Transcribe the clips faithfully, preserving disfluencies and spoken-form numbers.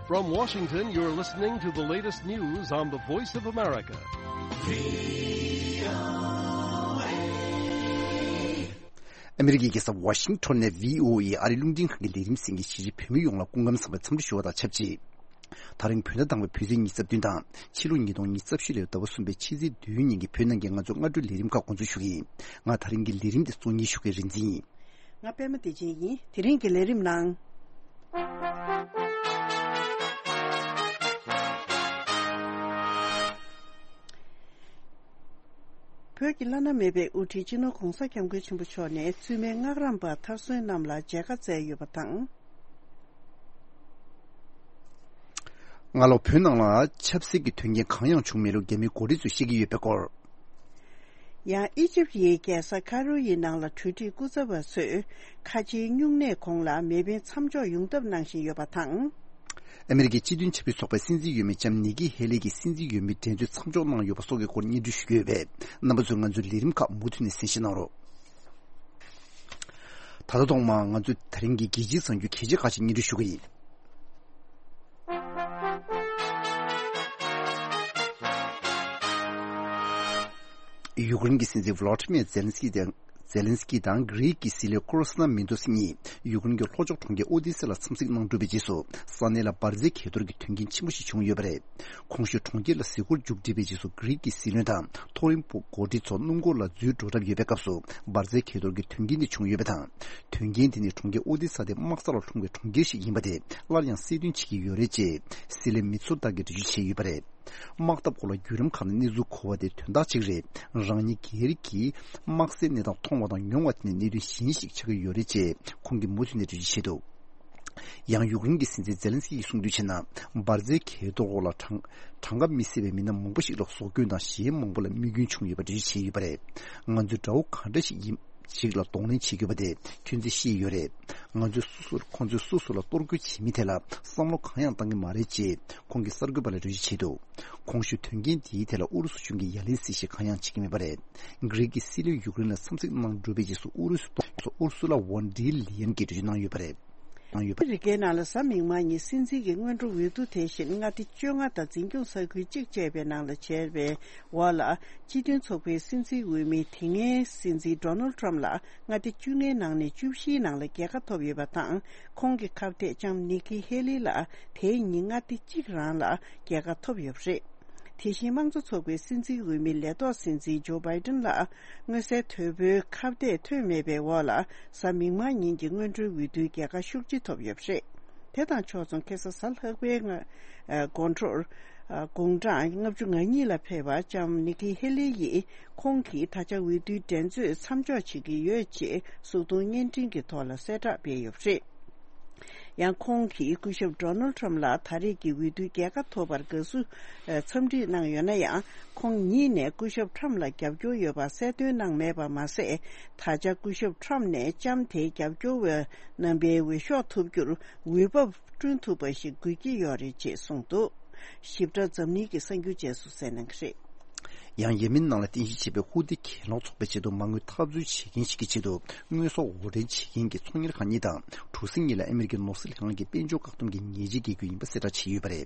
From Washington, you're listening to the latest news on the Voice of America. ཨ་མི་རི་ཀའི་རྒྱལ་ས་ཝ་ཤིང་ཊོན་ནས་བྷི་ཨོ་ཨེ་ཨ་རིའི་རླུང་འཕྲིན་ཁང་གི་ལས་རིམ་གསན་མཁན་གཞིས་བྱེས་བོད་མི་ཡོངས་ལ་སྐུ་ཁམས་བཟང་པའི་འཚམས་འདྲི་ཞུ་བ་དང་ཆབས་ཅིག་ད་རིང་བོད་ཟླ་དང་པོའི་བོད་ཚེས་ཉི་ཤུ་རྩ་བདུན་དང་ཕྱི་ལོ་ཉིས་སྟོང་ཉི་ཤུ་རྩ་བཞི་ལོའི་ཟླ་བ་གསུམ་པའི་ཕྱི་ཚེས་བདུན་ཉིན་གྱི་བོད་ནང་གི་ང་ཚོའི་སྔ་དྲོའི་ལས་རིམ་ཁག་འགོ་འཛུགས་ཞུ་གི་ཡིན། ང་ད་རིང་གི་ལས་རིམ་དེ་གཙོ་གཉེར་ཞུ་མཁན་རིག་འཛིན་ཡིན། ང་པད་མ་བདེ་ཆེན་ཡིན། དེ་རིང་གི་ལས་རིམ་ནང་། བོད་ཀྱི་བླ་ན་མེད་པའི་དབུ་ཁྲིད་སྤྱི་ནོར་༧གོང་ས་༧སྐྱབས་མགོན་ཆེན་པོ་མཆོག་ནས་བཙུན་མའི་སྔགས་རམས་པ་མཐར་སོན་རྣམས་ལ་མཇལ་ཁ་བསྩལ་ཡོད་པ་དང་། སྔ་ལོ་བོད་ནང་ལ་ཆབ་སྲིད་ཀྱི་དོན་རྐྱེན་གང་ཡང་བྱུང་མེད་ལུགས་རྒྱ་མིའི་འགོ་ཁྲིད་ཚོས་བཤད་ཀྱི་ཡོད་པའི་སྐོར། ཡང་ཨི་ཇིབ་ཡི་རྒྱལ་ས་ཁ་རོ་ཡི་ནང་ལ་གྲོས་ཁྲིད་སྐུ་ཚབ་པ་ཚོས་ཁ་ཆེའི་སྨྱུང་གནས་གོང་ལ་མེ་འཕེན་མཚམས་འཇོག་ཡོང་ཐབས་གནང་བཞིན་ཡོད་པ་དང་། ཨ་མི་རི་ཀའི་སྤྱི་མཐུན་ཆབ་སྲིད་ཚོགས་པའི་སྲིད་འཛིན་འོས་མི་ལྕམ་ནི་ཀི་ཧེ་ལི་གི་སྲིད་འཛིན་འོས་མི་འགྲན་རྩོད་མཚམས་འཇོག་གནང་ཡོད་པ་སོགས་ཀྱི་སྐོར་སྙན་སྒྲོན་ཞུ་གི་ཡོད་པས། རྣམ་པ་ཚོས་ང་ཚོའི་ལས་རིམ་ཁག་མུ་མཐུད་ནས་གསན་བཞེས་གནང་རོགས། ད་ལྟ་ཐོག་མར་ང་ཚོས་ད་རིང་གི་རྒྱལ་སྤྱིའི་གསར་འགྱུར་གལ་ཆེ་ཁག་ཅིག་སྙན་སྒྲོན་ཞུ་གི་ཡིན། ཡུཀ་རེན་གྱི་སྲིད་འཛིན་ཝ་ལོ་ཏི་མེར་ཛེ་ལན་སི་ཀི་དང་ཛེ་ལན་སི་ཀི་དང་གྷི་རིག་གི་སྲིད་བློན་ཀོ་སྟ་ན་མིན་ཏོ་སི་གཉིས་ཡུཀ་རེན་གྱི་ལྷོ་ཕྱོགས་གྲོང་ཁྱེར་ཨོ་དི་སེ་ལ་འཚམས་གཟིགས་གནང་གྲུབ་པའི་རྗེས་སུ། ས་གནས་ལ་འབར་རྫས་གས་གཏོར་གྱི་དོན་རྐྱེན་ཆེན་པོ་ཞིག་བྱུང་ཡོད་པ་རེད། གོང་ཞུས་གྲོང་ཁྱེར་ལ་གཟིགས་སྐོར་མཇུག་བསྒྲིལ་བའི་རྗེས་སུ་གྷི་རིག་གི་སྲིད་བློན་དང་མཐོ་རིམ་འགོ་ཁྲིད་ཚོ་སྣུམ་འཁོར་ལ་འཛུལ་འགྲོ་གྲབས་ཡོད་པའི་སྐབས་སུ་འབར་རྫས་གས་གཏོར་གྱི་དོན་རྐྱེན་དེ་བྱུང་ཡོད་པ་དང་། དོན་རྐྱེན་དེ་ནི་གྲོང་ཁྱེར་ཨོ་དི་ས་དེ་དམག་ས་ལ་ལྷུང་བའི་གྲོང་ཁྱེར་ཞིག་ཡིན་པ་དེ་སླར་ཡང་གསལ་སྟོན་བྱེད་ཀྱི་ཡོད་རེད་ཅེས་སྲིད་བློན་མི་ཚོ་ཏཱ་གིས་འགྲེལ་བརྗོད་བྱས་ཡོད་པ་རེད། དམག་འཐབ་སྐོར་ལ་བརྒྱུད་རིམ་ཁག་ནས་གནས་ཚུལ་གོ་བ་དེ་དོན་དག་གཅིག་རེད། རང་ཉིད་སྒེར་གྱིས་དམག་སའི་གནས་སྟངས་མཐོང་བ་དང་མྱོང་བ་དེ་ནི་གནད་དོན་གཞན་ཞིག་ཆགས་ཀྱི་ཡོད་རེད་ཅེས་ཁོང་གིས་མུ་མཐུད་ནས་འགྲེལ་བརྗོད་བྱས་འདུག་ཡང་ཡུཀ་རེན་གྱི་སྲིད་འཛིན་ཛེ་ལན་སི་ཀི་ཡིས་གསུངས་དོན་བྱས་ན། འབར་རྫས་གས་གཏོར་འོག་ལ་གྲངས་གྲངས་ཀ་མི་སྲིད་པའི་མི་སྣ་མང་པོ་ཞིག་ལ་སྲོག་སྐྱོན་དང་གཞན་མང་པོ་ལ་རྨས་སྐྱོན་བྱུང་ཡོད་པ་འགྲེལ་བརྗོད་བྱས་ཡོད་པ་རེད། ང་ཚོས་དགྲ་བོ་གང་འདྲ་ཞིག་ཡིན་ཞིག་ལ་གདོང་ལེན་བྱེད་དགོས་པ་དེ་ཁྱོད་ཚོས་ཤེས་ཡོད་རེད། ང་ཚོས་སོ་སོར་ཁོང་ཚོས་སོ་སོ་ལ་གཏོར་རྒོལ་བྱེད་མི་དེ་ལ་བསམ་བློ་གང་ཡང་བཏང་གི་མ་རེད་ཅེས་ཁོང་གིས་གསར་འགོད་པ་ལ་འགྲེལ་བརྗོད་བྱས་འདུག་གོང་ཞུས་དོན་རྐྱེན་དེའི་ཐད་ལ་ཨུ་རུ་སུ་གཞུང་གིས་ཡ་ལན་གཟིགས་བཞེས་གང་ཡང་བྱེད་ཀྱི་མེད་པ་རེད། གྷི་རིག་གི་སྲིད་བློན་ཡུཀ་རེན་ལ་འཚམས་གཟིགས་གནང་གྲུབ་པའི་རྗེས་སུ་ཨུ་རུ་སུ་གཏོང་ཨུ་རུ་སུ་ལ་ཝོན་ཌི་ལི་ཡན་གྱིས་འགྲེལ་བརྗོད་གནང་ཡོད་པ་རེད། གནང་ཡོད་པ། ཨ་མི་རི་ཀའི་ནང་ལ་གཟའ་མིག་དམར་ཉིན་སྲིད་འཛིན་གྱི་སྔོན་འགྲོ་འོས་བསྡུ་དེ་བཞིན་མངའ་སྡེ་བཅོ་ལྔ་དང་འཛིན་སྐྱོང་ས་ཁུལ་གཅིག་བཅས་པའི་ནང་ལ་བྱས་པའི་འོག་ལ། སྤྱི་མཐུན་ཚོགས་པའི་སྲིད་འཛིན་འོས་མི་དེ་སྔའི་སྲིད་འཛིན་ཌོ་ནལ་ཊམ་ལ་མངའ་སྡེ་བཅོ་ལྔའི་ནང་ནས་བཅུ་བཞིའི་ནང་ལ་རྒྱལ་ཁ་ཐོབ་ཡོད་པ་དང་། ཁོང་གི་ཁ་གཏད་ལྕམ་ནི་ཀི་ཧེ་ལི་ལ་དེའི་ཉིན་མངའ་སྡེ་གཅིག་རང་ལ་རྒྱལ་ཁ་ཐོབ་ཡོད་པ་རེད། དེ་བཞིན་དམངས་གཙོ་ཚོགས་པའི་སྲིད་འཛིན་འོས་མི་ལས་ཐོག་སྲིད་འཛིན་ཇོ་བྷའི་ཏིན་ལ་མངོན་གསལ་དོད་པོའི་ཁ་གཏད་ཐོན་མེད་པའི་འོག་ལ་གཟའ་མིག་དམར་ཉིན་གྱི་སྔོན་འགྲོའི་འོས་བསྡུའི་རྒྱལ་ཁ་ཤུགས་ཆེ་ཐོབ་ཡོད་པ་རེད། དེ་དང་ཕྱོགས་མཚུངས་ཁ་སང་གཟའ་ལྷག་པའི་སྔ་ཨ་དགོང་དྲོར་ཨ་དགུང་གྲངས་ལྔ་བཅུ་ང་གཉིས་ལ་ཕེབས་པ་ལྕམ་ནི་ཀི་ཧེ་ལི་ཡིས་ཁོང་གིས་ད་ཆ་འོས་བསྡུའི་འགྲན་རྩོད་མཚམས་འཇོག་བྱེད་ཀྱི་ཡོད་ཅེས་གཟུགས་མཐོང་བརྙན་འཕྲིན་གྱི་ཐོག་ལ་གསལ་བསྒྲགས་སྤེལ་ཡོད་པ་རེད། ཡང་ཁོང་གིས་སྐུ་ཞབས་ཌོ་ནལ་ཊམ་ལ་ད་རེས་ཀྱི་འོས་བསྡུའི་རྒྱལ་ཁ་ཐོབ་པར་དགའ་བསུ་ཨ་འཚམས་འདྲི་གནང་ཡོད་ན་ཡང་། ཁོང་ཉིད་ནས་སྐུ་ཞབས་ཊམ་ལ་རྒྱབ་སྐྱོར་ཡོད་པ་གསལ་སྟོན་གནང་མེད་པ་མ་ཟད། ད་ཆ་སྐུ་ཞབས་ཊམ་ནས་ལྕམ་དེའི་རྒྱབ་སྐྱོར་བའི་རྣམ་པའི་འོས་ཤོག་ཐོབ་རྒྱུར་འོས་བབ་བསྐྲུན་ཐུབ་པ་ཞིག་དགོས་ཀྱི་ཡོད་རེད་ཅེས་གསུངས་འདུག་ཞིབ་ཕྲ་འཛམ་གླིང་གི་གསར་འགྱུར་རྗེས་སུ་གསན་གནང་གི་རེད། ཡང་ཡེ་མེན་ནང་ལ་རྟེན་གཞི་བྱས་པའི་ཧུ་ཏི་གྱེན་ལོག་ཚོགས་པའི་ཆེད་དུ་མ་དངུལ་འཐབ་རྩོད་བྱེད་མཁན་ཞིག་གི་ཆེད་དུ་དངོས་ཟོག་དབོར་འདྲེན་བྱེད་མཁན་གྱི་ཚོང་གཉེར་ཁང་གཉིས་དང་གྲུ་གཟིངས་གཉིས་ལ་ཨ་མི་རི་ཀའི་ནོར་སྲིད་ལྷན་ཁང་གིས་དཔལ་འབྱོར་བཀག་སྡོམ་གྱི་ཉེས་ཆད་འགེལ་རྒྱུ་ཡིན་པ་གསལ་བསྒྲགས་བྱས་ཡོད་པ་རེད།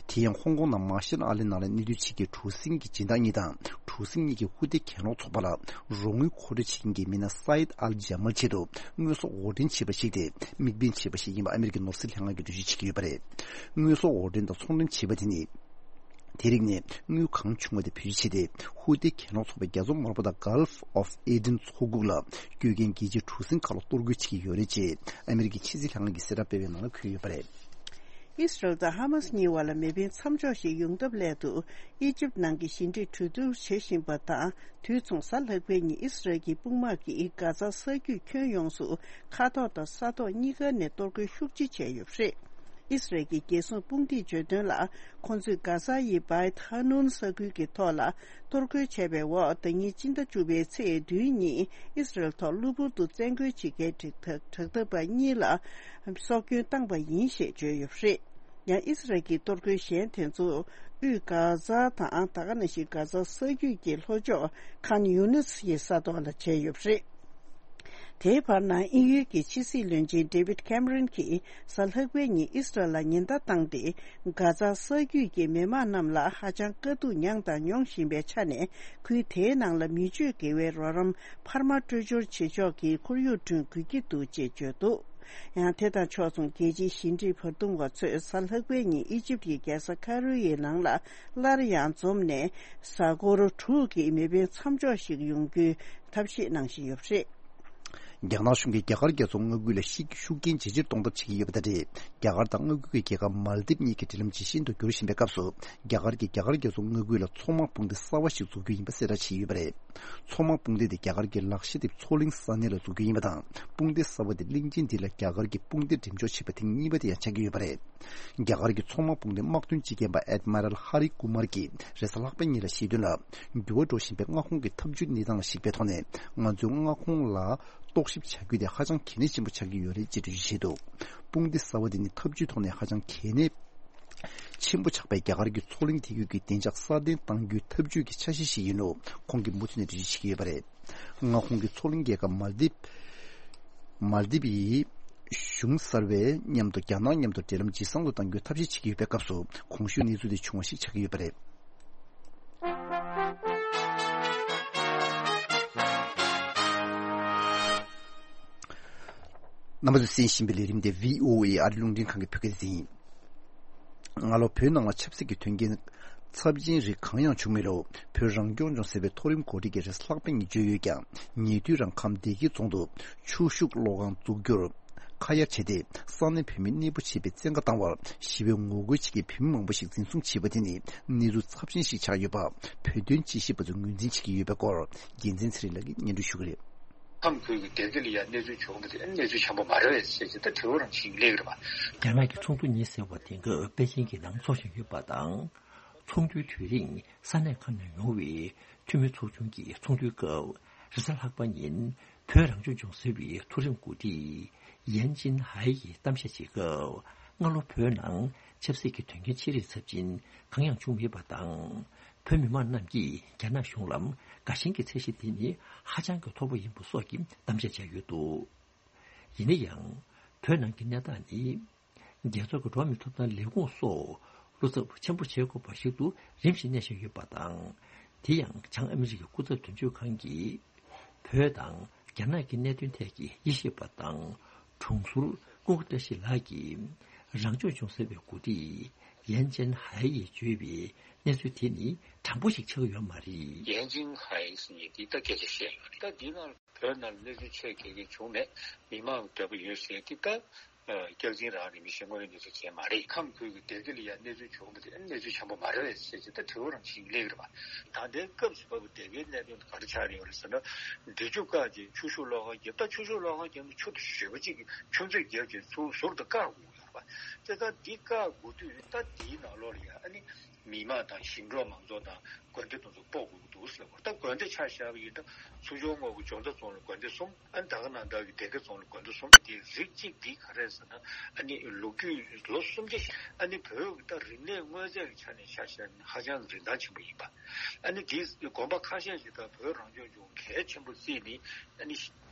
དེ་ཡང་ཧོང་ཀོང་ནང་མ་ཤལ་ཨ་ལེ་ནང་ལ་གནས་སྡོད་བྱེད་མཁན་གྲུ་གཟིངས་ཀྱི་སྦྱིན་བདག་གཉིས་དང་གྲུ་གཟིངས་གཉིས་ཀྱིས་ཧུ་ཏི་གྱེན་ལོག་ཚོགས་པ་ལ་རོགས་དངུལ་མཁོ་སྤྲོད་བྱེད་མཁན་གྱི་མི་སྣ་སཱ་ཡིད་ཨལ་ཇ་མལ་ཆེད་དུ་དངོས་ཟོག་དབོར་འདྲེན་བྱས་པ་ཞིག་དེ་དམིགས་འབེན་བྱས་པ་ཞིག་ཡིན་པ་ཨ་མི་རི་ཀའི་ནོར་སྲིད་ལྷན་ཁང་གིས་འགྲེལ་བརྗོད་བྱེད་ཀྱི་ཡོད་པ་རེད། དངོས་ཟོག་དབོར་འདྲེན་དང་ཚོང་འགྲེམས་བྱས་པ་དེ་ནི། དེ་རིགས་ནས་དངུལ་གང་བྱུང་བ་དེ་བེད་སྤྱོད་བྱས་ཏེ་ཧུ་ཏི་གྱེན་ལོག་ཚོགས་པའི་རྒྱ་མཚོ་དམར་པོ་དང་Gulf of Aden མཚོ་ཁུག་ལ་སྐྱོད་མཁན་རྒྱལ་སྤྱིའི་གྲུ་གཟིངས་ཁག་ལ་གཏོར་རྒོལ་བྱེད་ཀྱི་ཡོད་རེད་ཅེས་ཨ་མི་རི་ཀའི་ཕྱི་སྲིད་ལྷན་ཁང་གིས་གསལ་བསྒྲགས་སྤེལ་བའི་ནང་ལ་འཁོད་ཡོད་པ་རེད། ཨི་སི་རལ་དང་ཧ་མ་སི་གཉིས་བར་ལ་མེ་འཕེན་མཚམས་འཇོག་ཞིག་ཡོང་ཐབས་སླད་དུ་ཨི་ཇིབ་ནང་གི་ཞི་འགྲིག་གྲོས་བསྡུར་བྱེད་བཞིན་པ་དང་དུས་མཚུངས་གཟའ་ལྷག་པའི་ཉིན་ཨི་སི་རལ་གྱི་དཔུང་དམག་གིས་གྷ་ཛ་ས་རྒྱུད་ཁྱོན་ཡོངས་སུ་མཁའ་ཐོག་དང་ས་ཐོག་གཉིས་ཀ་ནས་གཏོར་རྒོལ་ཤུགས་ཆེ་བྱས་ཡོད་པ་རེད། ཨི་སི་རལ་གྱི་རྒྱལ་སྲུང་དཔུང་སྡེས་བརྗོད་དོན་ལ། ཁོང་ཚོས་གྷ་ཟ་ཡི་བའི་ཐ་ནུན་ས་ཁུལ་གྱི་ཐོག་ལ་གཏོར་རྒོལ་བྱས་པའི་འོག་ཟླ་ཉིན་སྤྱི་ཟླ་བཅུ་པའི་ཚེས་བདུན་ཉིན་ཨི་སི་རལ་ཐོག་གློ་བུར་དུ་བཙན་རྒོལ་བྱེད་མཁན་དྲག་དྲག་འཐབ་པ་གཉིས་ལ་སྲོག་སྐྱོན་བཏང་པ་ཡིན་ཞེས་བརྗོད་ཡོད་པ་རེད། ཡང་ཨི་སི་རལ་གྱི་གཏོར་རྒོལ་གཞན་དེ་ཚོ་དབུས་གྷ་ཟ་དང་ད་ག་ནང་བཞིན་གྷ་ཟ་ས་རྒྱུད་ཀྱི་ལྷོ་ཕྱོགས་ཁཱན་ཡུ་ནིས་ཀྱི་ས་ཐོག་ལ་བྱས་ཡོད་པ་རེད། དེའི་བར་ན་དབྱིན་ཡུལ་གྱི་ཕྱི་སྲིད་བློན་ཆེན་ཌེ་ཝིད་ཁེམ་རོན་གྱིས་གཟའ་ལྷག་པའི་ཉིན་ཨིས་རལ་ལ་ཉེན་བརྡ་བཏང་སྟེ། གྷ་ཛ་ས་རྒྱུད་ཀྱི་མི་མང་རྣམས་ལ་ཧ་ཅང་དཀའ་སྡུག་མྱངས་དང་མྱོང་བཞིན་པའི་ཆ་ནས། ཁུལ་དེའི་ནང་ལ་མི་སྤྱོད་དགེ་བའི་རོགས་རམ་འཕར་མ་སྤྲོད་སྦྱོར་བྱེད་ཕྱོགས་ཀྱི་ཁོར་ཡུག་བསྐྲུན་དགོས་ཀྱི་འདུག་ཅེས་བརྗོད་འདུག་ཡང་དེ་དང་ཕྱོགས་མཚུངས། རྒྱལ་སྤྱིའི་ཞི་འགྲིག་བར་འདུམ་པ་ཚོས་གཟའ་ལྷག་པའི་ཉིན་ཨི་ཇིབ་ཀྱི་རྒྱལ་ས་ཁ་རོ་ཡི་ནང་ལ་སླར་ཡང་འཛོམས་ནས། གཟའ་འཁོར་དྲུག་གི་མེ་འཕེན་མཚམས་འཇོག་ཞིག་ཡོང་རྒྱུའི་ཐབས་ཤེས་གནང་བཞིན་ཡོད་པ་རེད། རྒྱ་ནག་གཞུང་གིས་རྒྱ་གར་རྒྱལ་ཚོགས་མངའ་ཁུལ་ལ་ཤུགས་རྐྱེན་ཇེ་ཆེར་གཏོང་ཐབས་བྱེད་ཀྱི་ཡོད་པ་དང་འབྲེལ། རྒྱ་གར་དང་མངའ་ཁུལ་གྱི་རྒྱལ་ཁབ་མལ་དིབ་གཉིས་ཀྱི་འབྲེལ་ལམ་ཇེ་ཞན་དུ་འགྱུར་བཞིན་པའི་སྐབས་སུ། རྒྱ་གར་གྱིས་རྒྱ་གར་རྒྱལ་ཚོགས་མངའ་ཁུལ་ལ་མཚོ་དམག་དཔུང་སྡེ་གསར་བ་ཞིག་འཛུགས་རྒྱུ་ཡིན་པ་གསལ་བསྒྲགས་བྱས་ཡོད་པ་རེད། མཚོ་དམག་དཔུང་སྡེ་དེ་རྒྱ་གར་གྱི་ལག་ཤེས་དེབ་མཚོ་གླིང་ས་གནས་ལ་འཛུགས་རྒྱུ་ཡིན་པ་དང་། དཔུང་སྡེ་གསར་བ་དེ་གླིང་ཆེན་འདི་ལ་རྒྱ་གར་གྱི་དཔུང་སྡེ་འགྲེམས་འཇོག་བྱས་པ་ཐེངས་གཉིས་པ་དེ་ཡང་ཆགས་ཀྱི་ཡོད་པ་རེད། རྒྱ་གར་གྱི་མཚོ་དམག་དཔུང་སྡེའི་དམག་དོན་སྤྱི་ཁྱབ་པ་ཨེཌ་མི་རལ་ཧ་རི་ཀུ་མར་གྱིས་རེས་གཟའ་ལྷག་པའི་ཉིན་ལ་བཤད་དོན་ལ། འགྱུར་བ་འགྲོ་བཞིན་པའི་མངའ་ཁོངས་ཀྱི་འཐབ་ཇུས་གནས་སྟངས་ལ་གཞིགས་པའི་ཐོག་ནས། ང་ཚོའི་མངའ་ཁོངས་ལ་རྟོག་ཞིབ་བྱ་རྒྱུ་དེ་ཧ་ཅང་གལ་གནད་ཆེན་པོ་ཆགས་ཀྱི་ཡོད་རེད་ཅེས་འགྲེལ་བརྗོད་བྱས་འདུག་དཔུང་སྡེ་གསར་བ་དེ་ནི་འཐབ་ཇུས་ཐོག་ནས་ཧ་ཅང་གལ་གནད་ཆེན་པོ་ཆགས་པའི་རྒྱ་གར་གྱི་མཚོ་གླིང་དེ་ཡུལ་གྱི་བདེ་འཇགས་སྲ་བརྟན་གཏང་རྒྱུའི་འཐབ་ཇུས་ཀྱི་ཆ་ཤས་ཤིག་ཡིན་ལུགས་ཁོང་གིས་མུ་མཐུད་ནས་འགྲེལ་བརྗོད་བྱེད་ཀྱི་ཡོད་པ་རེད། མངའ་ཁོངས་ཀྱི་མཚོ་གླིང་རྒྱལ་ཁབ་མལ་དིབ། མལ་དིབ་ཡི་གཞུང་གསར་བས་མཉམ་དུ་རྒྱ་ནག་མཉམ་དུ་འབྲེལ་ལམ་ཇེ་བཟང་དུ་གཏང་རྒྱུའི་ཐབས་ཤེས་བྱེད་ཀྱི་ཡོད་པའི་སྐབས་སུ། གོང་ཞུས་གནས་ཚུལ་དེ་བྱུང་བ་ཞིག་ཆགས་ཀྱི་ཡོད་པ་རེད། རྣམ་པ་ཚོས་གསན་བཞིན་པའི་ལས་རིམ་དེ་བྷི་ཨོ་ཨེ་ཨ་རི་རླུང་འཕྲིན་ཁང་གི་བོད་སྐད་སྡེ་ཚན་ཡིན། སྔ་ལོ་བོད་ནང་ལ་ཆབ་སྲིད་ཀྱི་དོན་རྐྱེན་ཚབས་ཆེན་རིགས་གང་ཡང་བྱུང་མེད་ལུགས་བོད་རང་སྐྱོང་ལྗོངས་ཟེར་བའི་མཐོ་རིམ་འགོ་ཁྲིད་ཀྱིས་རེས་གཟའ་ལྷག་པའི་ཉིན་བརྗོད་ཡོད་ཀྱང་། ཉེ་དུས་རང་ཁམས་སྡེ་དགེ་རྫོང་དུ་ཆུ་ཤུགས་གློག་ཁང་འཛུགས་རྒྱུར་ཁ་གཡར་བྱས་ཏེ། ས་གནས་བོད་མི་གནས་སྤོ་བྱེད་པའི་བཙན་བཀའ་བཏང་བར་ཞི་བའི་ངོ་རྒོལ་བྱེད་མཁན་བོད་མི་མང་པོ་ཞིག་འཛིན་བཟུང་བྱས་པ་དེ་ནི་གནས་ཚུལ་ཚབས་ཆེན་ཞིག་ཆགས་ཡོད་པ། བོད་དོན་དཔྱད་ཞིབ་པ་ཚོས་ངོས་འཛིན་བྱེད་ཀྱི་ཡོད་པའི་སྐོར། རྒྱལ་མཚན་ཚེ་རིང་ལགས་ཀྱིས་སྙན་སྒྲོན་ཞུ་གི་རེད། ཁམས་ཁུལ་གྱི་སྡེ་དགེ་ལ་ཡང་གནས་ཚུལ་བྱུང་བ་དེ་གནས་ཚུལ་འཆམ་པོ་མ་རེད་པས་ཟེར་གྱི་ད་དྲི་བ་རང་བྱེད་ཀྱི་སླེབས་ཀྱི་རེད་པ། རྒྱ་ནག་གི་ཚོགས་འདུ་གཉིས་ཟེར་བ་དེ་ག་པེ་ཅིང་གི་ནང་འཚོགས་བཞིན་ཡོད་པ་དང་། ཚོགས་འདུའི་དུས་རིང་ས་གནས་ཁག་ནས་ཡོང་བའི་འཐུས་མི་ཚོགས་ཆུང་གི་ཚོགས་འདུའི་སྐབས། རེས་གཟའ་ལྷག་པ་ཉིན་བོད་རང་སྐྱོང་ལྗོངས་ཟེར་བའི་མཐོ་རིམ་འགོ་ཁྲིད་ཡན་ཅིན་ཧའེ་ཡིས་གཏམ་བཤད་བྱེད་སྐབས། སྔ་ལོ་བོད་ནང་ཆབ་སྲིད་ཀྱི་དོན་རྐྱེན་ཆེ་རིགས་ཚབས་ཆེན་གང་ཡང་བྱུང་མེད་པ་དང་། བོད་མི་མང་རྣམས་ཀྱིས་རྒྱ་ནག་གཞུང་ལ་དགའ་ཞེན་གྱི་ཚད་གཞི་དེ་ནི་ཧ་ཅང་གི་མཐོ་པོ་ཡིན་པ་སོགས་ཀྱི་གཏམ་བཤད་བྱས་ཡོད་འདུག་ཡིན་ན་ཡང་། བོད་ནང་གི་གནས་སྟངས་ནི། རྒྱལ་ཚོགས་ཀྱི་འགྲོ་བ་མིའི་ཐོབ་ཐང་ལས་ཁུངས་སོགས་བློ་འཚབ་ཆེན་པོ་བྱེད་དགོས་པ་ཞིག་ཏུ་རིམ་བཞིན་གནས་བཞིན་ཡོད་པ་དང་། དེ་ཡང་བྱང་ཨ་མི་རི་ཀའི་སྐུ་ཚབ་དོན་གཅོད་ཁང་གིས། བོད་དང་རྒྱ་ནག་གི་གནད་དོན་ཐད་ཀྱི་དབྱེ་ཞིབ་པ་དང་། དྲུང་ཟུར་ཀུན་དགའ་བཀྲ་ཤིས་ལགས་ཀྱིས། རང་སྐྱོང་ལྗོངས་ཟེར་བའི་འགོ་ཁྲིད་ཡན་ཅན་ཧའེ་ཡིས་བརྗོད་པའི་གནས་ཚུལ་དེ་ནི་དྲང་པོ་ཞིག་ཆགས་ཀྱི་ཡོད་མ་རེད། ཡན་ཅིན་ཧའེ་ཟེར་མཁན་དེ་ད་སྐད་ཆ་བཤད་ཡོད་རེད། ད་འདི་ནང་བོད་ནང་གནས་ཚུལ་ཆེ་གེ་གེ་བྱུང་མེད། མི་མང་གི་འདོད་པ་ཡོད་ཟེར་དེ་ད། སྐྱག་རྫུན་རང་རེད། མི་ཤེས་དངོས་ཡོད་གནས་ཚུལ་བྱས་མ་རེད། ཁམས་ཁུལ་གྱི་སྡེ་དགེ་ལ་ཡང་གནས་ཚུལ་བྱུང་བ་དེ་གནས་ཚུལ་འཆམ་པོ་མ་རེད་པས་ཟེར་གྱི་ད་དྲི་བ་རང་བྱེད་ཀྱི་སླེབས་ཀྱི་རེད་པ། ད་ལྟའི་སྐབས་སུ་བབས་པའི་སྡེ་དགེའི་གནད་དོན་དེ་ག་རེ་ཆགས་ཡོད་རེད་ཟེར་ན། འབྲི་ཆུ་བཀག་ཅིང་ཆུ་ཤུགས་གློག་ཁང་བརྒྱབ། ད་ཆུ་ཤུགས་གློག་ཁང་བརྒྱབ་ན་ཆུ་དེ་ཞེ་པོ་ཅིག་གི་ཆུ་མཛོད་བརྒྱབ་ཅིང་ཚུར་ཟུར་དུ་བཀག་དགོས་ཀྱི་ཡོད་རེད་པ། བྱས་ཙང་འདི་བཀག་དགོས་དུས་ད་འདིའི་ནང་ལོགས་ལ་ཡང་ཨ་ནི། མི་མང་དང་ཞིང་འབྲོག་མང་ཚོགས་དང་དགོན་སྡེ་དེ་ཚོ་སྤོ་དགོས་ཀྱི་འདུག་ཟེར་བ། ད་དགོན་སྡེ་ཆ་བཞག་པ་ཡིན་ན་ཚོ་ཆུང་ངོ་གི་འཇོ་མདའ་རྫོང་ལ་དགོན་སྡེ་གསུམ། ཨ་ནི་ད་ག་ནང་བཞིན་གྱི་སྡེ་དགེ་རྫོང་ལ་དགོན་སྡེ་གསུམ། དེ་རིགས་གཅིག་འདི་ག་རེ་ཟེར་ན། ཨ་ནི་ལོ་རྒྱུས་ལོ་སུམ་བརྒྱ་ཞིག་ཨ་ནི་བོད་ཀྱི་ད་རིག་གནས་དངོས་རྫས་ཀྱི་ཆ་ནས་ཆ་བཞག་ན་ཧ་ཅང་རིན་ཐང་ཆེན་པོ་ཡིན་པ། ཨ་ནི་དེའི་དགོན་པ་ཁ་ཤས་ཤིག་ད་བོད་རང་སྐྱོང་ལྗོངས་གལ་ཆེན་པོ་བརྩིས་ནས། ཨ་ནི་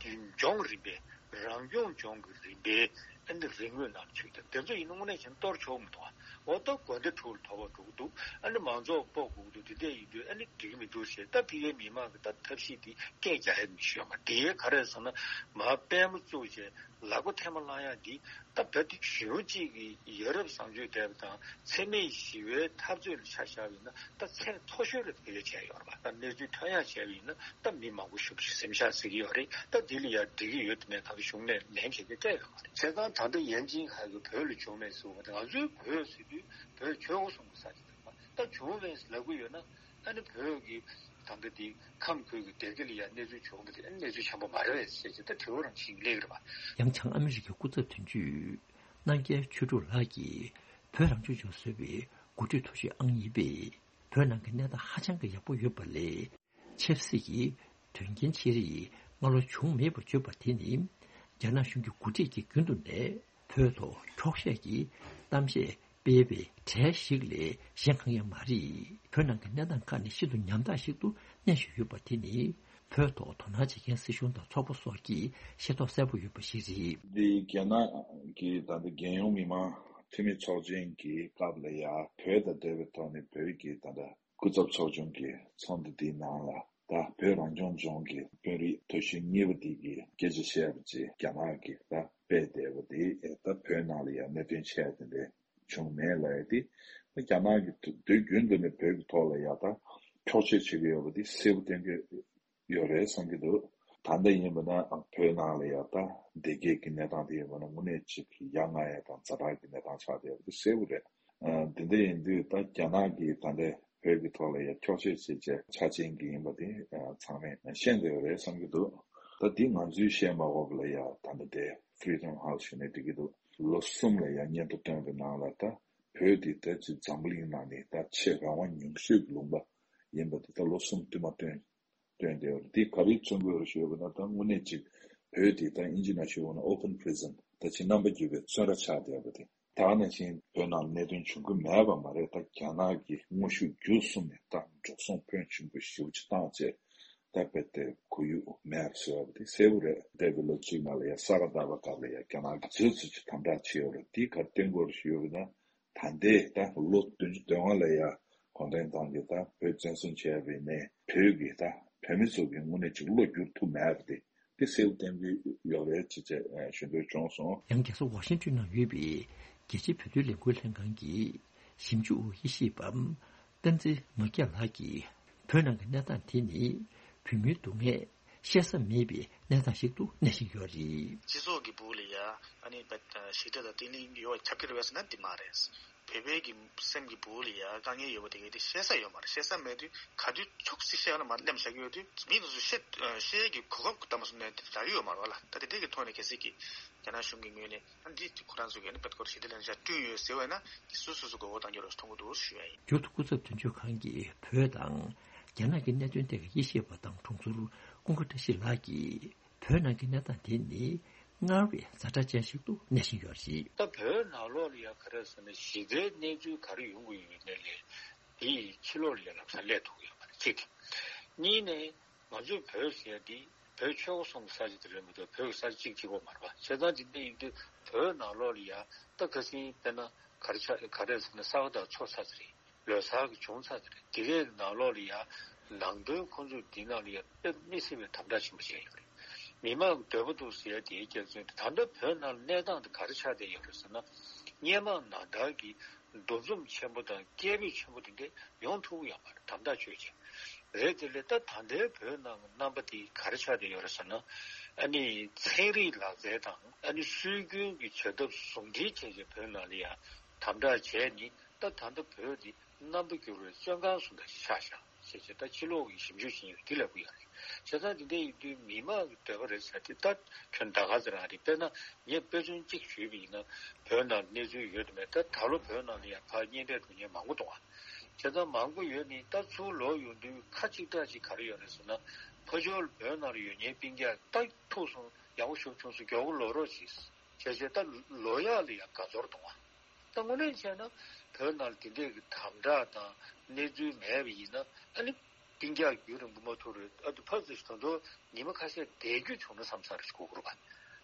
ལྗོངས་རིམ་པའི་རང་སྐྱོང་ལྗོངས་ཀྱི་རིམ་པའི། ཨ་ནི་རིག་དངོས་ནང་ཚུད་དེ་དེ་ཚོ་ཡིན་ན་དངོས་གནས་བྱས་ན་གཏོར་ཆོག་མི་འདུག་འོ་ད་དགོན་སྡེ་དྲུག་ལ་དོ་ཕོག་འགྲོ་གི་འདུག་ཨ་ནི་མང་ཚོགས་སྤོ་དགོས་ཀྱི་འདུག་དེ་འདྲ་ཡིན་དུས་ཨ་ནི་འགྲིག་གི་མི་འདུག་ཟེར། ད་ཕ་གིའི་མི་མང་གི་ད་ཐབས་ཤེས་དེ་སྐད་རྒྱག་ཡ་མི་ཤེས་ཡོད་མ་རེད། དེ་ག་རེ་ཟེར་ན། མར་པད་མ་བཙུགས་བྱས་ལག་པ་ཐལ་མོ་སློང་ཡ་འདི་ད་བོད་དེ་གཞོན་གཅིག་གི་ཡ་རབས་བཟང་སྤྱོད་ལྡན་པ་དང་འཚེ་མེད་ཞི་བའི་འཐབ་རྩོད་ལ་ཆ་བཞག་པ་ཡིན་ན། ད་ཚད་མཐོ་ཤོས་ལ་བེད་སྤྱོད་བྱས་ཡོད་རེད་པ། ད་གནས་ཚུལ་ཐོན་ཡག་བྱས་པ་ཡིན་ན་ད་མི་མང་པོ་ཞེ་པོ་ཅིག་སེམས་ཤག་ཟེར་གྱི་ཡོད་རེད། ད་འདི་ལ་ཡང་འགྲིག་གི་ཡོད་དམ་མེད་ད་གཞུང་ནས་ལན་གང་ཡང་སྤྲད་ཡོད་མ་རེད། བྱས་ཙང་ད་ལྟ་ཡན་ཅིན་ཧའེ་གིས་བོད་ལ་བྱུང་མེད་ཟེར་བ་དེ་ང་ཚོའི་བོད་ཟེར་དུས་བོད་ཆོལ་ཁ་གསུམ་གྱི་ས་ཆ་རེད་པ། ད་བྱུང་མེད་ལབ་ཀྱི་ཡོད་ན། ཨ་ནི་བོད་ཀྱི་ད་ལྟ་འདི་ཁམས་ཁུལ་གྱི་སྡེ་དགེ་ལ་ཡང་གནས་ཚུལ་བྱུང་བ་དེ་གནས་ཚུལ་འཆམ་པོ་མ་རེད་པས་ཟེར་གྱི་ད་དྲི་བ་རང་བྱེད་ཀྱི་སླེབས་ཀྱི་རེད་པ། ཡང་བྱང་ཨ་མི་རི་ཀའི་སྐུ་ཚབ་དོན་གཅོད་རྣམ་རྒྱལ་ཆོས་དྲུག་ལགས་ཀྱིས་བོད་རང་སྐྱོང་ལྗོངས་ཟེར་བའི་འགོ་ཁྲིད་མཐོ་ཤོས་ཨང་གཉིས་པས། བོད་ནང་གི་གནས་སྟངས་ཧ་ཅང་གི་ཡག་པོ་ཡོད་པ་ལས། ཆབ་སྲིད་ཀྱི་དོན་རྐྱེན་ཆེ་རིགས་སྔ་ལོ་བྱུང་མེད་པར་བརྗོད་པ་དེ་ནི། རྒྱ་ནག་གཞུང་གི་འགོ་ཁྲིད་ཀྱིས་རྒྱུན་དུ་ནས་བོད་ཐོག་འཁྱོག་བཤད་ཀྱི་གཏམ་བཤད་སྤེལ་བའི་གྲས་ཤིག་ལས་གཞན་གང་ཡང་མ་རེད། བོད་ནང་གི་གནས་སྟངས་ཁག་ནི་ཤིན་ཏུ་ཉམ་ཐག་ཞིག་ཏུ་གནས་བཞིན་ཡོད་པ་དེ་ནི། བོད་ཐོག་དོ་སྣང་བྱེད་མཁན་སྲིད་གཞུང་དང་ཚོགས་པ་སོགས་ཀྱིས་ཤེས་རྟོགས་གསལ་པོ་ཡོད་པ་ཞིག་རེད། འདི་རྒྱ་ནག་གི་ད་ལྟ་རྒྱལ་ཡོངས་མི་མང་འཐུས་མི་ཚོགས་ཆེན་གྱི་སྐབས་ལ་ཡ་བོད་དང་འབྲེལ་བའི་ཐོག་ནས་བོད་ཀྱི་ད་ལྟ་སྐུ་ཚབ་ཚོགས་ཆུང་གི་ཚོགས་འདུ་འདིའི་ནང་ལ་ད་བོད་རང་སྐྱོང་ལྗོངས་ཀྱི་དཔོན་རིགས་དོན་གཅོད་གཉིས་པ་འདི་གི་སྐད་ཆ་བཤད་པ་བཅས་རྒྱ་ནག་གི་ད་དཔེ་བལྟས་པ་དེ་ད་བོད་ནང་ལ་ཡང་གནད་དོན་ཆེ་བ་དེ་འདྲ་བྱུང་མེད་ལབ་ཡ་དེ་རྒྱ་ནག་གི་དུས་རྒྱུན་དུ་ནས་བོད་ཀྱི་ཐོག་ལ་ཡ་ད་འཁྱོག་བཤད་བྱེད་ཀྱི་ཡོད་པ་དེ་གསལ་པོ་བསྟན་གྱི་ཡོད་རེད་བསམ་གྱི་འདུག་ད་ལྟ་ཡིན་པ་ན་བོད་ནང་ལ་ཡ་ད་བདེ་སྐྱིད་ཀྱི་གནས་སྟངས་དེ་ཡིན་པ་ན་དངོས་གནས་ཅིག་ཡ་ང་ཡ་དང་ཛ་དྲག་གི་གནས་སྟངས་ཆགས་བསྡད་ཡོད་པ་དེ་གསལ་པོ་རེད། ཨ། འདི་འདྲ་ཡིན་དུས་ད་རྒྱ་ནག་གིས་ད་ལྟའི་བོད་ཀྱི་ཐོག་ལ་ཡ་འཁྱོག་བཤད་བྱེད་ཆེད་ཆ་ཅན་གྱི་ཡིན་པ་དེ་ཨ། ཚང་མས་ཤེས་བསྡད་ཡོད་རེད་བསམ་གྱི་འདུག་ད་འདི་ང་ཚོས་བཤད་མ་དགོས་པ་ལ་ཡ་ད་ལྟ་དེ་Freedom House ཞུ་ནས་འགྲིག་གི་འདུག་ལོ་གསུམ་ལ་ཡ་སྙན་ཐོ་བཏོན་པའི་ནང་ལ་ད་བོད་འདི་ད་ཅིག་འཛམ་བུ་གླིང་ནང་ནས་ད་ཆེས་རང་དབང་ཉུང་ཤོས་ཀྱི་ལུང་པ་ཡིན་པ་དེ་ད་ལོ་གསུམ་བསྟུད་མར་བཏོན། བཏོན་བསྡད་ཡོད་རེད། འདི་ག་རེ་མཚོན་གྱི་ཡོད་རེད་ཞུས་པ་ན་ད་དངོས་གནས་ཅིག་བོད་འདི་ད་དབྱིན་ཇི་ནང་ཞུས་པ་ན་open prison ད་ཅིག་རྣམ་པ་འགྱུར་བའི་བཙོན་ར་ཆགས་བསྡད་པ་དེ་ད་ག་ནང་བཞིན་བོད་ནང་གནད་དོན་བྱུང་གི་མེད་པ་མ་རེད། ད་རྒྱ་ནག་གིས་དངོས་ཤུགས་བརྒྱུད་གསུམ་ནས་ད་འགྲོ་སོང་ཕོན་ཆེན་པོ་ཞེ་པོ་ཅིག་བཏང་བྱས་ད་རྦད་དེ་ཁོར་ཡུག་མེད་པ་བཟོས་པ་དེ་གསལ་པོ་རེད། འདས་པའི་ལོ་གཅིག་ནང་ལ་ཡ་ས་ག་ཟླ་བ་སྐབས་ལ་ཡ་རྒྱ་ནག་གིས་ཚོད་ཚོད་ཅིག་དམ་དྲག་བྱས་ཡོད་རེད། འདི་ག་རེ་སྟོན་གྱི་ཡོད་རེད་ཞུས་པ་ན། ད་ལྟའི་ད་ལོ་བདུན་ཅུ་དོན་ལྔ་ལ་ཡ་གུང་ཁྲན་ཏང་གིས་ད་བོད་བཙན་བཟུང་བྱས་པའི་ནས་བོད་ཀྱི་ད་བོད་མི་ཚོ་གི་དངོས་གནས་ཅིག་བློ་བསྒྱུར་ཐུབ་མེད་པ་དེ་དེ་གསལ་པོ་བསྟན་གྱི་ཡོད་རེད་ཅེས་བཅས་ཞུ་འདོད་བྱུང་སོང་། ཡང་རྒྱལ་ས་ཝ་ཤིང་ཏོན་ནང་ཡོད་པའི་རྒྱལ་སྤྱིའི་བོད་དོན་ལས་འགུལ་ལྷན་ཁང་གི་ཞིབ་འཇུག་དབུ་ཡེ་ཤེས་པ་བསྟན་འཛིན་མ་སྐྱེས་ལགས་ཀྱིས་བོད་ནང་གི་གནས་སྟངས་དེ་ནི་བོད་མིའི་སྡུག་བསྔལ་བཤད་ས་མེད་པའི་གནས་སྟངས་ཤིག་ཏུ་གནས་བཞིན་ཡོད་རེད། སྤྱི་ཚོགས་ཀྱི་སྦུག་ལ་ཡ་ཨ་ནི་བད་ཞི་བདེ་དང་བརྟན་ལྷིང་ཡོད་པ་ཁྱབ་ཀྱི་རེད་པས་ཟེར་ན་འདི་མ་རེད། བོད་པའི་གི་སེམས་ཀྱི་སྦུག་ལ་ཡ་དཀའ་ངལ་ཡོད་པ་དེ་གའི་དེ་བཤད་ས་ཡོད་མ་རེད། བཤད་ས་མེད་དུས་ག་དུས་ཚོགས་སྲིད་བཤད་ན་མ་གླེམ་བཞག་གི་ཡོད་དུས་མི་དེ་ཚོ་བཤད་བཤད་ཀྱི་གོ་སྐབས་དམ་པ་སོང་ནས་དེ་རག་གི་ཡོད་མ་རེད་བ་ལ། ད་དེ་དེ་གི་ཐོག་ནས་གལ་སྲིད་ཀྱི་རྒྱ་ནག་གཞུང་གི་ངོས་ནས་ཨ་འདི་ཁོ་རང་ཚོ་གི་ཨ་ནི་བད་ཁོ་ར་ཞི་བདེ་ལྷན་ཚོགས་བསྐྲུན་ཡོད་ཟེར་བས་ན་དེ་སོ་སོ་སོ་མགོ་སྐོར་གཏོང་རྒྱུ་རེད་མཐོང་གི་འདུག་ཞུ་ཡ་ཡིན། མཇུག་ཏུ་སྐུ་ཚབ་དོན་གཅོད་ཁང་གིས་བོད་དང་རྒྱ་ནག་གི་གནད་དོན་ཐད་ཀྱི་དབྱེ་ཞིབ་པ་དང་དྲུང་འཚོ་ཀུན་དགའ་བཀྲ་ཤིས་ལགས་ཀྱིས། བོད་ནང་གི་གནས་སྟངས་དེ་ནི་སྔར་བས་ཛ་དྲག་ཅན་ཞིག་ཏུ་གནས་བཞིན་ཡོད་རེད། ད་བོད་ནང་ལོགས་ལ་ཡང་ག་རེ་ཟེར་ན་ཞི་བདེའི་གནས་ཚུལ་ག་རེ་ཡོང་གི་ཡོད་མེད་ལས་དེ་ཡི་ཕྱི་ལོགས་ལ་ཡང་ལམ་སང་སླེབས་ཐུབ་ཀྱི་ཡོད་མ་རེད་གཅིག་གཉིས་ནས་ང་ཚོས་བོད་ཟེར་ཡ་དེ་བོད་ཆོལ་ཁ་གསུམ་གྱི་ས་ཆ་དེ་རེད་མ་གཏོགས་བོད་ཀྱི་ས་ཆ་གཅིག་གཅིག་པོ་མ་རེད་པ། བྱས་ཙང་དེ་འདྲ་ཡིན་དུས་བོད་ནང་ལོགས་ལ་ཡང་ད་ཁ་སང་དཔེར་ན་ག་རེ་ཆགས་ག་རེ་ཟེར་ན་ས་ག་ཟླ་ཚོགས་ཚར་ཚར་རེད། ལོ་གསར་གྱི་བྱུང་ཚར་ཚར་རེད། དེ་གའི་ནང་ལོགས་ལ་ཡང་ནང་དོན་ཁོང་ཚོས་འདི་ནང་ལ་ཡང་དཔེ་མི་སྲིད་པའི་དམ་དྲག་ཆེན་པོ་བྱས་ཡོད་རེད། མི་མང་གི་འདོད་པ་འདུག་ཟེར་ཡ་དེའི་རྒྱབ་མཚོན་དེ་ད་ལྟ་བོད་ནང་ལ་གནས་སྟངས་དེ་ག་རེ་ཆགས་བསྡད་ཡོད་རེད་ཟེར་ན། སྔོན་མ་ནང་ལྟར་གྱི་འདུ་འཛོམས་ཆེན་པོ་དང་སྐད་འབོད་ཆེན་པོ་དེ་འདྲ་ཡོང་ཐུབ་ཀྱི་ཡོད་མ་རེད། དམ་དྲག་ཆོས་ཅན་རེད། དེ་ལས་ད་ད་ལྟའི་བོད་ནང་གི་རྣམ་པ་དེ་ག་རེ་ཆགས་བསྡད་ཡོད་རེད་ཟེར་ན། ཨ་ནི་ཚན་རིག་ལག་རྩལ་དང་ཨ་ནི་སྲོལ་རྒྱུན་གྱི་བྱ་ཐབས་ཟུང་འབྲེལ་བྱས་བྱས་བོད་ནང་ལ་ཡང་དམ་དྲག་བྱས་ནས་ད་ད་ལྟ་བོད་འདི་རྣམ་པ་འགྱུར་བའི་བཙོན་ཁང་བཟོ་འདྲ་ཞིག་ཆགས་བཞག་ཞེས་བྱས་ད་ཕྱི་ལོགས་ཀྱི་ཞིབ་འཇུག་བྱེད་མཁན་འདི་ལབ་ཀྱི་ཡོད་རེད། བྱས་ཙང་འདི་འདྲ་ཡིན་དུས་མི་མང་གི་འདོད་པ་རེད་ཟེར་དེ་ད་ཁྱོན་ད་ག་ཚོད་རང་རེད། དཔེར་ན་ངས་དཔེ་མཚོན་གཅིག་ཞུས་པ་ཡིན་ན་བོད་ནང་གནས་ཚུལ་ཡོད་དམ་མེད་ད་ད་ལོ་བོད་ནང་ལ་ཡང་ཕར་གཉེན་འཕྲད་འགྲོ་མཁན་མང་པོ་འདུག་ཨ། བྱས་ཙང་མང་པོ་ཡོད་ནི་ད་ཚུར་ལོག་ཡོང་དུས་ཁ་གཅིག་གྲགས་གཅིག་ག་རེ་ཡོད་རེད་ཟེར་ན་ཕར་ཕྱོགས་ལ་བོད་ནང་ལ་ཡོད་མཁན་སྤུན་ཀྱག་ད་ཐུག་སོང་ཡག་པོ་ཞིག་བྱུང་སོང་མགྱོགས་པོ་ལོག་རོགས་གྱིས་བྱས་བྱས་ད་ལོག་ཡག་ལ་ཡང་དགའ་ཚོར་གཏོང་བ། ད་དངོས་གནས་བྱས་ན་བོད་ནང་ལ་དེ་འདྲས་ཀྱི་དམ་དྲག་དང་གནས་ཚུལ་མེད་པ་ཡིན་ན་ཨ་ནི་སྤུན་ཀྱག་རྒྱུན་རིང་པོ་མ་ཐུག་རེད། ཨ་ཏི་ཕར་ཚུར་ད་དུང་ཉི་མ་ཁ་ཤས་བསྡད་རྒྱུ་བྱུང་ན་བསམ་ས་རེ་ཞིག་གོ་གི་རེད་པ།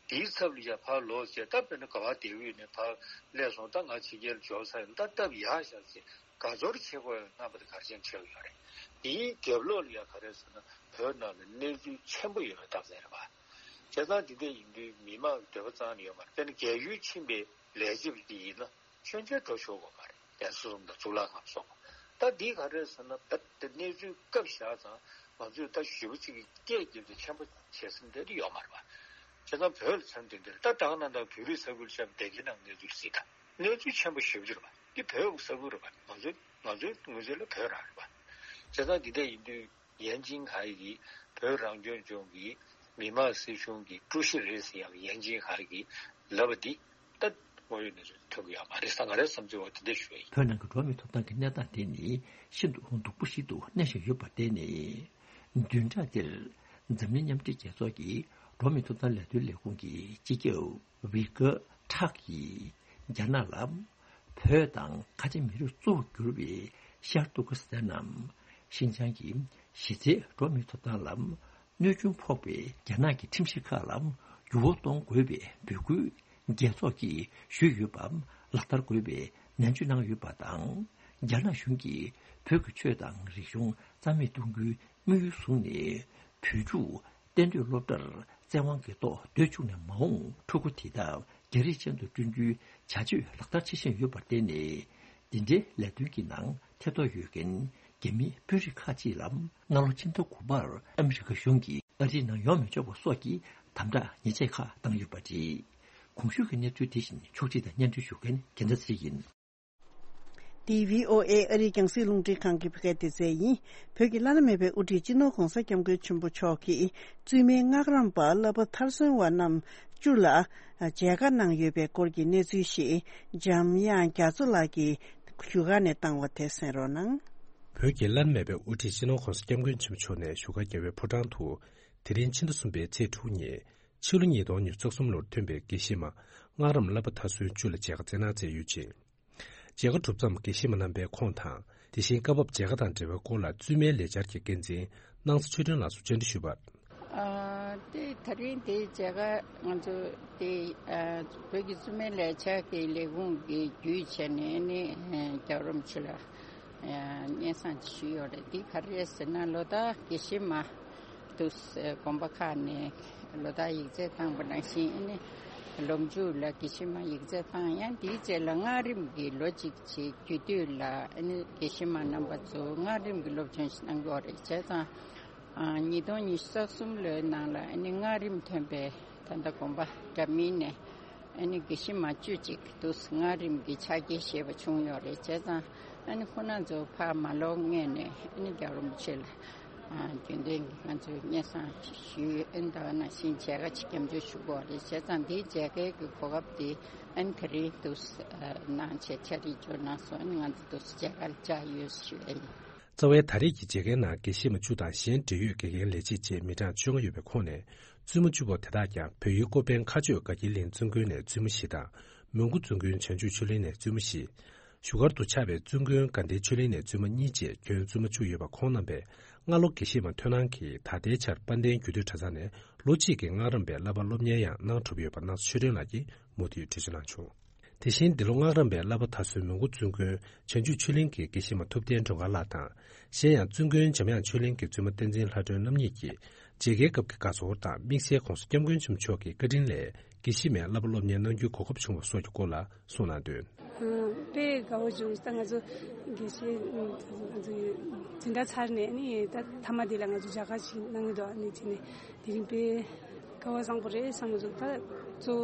དེའི་ཚབ་ལ་ཡ་ཕར་ལོག་བྱས་ད་དཔེར་ན་ག་པར་བསྡད་ཡོད་ནས་ཕར་སླེབས་སོང་ད་ང་ཕྱི་རྒྱལ་འབྱོར་ཚར་ཡོད་ད་སྟབས་ཡག་ཤག་ཅེས་དགའ་ཚོར་བྱེད་དགོས་ཡ་རྣམ་པ་དེ་ག་རེ་བྱས་ནས་བྱས་ཡོད་རེད། དེའི་རྒྱབ་ལོགས་ལ་ཡ་ག་རེ་ཟེར་ན་བོད་ནང་ལ་གནས་ཚུལ་ཆེན་པོ་ཡོད་པའི་རྟགས་མཚན་རེད་པ། བྱས་ཙང་འདི་འདྲ་ཡིན་དུས་མི་མང་གི་འདོད་པ་གཙང་ནས་ཡོད་མ་རེད། དཔེར་ན་རྒས་ཡོལ་ཕྱིན་པའི་ལས་བྱེད་པ་དེ་ཡིན་ན་ཆོས་མཇལ་འགྲོ་ཆོག་གི་མ་རེད། རྒྱལ་ས་གསུམ་དང་གཙུག་ལག་ཁང་སོགས། ད་འདི་ག་རེ་ཟེར་ན་ད་དེ་གནས་ཚུལ་སྐབས་བཞག་ཙང་ང་ཚོས་ད་ཞེ་པོ་གཅིག་གི་སྐད་བརྒྱབ་སྟེ་ཆེན་པོ་བྱེད་ས་འདི་འདྲ་ཡོད་མ་རེད་པ། བྱས་ཙང་བོད་ལ་མཚོན་དེ་འདིར་ད་ད་ག་ནང་ལྟར་བོད་རིགས་ས་ཁུལ་ཆེན་པོ་སྡེ་དགེ་ནང་གནས་ཚུལ་གཟིགས་དང་གནས་ཚུལ་ཆེན་པོ་ཞེ་པོ་ཅིག་རེད་པ། འདི་བོད་ས་ཁུལ་རེད་པ། ང་ཚོའི་ང་ཚོའི་ངོས་འཛིན་ལ་བོད་རང་རེད་པ། བྱས་ཙང་འདི་འདྲ་ཡིན་དུས་ཡན་ཅིན་ཧའེ་གིས་བོད་རང་སྐྱོང་ལྗོངས་ཀྱི་མི་དམངས་སྲིད་གཞུང་གི་ཀྲུའུ་ཞི་རེད་ཟེར་ཡག་ཡན་ཅིན་ཧའེ་གིས་ལབ་པ་འདི་ད་དངོས་ཡོད་གནས་ཚུལ་ཐོན་གྱི་ཡོད་མ་རེད་ས། ང་རའི་བསམ་ཚུལ་འོག་དེ་འདྲ་ཞུ་ཡ་ཡིན། བོད་ནང་གི་འགྲོ་བ་མིའི་ཐོབ་ཐང་གི་གནས་སྟངས་དེ་ནི་ཤིན་ཏུ་སྡུག་པོ་ཞིག་ཏུ་གནས་བཞིན་ཡོད་པར་བརྟེན་ནས། བདུན་ཕྲག་འདིར་འཛམ་གླིང་མཉམ་འབྲེལ་རྒྱལ་ཚོགས་ཀྱི་འགྲོ་བ་མིའི་ཐོབ་ཐང་ལས་དོན་ལས་ཁུངས་ཀྱི་སྤྱི་ཁྱབ་ཝི་ཀ་ཁྲག་གིས་རྒྱ་ནག་ལ་བོད་དང་ཁ་ཆེ་མི་རིགས་གཙོ་བོར་གྱུར་པའི་ཤར་ཏུར་ཀི་སི་ཐན་ནམ་ཤིན་ཅང་གི་གཞི་རྩའི་འགྲོ་བ་མིའི་ཐོབ་ཐང་ལ་ གནོད་སྐྱོན་ཕོག་པའི་རྒྱ་ནག་གི་ཁྲིམས་གཞི་ཁག་ལ་འགྱུར་བ་གཏོང་དགོས་པའི་འབོད་སྐུལ་རྒྱལ་ཚོགས་ཀྱིས་ཞུས་ཡོད་པ་ལག་བསྟར་དགོས་པའི་ནན་བརྗོད་གནང་ཡོད་པ་དང་། རྒྱ་ནག་གཞུང་གིས་བོད་ཀྱི་ཆོས་དང་རིག་གཞུང་རྩ་མེད་གཏོང་རྒྱུའི་དམིགས་ཡུལ་བཟུང་ནས། བོད་ཕྲུག་གཏན་སྡོད་སློབ་གྲྭར་བཙན་དབང་གིས་གཏོགས་སྡོད་བཅུག་ནས་མ་འོངས་ཕྲུ་གུ་དེ་དག་རྒྱ་རིགས་ཅན་དུ་བསྐྲུན་རྒྱུའི་བྱ་སྤྱོད་ལག་བསྟར་བྱེད་བཞིན་ཡོད་པར་བརྟེན་ནས། འདི་འདྲའི་ལས་དོན་གྱི་ནང་ཐེ་གཏོགས་ཡོད་མཁན་རྒྱ་མིའི་དཔོན་རིགས་ཁག་ཅིག་ལ་སྔ་ལོ་ཕྱི་ཟླ་དགུ་པར་ཨ་མི་རི་ཀ་གཞུང་གིས་ཨ་རིའི་ནང་ཡོང་མི་ཆོག་པ་སོགས་ཀྱི་དམ་དྲག་ཉེས་ཆད་ཁག་བཏང་ཡོད་པ་རེད། གོང་ཞུས་ཀྱི་གནས་ཚུལ་དེ་བཞིན་ཕྱོགས་སྒྲིག་དང་སྙན་སྒྲོན་ཞུ་མཁན་རྒྱལ་མཚན་ཚེ་རིང་ཡིན། འདི་བྷི་ཨོ་ཨེ་ཨ་རིའི་རྒྱང་སྲིང་རླུང་འཕྲིན་ཁང་གི་བོད་སྐད་སྡེ་ཚན་ཡིན། བོད་ཀྱི་བླ་ན་མེད་པའི་དབུ་ཁྲིད་སྤྱི་ནོར་༧གོང་ས་༧སྐྱབས་མགོན་ཆེན་པོ་མཆོག་གིས་བཙུན་མའི་སྔགས་རམས་པ་བསླབ་པ་མཐར་སོན་བ་རྣམས་བཅུ་ལ་མཇལ་ཁ་གནང་ཡོད་པའི་སྐོར་གྱི་གནས་ཚུལ་ཞིག་འཇམ་དབྱངས་རྒྱ་མཚོ་ལགས་ཀྱིས་བཞུགས་སྒར་ནས་བཏང་བ་དེ་གསན་རོགས་གནང་། བོད་ཀྱི་བླ་ན་མེད་པའི་དབུ་ཁྲིད་སྤྱི་ནོར་༧གོང་ས་༧སྐྱབས་མགོན་ཆེན་པོ་མཆོག་ནས་བཞུགས་སྒར་རྒྱལ་བའི་ཕོ་བྲང་དུ་དེ་རིང་ཕྱི་ཟླ་གསུམ་པའི་ཚེས་དྲུག་ཉིན། ཕྱི་ལོ་ཉིས་སྟོང་ཉི་ཤུ་རྩ་གསུམ་ལོར་ཐོན་པའི་དགེ་བཤེས་མ་སྔགས་རམས་བསླབ་པ་མཐར་སོན་བཅུ་ལ་མཇལ་ཁ་སྩལ་གནང་མཛད་ཡོད་ཅིང་། མཇལ་ཁ་གྲུབ་མཚམས་དགེ་བཤེས་མ་རྣམ་པས་ཁོང་དང་། དེ་བཞིན་སྐབས་བབ་མཇལ་ཁ་དང་འབྲེལ་བའི་སྐོར་ལ་བཙུན་མའི་ལས་འཆར་གྱི་འགན་འཛིན་སྣང་ས་ཆོས་སྒྲོན་ལགས་སུ་བཅར་འདྲི་ཞུས་པར། ཨ། དེ་ད་རིང་དེ་མཇལ་ཁ་ང་ཚོ་དེ་ཨ། བོད་ཀྱི་བཙུན་མའི་ལས་འཆར་གྱི་ལས་ཁུངས་ཀྱི་བརྒྱུད་བྱས་ནས་ནི་རྒྱལ་བ་རིན་པོ་ཆེ་ལ་སྙན་སེང་ཞུས་ཡོད་རེད། དེ་ག་རེ་རེད་ཟེར་ན། ལོ་ལྟར་དགེ་བཤེས་མ་དུ་དགོན་པ་ཁག་ནས་ལོ་ལྟར་ཡིག་ཚད་བཏང་པ་ནང་བཞིན། ཨ་ནི་ལོ་མཇུག་ལ་དགེ་བཤེས་མ་ཡིག་ཚད་བཏང་། ཡང་དེའི་རྗེས་ལ་སྔགས་རིམ་གྱི་ལོ་གཅིག་བྱས་རྒྱུན་མཐུད་ལ། ཨ་ནི་དགེ་བཤེས་མ་རྣམ་པ་ཚོ་སྔགས་རིམ་གྱི་སློབ་སྦྱོང་ཞིག་གནང་གི་ཡོད་རེད། བྱས་ཙང་ཨ། ཉིས་སྟོང་ཉི་ཤུ་རྩ་གསུམ་ལོའི་ནང་ལ་ཨ་ནི་སྔགས་རིམ་ཐོན་པའི་ད་ལྟ་དགོན་པ་འདྲ་མིན་ནས་ཨ་ནི་དགེ་བཤེས་མ་བཅུ་གཅིག་དུ་སྔགས་རིམ་གྱི་ཕྱག་འཁྱེར་བཞེས་པ་བྱུང་ཡོད་རེད། བྱས་ཙང་ཨ་ནི་ཁོང་རྣམ་ཚོ་ཕར་མ་ལོག་སྔོན་ནས་ཨ་ནི་རྒྱལ་བ་རིན་པོ་ཆེ་ལ་ཨ། རྒྱུན་ལྡན་གྱི་ང་ཚོས་སྙན་སེང་ཞུས། ཨ་ནི་ད་ག་ནང་བཞིན་མཇལ་ཁ་ཅིག་སྐྱབས་འཇུག་ཞུ་དགོས་རེད། བྱས་ཙང་འདིའི་མཇལ་ཁའི་གི་གོ་སྐབས་དེ་ཨ་ནི་དེ་རིང་དུ་གནང་བྱས་ཕྱག་བྲིས་འབྱོར་གནང་སོང་། ཨ་ནི་ང་ཚོ་དུ་མཇལ་ཁར་བཅར་ཡོད་ཞུ་ཡ་ཡིན། རྩ་བའི་ད་རེས་ཀྱི་མཇལ་ཁའི་ནང་དགེ་བཤེས་མ་བཅུ་དང་གཞན་འབྲེལ་ཡོད་དགེ་རྒན་ལས་བྱེད་བཅས་མི་གྲངས་བཅོ་ལྔ་ཡོད་པའི་ཁོངས་ནས། བཙུན་མ་བཅུ་པོ་དེ་དག་ཀྱང་བོད་ཡུལ་ཀོ་པན་མཁར་ཆོས་དགའ་སྐྱིད་གླིང་བཙུན་དགོན་ནས་བཙུན་མ་བཞི་དང་། མོན་གྷོ་བཙུན་དགོན་བྱང་ཆུབ་ཆོས་གླིང་ནས་བཙུན་མ་བཞི། བཞུགས་སྒར་དུ་ཆགས་པའི་བཙུན་དགོན་དགའ་ལྡན་ཆོས་གླིང་ནས་བཙུན་མ་གཉིས་བཅས་ཁྱོན་བཙུན་མ་བཅུ་ཡོད་པ། ཁོང་རྣམ་པས་སྔ་ལོ་དགེ་བཤེས་མ་ཐོན་གནང་གིས་ད་ལྟའི་ཆར་དཔལ་ལྡན་རྒྱུད་སྟོད་གྲྭ་ཚང་ནས་ལོ་གཅིག་གི་སྔགས་རམས་པའི་བསླབ་པ་སློབ་གཉེར་ཡང་གནང་གྲུབ་ཡོད་པ་སྣང་ས་ཆོས་སྒྲོན་ལགས་ཀྱིས་མུ་མཐུད་འགྲེལ་བརྗོད་གནང་བྱུང་། དེ་བཞིན་འདི་ལོ་སྔགས་རམས་པའི་བསླབ་པ་མཐར་སོན་མོན་གྷོ་བཙུན་དགོན་བྱང་ཆུབ་ཆོས་གླིང་གི་དགེ་བཤེས་མ་ཐུབ་བསྟན་སྒྲོལ་དཀར་ལགས་དང་། གཞན་ཡང་བཙུན་དགོན་འཇམ་དབྱངས་ཆོས་གླིང་གི་བཙུན་མ་བསྟན་འཛིན་ལྷ་སྒྲོན་རྣམ་གཉིས་ཀྱིས་མཇལ་ཁའི་སྐབས་ཀྱི་དགའ་ཚོར་དང་དམིགས་བསལ་༧གོང་ས་༧སྐྱབས་མགོན་ཆེན་པོ་མཆོག་གི་བཀའ་དྲིན་ལས་དགེ་བཤེས་མའི་བསླབ་པ་སློབ་གཉེར་གནང་རྒྱུའི་གོ་སྐབས་བྱུང་བ་སོགས་ཀྱི་སྐོར་ལ་གསུངས་གནང་དོན། དཔེ་དགའ་བོ་བྱུང་། ད་ང་ཚོ་དགེ་བཤེས་ང་ཚོ་འཛིན་གྲྭ་ཚར་ནས་ནི་ད་མཐའ་མ་དེ་ལ་ང་ཚོ་མཇལ་ཁ་ཞིག་གནང་གི་འདུག་ཨ་ནི་དེ་ནས་དེ་རིང་དཔེ་སྐལ་བ་བཟང་པོ་རེད་བསམ་གྱི་འདུག་ད་གཙོ་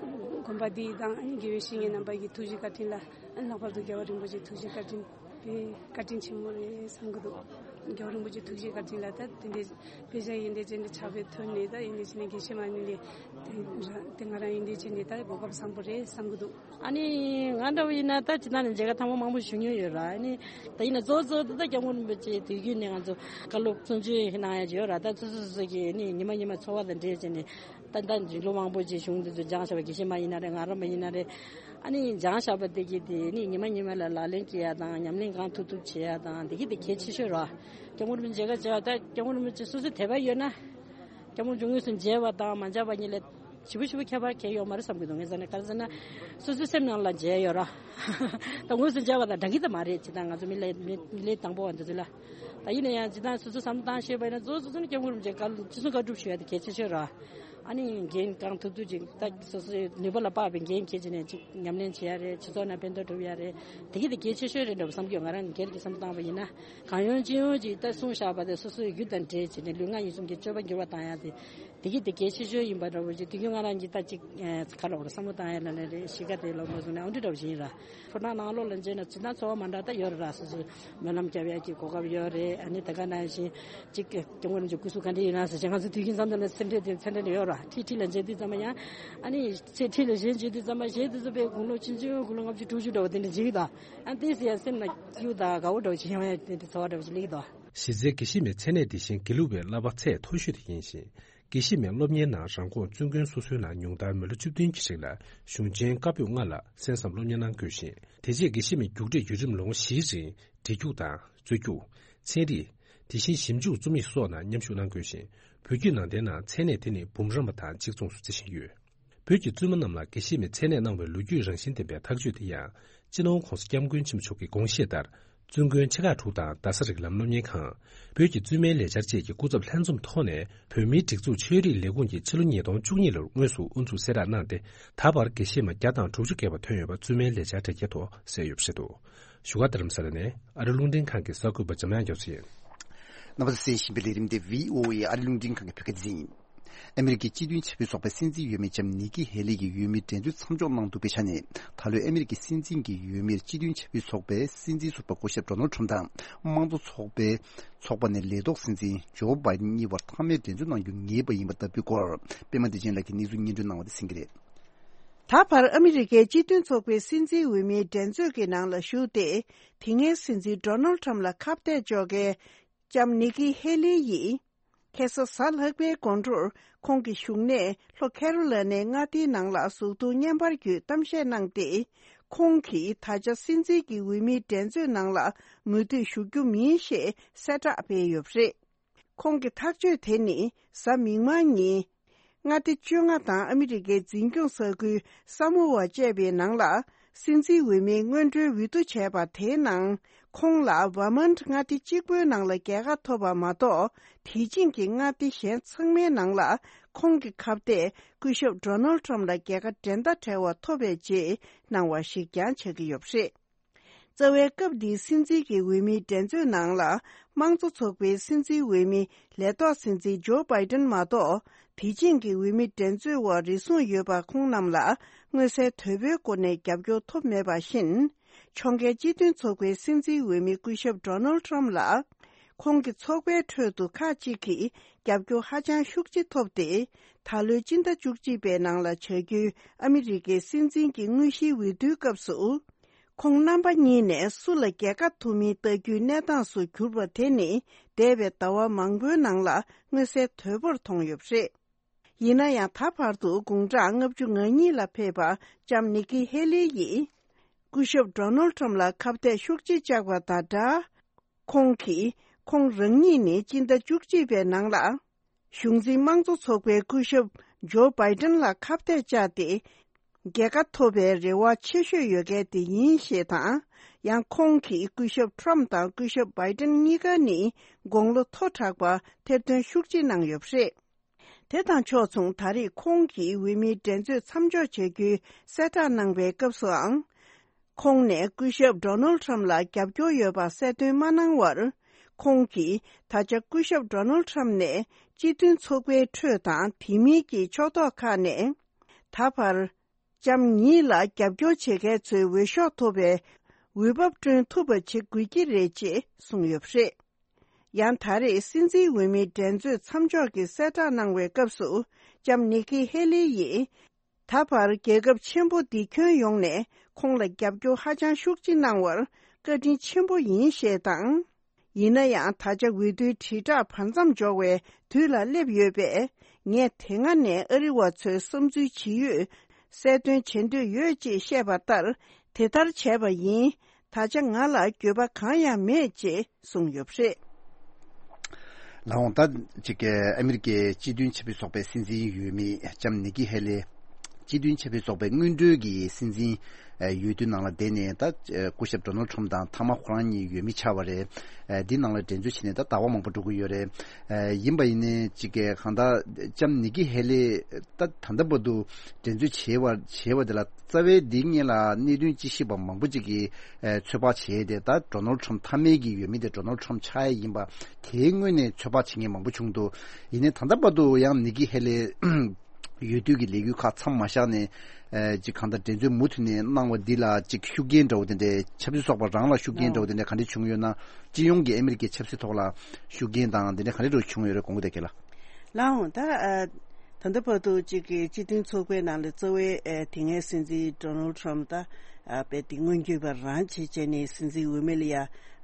བོ་དགོན་པ་འདི་དང་ཨ་ནི་དགེ་བའི་བཤེས་གཉེན་རྣམ་པ་གི་ཐུགས་རྗེ་བཀའ་དྲིན་ལ། ཨ་ནི་ལྷག་པར་དུ་རྒྱལ་བ་རིན་པོ་ཆེའི་ཐུགས་རྗེ་བཀའ་དྲིན། དཔེ་བཀའ་དྲིན་ཆེན་མོ་རེད་བསམ་གྱི་འདུག་རྒྱལ་བ་རིན་པོ་ཆེའི་ཐུགས་རྗེ་བཀའ་དྲིན་ལ་ད་དེ་འདྲའི་དཔེ་ཆ་ཡིན་འདྲའི་ཅན་འདྲ་ཆགས་པའི་ཐོན་ནས། ད་ཡིན་འདྲའི་བྱས་ནས་དགེ་བཤེས་མ་ནི་ལས་དེ་ར་དེ་ང་རང་ཡིན་འདྲའི་བྱས་ནས་ད་གོ་སྐབས་བཟང་པོ་རེད་བསམ་གྱི་འདུག་ཨ་ནི་ང་འདྲ་བོ་ཡིན་ན་ད་ཇི་ལྟར་ནས་མཇལ་ཁ་ཐེངས་མ་མང་པོ་ཞུ་མྱོང་ཡོད་ར། ཨ་ནི་ད་ཡིན་ན་གཙོ་བོ་གཙོ་བོ་དེ་ད་སྐྱབས་མགོན་རིན་པོ་ཆེ་དུས་རྒྱུན་ནས་ང་ཚོ་བཀའ་སློབ་གསུང་ཆོས་གནང་ཡ་ཅིག་ཡོད་ར། ད་སོ་སོ་སོ་སོ་གིས་ཨ་ནི་ཉི་མ་ཉི་མ་འཚོ་བ་དང་འབྲེལ་བྱས་ནས་ད་ད་ལོ་མང་པོ་ཅིག་གཞུང་འདི་ཚོ་སྦྱངས་བཞག་པ། དགེ་བཤེས་མ་ཡིན་ན་རེད། སྔགས་རམས་པ་ཡིན་ན་རེད། ཨ་ནི་སྦྱངས་བཞག་པ་དེ་གིས་དེ་ནི་ཉི་མ་ཉི་མ་ལ་ལག་ལེན་བྱེད་ཡ་དང་ཉམས་ལེན་གང་ཐུབ་ཐུབ་བྱེད་ཡ་དང་དེ་གིས་དེ་གལ་ཆེ་ཤོས་ར། སྐྱབས་མགོན་རིན་པོ་ཆེ་མཇལ་ཁ་བྱེད་ཡ་ད་སྐྱབས་མགོན་རིན་པོ་ཆེ་སོ་སོའི་དད་པ་ཡོད་ན། སྐྱབས་མགོན་མཇུག་དངོས་སུ་མཇལ་བ་དང་མ་མཇལ་བ་གཉིས་ལས་ཞེ་པོ་ཞེ་པོ་ཁྱད་པར་གང་ཡོད་མ་རེད་བསམ་གྱི་འདུག་ངས་ཟེར་ན་ག་རེ་ཟེར་ན་སོ་སོའི་སེམས་ནང་ལ་མཇལ་ཡོད་ར། ད་དངོས་སུ་མཇལ་བ་དང་འདྲ་གི་ད་མ་རེད། ཇི་ལྟར་ང་ཚོ་མི་ལས་མི་མི་ལས་དང་པོ་བ་འདི་ཚོ་ལ། ད་ཡིན་ན་ཡང་ཇི་ལྟར་སོ་སོ་བསམ་བློ་བཏང་ཤེས་པ་ཡིན་ན་གཙོ་བོ་སོ་སོ་ནི་སྐྱབས་མགོན་རིན་པོ་ཆེ་བཀའ་སློབ་ཅི་གསུང་བཀའ་སྒྲུབ་ཞུ་ཡ་དེ་གལ་ཆེ་ཤོས་ར། ཨ་ནི་འགན་གང་ཐུབ་ཐུབ་ཅིག་ད་སོ་སོའི་ནུས་པ་ལ་དཔག་པའི་འགན་འཁྱེར་བྱས་ནས་ཅིག་ཉམས་ལེན་བྱེད་ཡ་རེད། སྤྱི་ཚོགས་ནང་ཕན་ཐོགས་སྒྲུབ་ཡ་རེད། དེ་གི་དེ་གལ་ཆེ་ཤོས་རེད་འདྲ་བོ་བསམ་གྱི་ཡོད། ང་རང་སྒེར་གྱི་བསམ་བློ་བཏང་བ་ཡིན་ན། གང་ཡོང་ཅི་ཡོང་ཅིག་ད་གསུངས་བཞག་པ་དེ་སོ་སོའི་རྒྱུ་དང་འབྲེལ་བྱས་ནས་ལུས་ངག་ཡིད་གསུམ་གྱི་སྤྱོད་པ་འགྱུར་བ་བཏང་ཡ་དེ་དེ་གི་དེ་གལ་ཆེ་ཤོས་ཡིན་པ་འདྲ་བོ་ཅིག་དུས་རྒྱུན་ང་རང་གིས་ད་ཅིག་ག་རེ་བར་བསམ་བློ་བཏང་ཡ་ལ་ལ་རེད། གཤིས་ཀ་དེ་ལོག་མ་བཟུང་ནས་ཨང་འདྲི་འདྲ་བོ་ཞིག་ཡིན་ར། ཕོ་བྲང་ནང་ལོགས་ལ་མཇལ་ན་ཇི་ལྟར་ཚོར་བ་མ་འདྲ་ད་ཡོད་ར། སོ་སོའི་སྨོན་ལམ་རྒྱབ་ཡ་གི་གོ་སྐབས་ཡོད་རེད། ཨ་ནི་ད་ག་ནང་བཞིན་ཅིག་སྐྱབས་མགོན་རིན་པོ་ཆེ་སྐུ་གཟུགས་ག་འདྲ་ཡིན་ན་ཟེར་བྱས་ང་ཚོ་དུས་རྒྱུན་མཚམས་མཚམས་ལ་སེམས་ཁྲལ་དེ་ཚ་འདྲ་ནས་ཡོད་ར། ཁྲིད་ཁྲིད་ལ་མཇལ་དུས་ཙམ་པ་ཡང་ཨ་ནི་ཚེ་ཁྲིད་ལ་གཞན་མཇལ་དུས་ཙམ་པ་གཞན་དེ་ཚོ་དཔེ་དགུང་ལོ་ཆུང་ཆུང་དགུང་ལོ་ལྔ་བཅུ་དྲུག་ཅུ་འདྲ་བོ་དེ་འདྲ་མཇལ་གི་འདུག་ཨ་དེ་ཟེར་ཡང་སེམས་ལ་སྐྱིད་པོ་དང་དགའ་བོ་འདྲ་བོ་ཅིག་ཡོང་ཡ་དེ་འདྲ་ཚོར་བ་འདྲ་བོ་ཅིག་སླེབས་ཀྱི་འདུག་གཞི་རྩའི་དགེ་བཤེས་མའི་མཚན་གནས་དེ་བཞིན་དགེ་ལུགས་པའི་བསླབ་པ་ཚད་མཐོ་ཤོས་དེ་ཡིན་ཞིང་། དགེ་བཤེས་མའི་སློབ་གཉེར་ནང་རང་ཁོངས་བཙུན་དགོན་སོ་སོའི་ནང་ཉུང་མཐར་མི་ལོ་བཅུ་བདུན་གྱི་རིང་ལ་གཞུང་ཆེན་བཀའ་པོད་ལྔ་ལ་གསན་བསམ་སློབ་གཉེར་གནང་དགོས་ཤིང་། དེ་རྗེས་དགེ་བཤེས་མའི་རྒྱུགས་སྤྲོད་བརྒྱུད་རིམ་ལོ་ངོ་བཞིའི་རིང་བྲིས་རྒྱུགས་དང་རྩོད་རྒྱུགས། ཚན་རིག་དེ་བཞིན་ཞིབ་འཇུག་རྩོམ་ཡིག་སོགས་ནང་མཉམ་ཞུགས་གནང་དགོས་ཤིང་། བོད་བརྒྱུད་ནང་བསྟན་ནང་མཚན་གནས་དེ་ནི་འབུམ་རམས་པ་དང་གཅིག་མཚུངས་སུ་བརྩི་བཞིན་ཡོད། བོད་ཀྱི་བཙུན་མ་རྣམས་ལ་དགེ་བཤེས་མའི་མཚན་གནས་གནང་བའི་ལོ་རྒྱུས་རང་བཞིན་ལྡན་པའི་ཐག་གཅོད་དེ་ཡང་། སྤྱི་ནོར་༧གོང་ས་༧སྐྱབས་མགོན་ཆེན་པོ་མཆོག་གི་དགོངས་བཞེད་ལྟར། བཙུན་དགོན་ཆེ་ཁག་དྲུག་དང་རྡ་ས་རིགས་ལམ་སློབ་གཉེར་ཁང་། བོད་ཀྱི་བཙུན་མའི་ལས་འཆར་བཅས་ཀྱི་སྐུ་ཚབ་ལྷན་འཛོམས་ཐོག་ནས། བོད་མིའི་སྒྲིག་འཛུགས་ཆོས་རིག་ལས་ཁུངས་ཀྱིས་ཕྱི་ལོ་ཉིས་སྟོང་བཅུ་གཉིས་ལོར་དངོས་སུ་དབུ་འཛུགས་གསལ་བསྒྲགས་གནང་སྟེ། ད་བར་དགེ་བཤེས་མ་བརྒྱ་དང་དྲུག་ཅུ་བརྒལ་བ་ཐོན་ཡོད་པ་བཙུན་མའི་ལས་འཆར་དྲ་རྒྱའི་ཐོག་གསལ་ཡོད་པ་རེད་འདུག་བཞུགས་སྒར་རྡ་རམ་ས་ལ་ནས་ཨ་རི་རླུང་འཕྲིན་ཁང་གི་གསར་འགོད་པ་འཇམ་དབྱངས་རྒྱ་མཚོ་ཡིན། རྣམ་པ་ཚོས་གསན་བཞིན་པའི་ལས་རིམ་དེ་བྷི་ཨོ་ཨེ་ཨ་རི་རླུང་འཕྲིན་ཁང་གི་བོད་སྐད་སྡེ་ཚན་ཡིན། ཨ་མི་རི་ཀའི་སྤྱི་མཐུན་ཆབ་སྲིད་ཚོགས་པའི་སྲིད་འཛིན་འོས་མི་ལྕམ་ནི་ཀི་ཧེ་ལི་ཡིས་འོས་མིའི་འགྲན་རྩོད་མཚམས་འཇོག་གནང་འདུག་པའི་ཆ་ནས། ད་ལོའི་ཨ་མི་རི་ཀའི་སྲིད་འཛིན་གྱི་འོས་མིར་སྤྱི་མཐུན་ཆབ་སྲིད་ཚོགས་པའི་སྲིད་འཛིན་ཟུར་པ་སྐུ་ཞབས་ཌོ་ནལ་ཌི་ཊརམ་དང་། དམངས་གཙོ་ཚོགས་པའི་ཚོགས་པ་ནས་ལས་ཐོག་སྲིད་འཛིན་ཇོ་བྷའི་ཌེན་གཉིས་བར་མཐའ་མའི་འགྲན་རྩོད་གནང་རྒྱུ་ངེས་པ་ཡིན་པ་ལྟ་བུའི་སྐོར། པད་མ་བདེ་ཆེན་ལགས་ཀྱིས་གནས་ཚུལ་སྙན་སྒྲོན་གནང་བ་དེ་གསན་གྱི་རེད། ད་བར་ཨ་མི་རི་ཀའི་སྤྱི་མཐུན་ཚོགས་པའི་སྲིད་འཛིན་འོས་མིའི་འགྲན་རྩོད་ཀྱི་ནང་ལ་ཞུགས་ཏེ། དེ་སྔའི་སྲིད་འཛིན་ཌོ་ནལ་ཌི་ཊརམ་ལ་ཁ་གཏད་གཅོག་མཁན་ལྕམ་ནི་ཀི་ཧེ་ལི་ཡིས། ཁ་སང་གཟའ་ལྷག་པའི་དགོང་དྲོར་ཁོང་གི་བཞུགས་གནས་ལྷོ་ཁེ་རོ་ལ་ནའི་མངའ་སྡེའི་ནང་ལ་གཟུགས་མཐོང་བརྙན་པར་བརྒྱུད་གཏམ་བཤད་གནང་སྟེ། ཁོང་གིས་ད་ཆ་སྲིད་འཛིན་གྱི་འོས་མིའི་འགྲན་རྩོད་ནང་ལ་མུ་མཐུད་ཞུགས་རྒྱུ་མིན་ཞེས་གསལ་བསྒྲགས་སྤེལ་ཡོད་པ་རེད། ཁོང་གི་ཐག་གཅོད་དེ་ནི་གཟའ་མིག་དམར་ཉིན། མངའ་སྡེ་བཅོ་ལྔ་དང་ཨ་མི་རི་ཀའི་འཛིན་སྐྱོང་ས་ཁུལ་ས་མོ་ཝ་བཅས་པའི་ནང་ལ། སྲིད་འཛིན་འོས་མིའི་སྔོན་འགྲོའི་འོས་བསྡུ་བྱས་པ་དེའི་ནང་། ཁོང་ལ་ཝར་མོན་ཊི་མངའ་སྡེ་གཅིག་པུའི་ནང་ལ་རྒྱལ་ཁ་ཐོབ་པ་མ་གཏོགས། དེ་བཞིན་གྱི་མངའ་སྡེ་གཞན་ཚང་མའི་ནང་ལ། ཁོང་གི་ཁ་གཏད་སྐུ་ཞབས་ཌོ་ནལ་ཌི་ཊརམ་ལ་རྒྱལ་ཁ་འགྲན་ཟླ་བྲལ་བ་ཐོབ་པའི་རྗེས་གནང་བ་ཞིག་ཀྱང་ཆགས་ཀྱི་ཡོད་པ་རེད། རྩ་བའི་སྐབས་འདིའི་སྲིད་འཛིན་གྱི་འོས་མིའི་འགྲན་རྩོད་ནང་ལ། དམངས་གཙོ་ཚོགས་པའི་སྲིད་འཛིན་འོས་མི་ལས་ཐོག་སྲིད་འཛིན་ཇོ་བྷའི་ཌེན་མ་གཏོགས། དེ་བཞིན་གྱི་འོས་མི་འགྲན་རྩོད་འོག་རེ་ཟུང་ཡོད་པ་ཁོང་རྣམས་ལ་མངོན་གསལ་དོད་པོའི་སྒོ་ནས་རྒྱབ་སྐྱོར་ཐོབ་མེད་པ་བཞིན། ཕྱོགས་འགལ་སྤྱི་མཐུན་ཚོགས་པའི་སྲིད་འཛིན་འོས་མི་སྐུ་ཞབས་ཌོ་ནལ་ཌི་ཊརམ་ལ། ཁོང་གི་ཚོགས་པའི་ཁྲོད་དུ་ཁག་ཅིག་གིས་རྒྱབ་སྐྱོར་ཧ་ཅང་ཤུགས་ཆེ་ཐོབ་སྟེ། ད་ལོའི་སྤྱི་ཟླ་བཅུ་གཅིག་པའི་ནང་ལ་བྱ་རྒྱུའི་ཨ་མི་རི་ཀའི་སྲིད་འཛིན་གྱི་དངོས་གཞིའི་འོས་བསྡུའི་སྐབས་སུ། ཁོང་རྣམ་པ་གཉིས་ནས་སུ་ལ་རྒྱལ་ཁ་ཐོབ་མིན་ལྟ་རྒྱུའི་གནས་སྟངས་སུ་གྱུར་པ་དེ་ནི། འདས་པའི་ཟླ་བ་མང་པོའི་ནང་ལ་མངོན་གསལ་དོད་པོར་མཐོང་ཡོད་པ་རེད། ཡིན་ན་ཡང་། ད་བར་དུ་དགུང་གྲངས་ལྔ་བཅུ་ང་གཉིས་ལ་ཕེབས་པ་ལྕམ་ནི་ཀི་ཧེ་ལི་ཡིས། སྐུ་ཞབས་ཌོ་ནལ་ཌི་ཊརམ་ལ་ཁ་གཏད་ཤུགས་ཆེ་བཅག་པ་དང་སྦྲགས། ཁོང་གིས་ཁོང་རང་ཉིད་ནི་སྤྱི་ཟླ་བཅུ་གཅིག་པའི་ནང་ལ། གཞུང་འཛིན་དམངས་གཙོ་ཚོགས་པའི་སྐུ་ཞབས་ཇོ་བྷའི་ཌེན་ལ་ཁ་གཏད་བཅག་སྟེ། རྒྱལ་ཁ་ཐོབ་པའི་རེ་བ་ཆེ་ཤོས་ཡོད་མཁན་དེ་ཡིན་ཞེས་དང་། ཡང་ཁོང་གིས་སྐུ་ཞབས་ཊརམ་དང་སྐུ་ཞབས་བྷའི་ཌེན་གཉིས་ཀ་ནི་དགུང་ལོ་མཐོ་དྲགས་པ་ཐེར་འདོན་ཤུགས་ཆེ་གནང་ཡོད་པ་རེད། དེ་དང་ཕྱོགས་མཚུངས། ད་རེས་ཁོང་གིས་འོས་མིའི་འགྲན་རྩོད་མཚམས་འཇོག་བྱ་རྒྱུའི་གསལ་བསྒྲགས་གནང་བའི་སྐབས་སུའང་། ཁོང་ནས་སྐུ་ཞབས་ཌོ་ནལ་ཌི་ཊརམ་ལ་རྒྱབ་སྐྱོར་ཡོད་པ་གསལ་སྟོན་མ་གནང་བར། ཁོང་གིས་ད་ཆ་སྐུ་ཞབས་ཌོ་ནལ་ཌི་ཊརམ་ནས་སྤྱི་མཐུན་ཚོགས་པའི་ཁྲོད་དང་དེ་མིན་གྱི་ཕྱོགས་གཏོགས་ཁག་ནས། ད་བར། ལྕམ་ཉིད་ལ་རྒྱབ་སྐྱོར་བྱེད་མཁན་ཚོའི་འོས་ཤོག་ཐོབ་པའི་འོས་བབ་བསྐྲུན་ཐུབ་པ་བྱེད་དགོས་ཀྱི་རེད་ཅེས་གསུངས་ཡོད་པ་རེད། ཡང་ད་རེས་སྲིད་འཛིན་འོས་མིའི་འགྲན་རྩོད་མཚམས་འཇོག་གི་གསལ་བསྒྲགས་གནང་བའི་སྐབས་སུ། ལྕམ་ནི་ཀི་ཧེ་ལི་ཡིས། ད་བར་རྒྱལ་ཁབ་ཆེན་པོ་འདི་ཁྱོན་ཡོངས་ནས་ཁོང་ལ་རྒྱབ་སྐྱོར་ཧ་ཅང་ཤུགས་ཆེ་གནང་བར་བཀའ་དྲིན་ཆེན་པོ་ཡིན་ཞེས་དང་། ཡིན་ན་ཡང་། ད་ཆ་འོས་བསྡུའི་དྲིལ་བསྒྲགས་བར་མཚམས་འཇོག་པའི་དུས་ལ་སླེབས་ཡོད་པས། ངས་དེ་སྔ་ནས་ཨ་རི་བ་ཚོའི་བསམ་ཚུལ་ཇི་ཡོད་གསལ་སྟོན་བྱེད་འདོད་ཡོད་ཅེས་བཤད་པ་ལྟར། དེ་ལྟར་བྱས་པ་ཡིན། ད་ཆ་ང་ལ་འགྱོད་པ་གང་ཡང་མེད་ཅེས་གསུངས་ཡོད་པ་རེད། ལགས་འོང་། ད་ཅིག་ཨ་མི་རི་ཀའི་སྤྱི་མཐུན་ཆབ་སྲིད་ཚོགས་པའི་སྲིད་འཛིན་འོས་མི་ལྕམ་ནི་ཀི་ཧེ་ལི། སྤྱི་མཐུན་ཆབ་སྲིད་ཚོགས་པའི་སྔོན་འགྲོའི་གི་སྲིད་འཛིན་འོས་བསྡུ་ནང་ལ་བསྡད་ནས། ད་སྐུ་ཞབས་ཌོ་ནལ་ཌི་ཊརམ་དང་མཐའ་མ་ཁོ་རང་གཉིས་འོས་མི་ཆགས་པ་རེད། འདི་ནང་ལ་འགྲན་རྩོད་བྱས་ནས་ད་ཟླ་བ་མང་པོ་འགྲོ་གི་ཡོད་རེད། ཡིན་པ་ཡིན་ནའི་ཅིག་གང་ལྟར་ལྕམ་ནི་ཀི་ཧེ་ལི་ད་ད་ལྟ་བར་དུ་འགྲན་རྩོད་བྱས་པ་བྱས་པ་དེ་ལ། རྩ་བའི་འདིའི་སྔོན་ལ་གནད་དོན་དཔྱད་ཞིབ་པ་མང་པོ་ཅིག་གིས་ཚོད་དཔག་བྱས་ཏེ། ད་ཌོ་ནལ་ཌི་ཊརམ་མཐའ་མའི་གི་འོས་མི་དེ་ཌོ་ནལ་ཌི་ཊརམ་ཆགས་ཡ་ཡིན་པ་དེའི་སྔོན་ནས་ཚོད་དཔག་བྱེད་མཁན་མང་པོ་བྱུང་འདུག་ཡིན་ནའི་ད་ལྟ་བར་དུ་ཡང་ནི་ཀི་ཧེ་ལི་འོས་བསྡུ་གི་ལས་འགུལ་ཁག་མཚམས་མ་བཞག་ནས། ཅིག་གང་ལྟར་འགྲན་རྩོད་མུ་མཐུད་ནས་གནང་བ་འདི་ལ་ཅིག་ཤུགས་རྐྱེན་འདྲ་བོ་དེ་འདྲའི། ཆབ་སྲིད་ཚོགས་པ་རང་ལ་ཤུགས་རྐྱེན་འདྲ་བོ་དེ་འདྲའི་ག་འདྲ་བྱུང་ཡོད་ན། སྤྱི་ཡོངས་ཀྱི་ཨ་མི་རི་ཀའི་ཆབ་སྲིད་ཐོག་ལ་ཤུགས་རྐྱེན་དང་དེ་འདྲ་ག་འདྲ་འདྲ་བོ་བྱུང་ཡོད་རེད། གོང་གི་དེ་ག་ལ། ལགས་འོང་། ད་ཨ། ད་ལྟ་བར་དུ་ཅིག་གི་སྤྱི་མཐུན་ཚོགས་པའི་ནང་ལ་གཙོ་བའི་ཨ་དེ་སྔའི་སྲིད་འཛིན་ཌོ་ནལ་ཌི་ཊརམ་ད་ཨ་དཔེ་དེ་སྔོན་སྐྱོད་པ་རང་བྱེད་བྱས་ནས་སྲིད་འཛིན་འོས་མི་ལ་ཡ་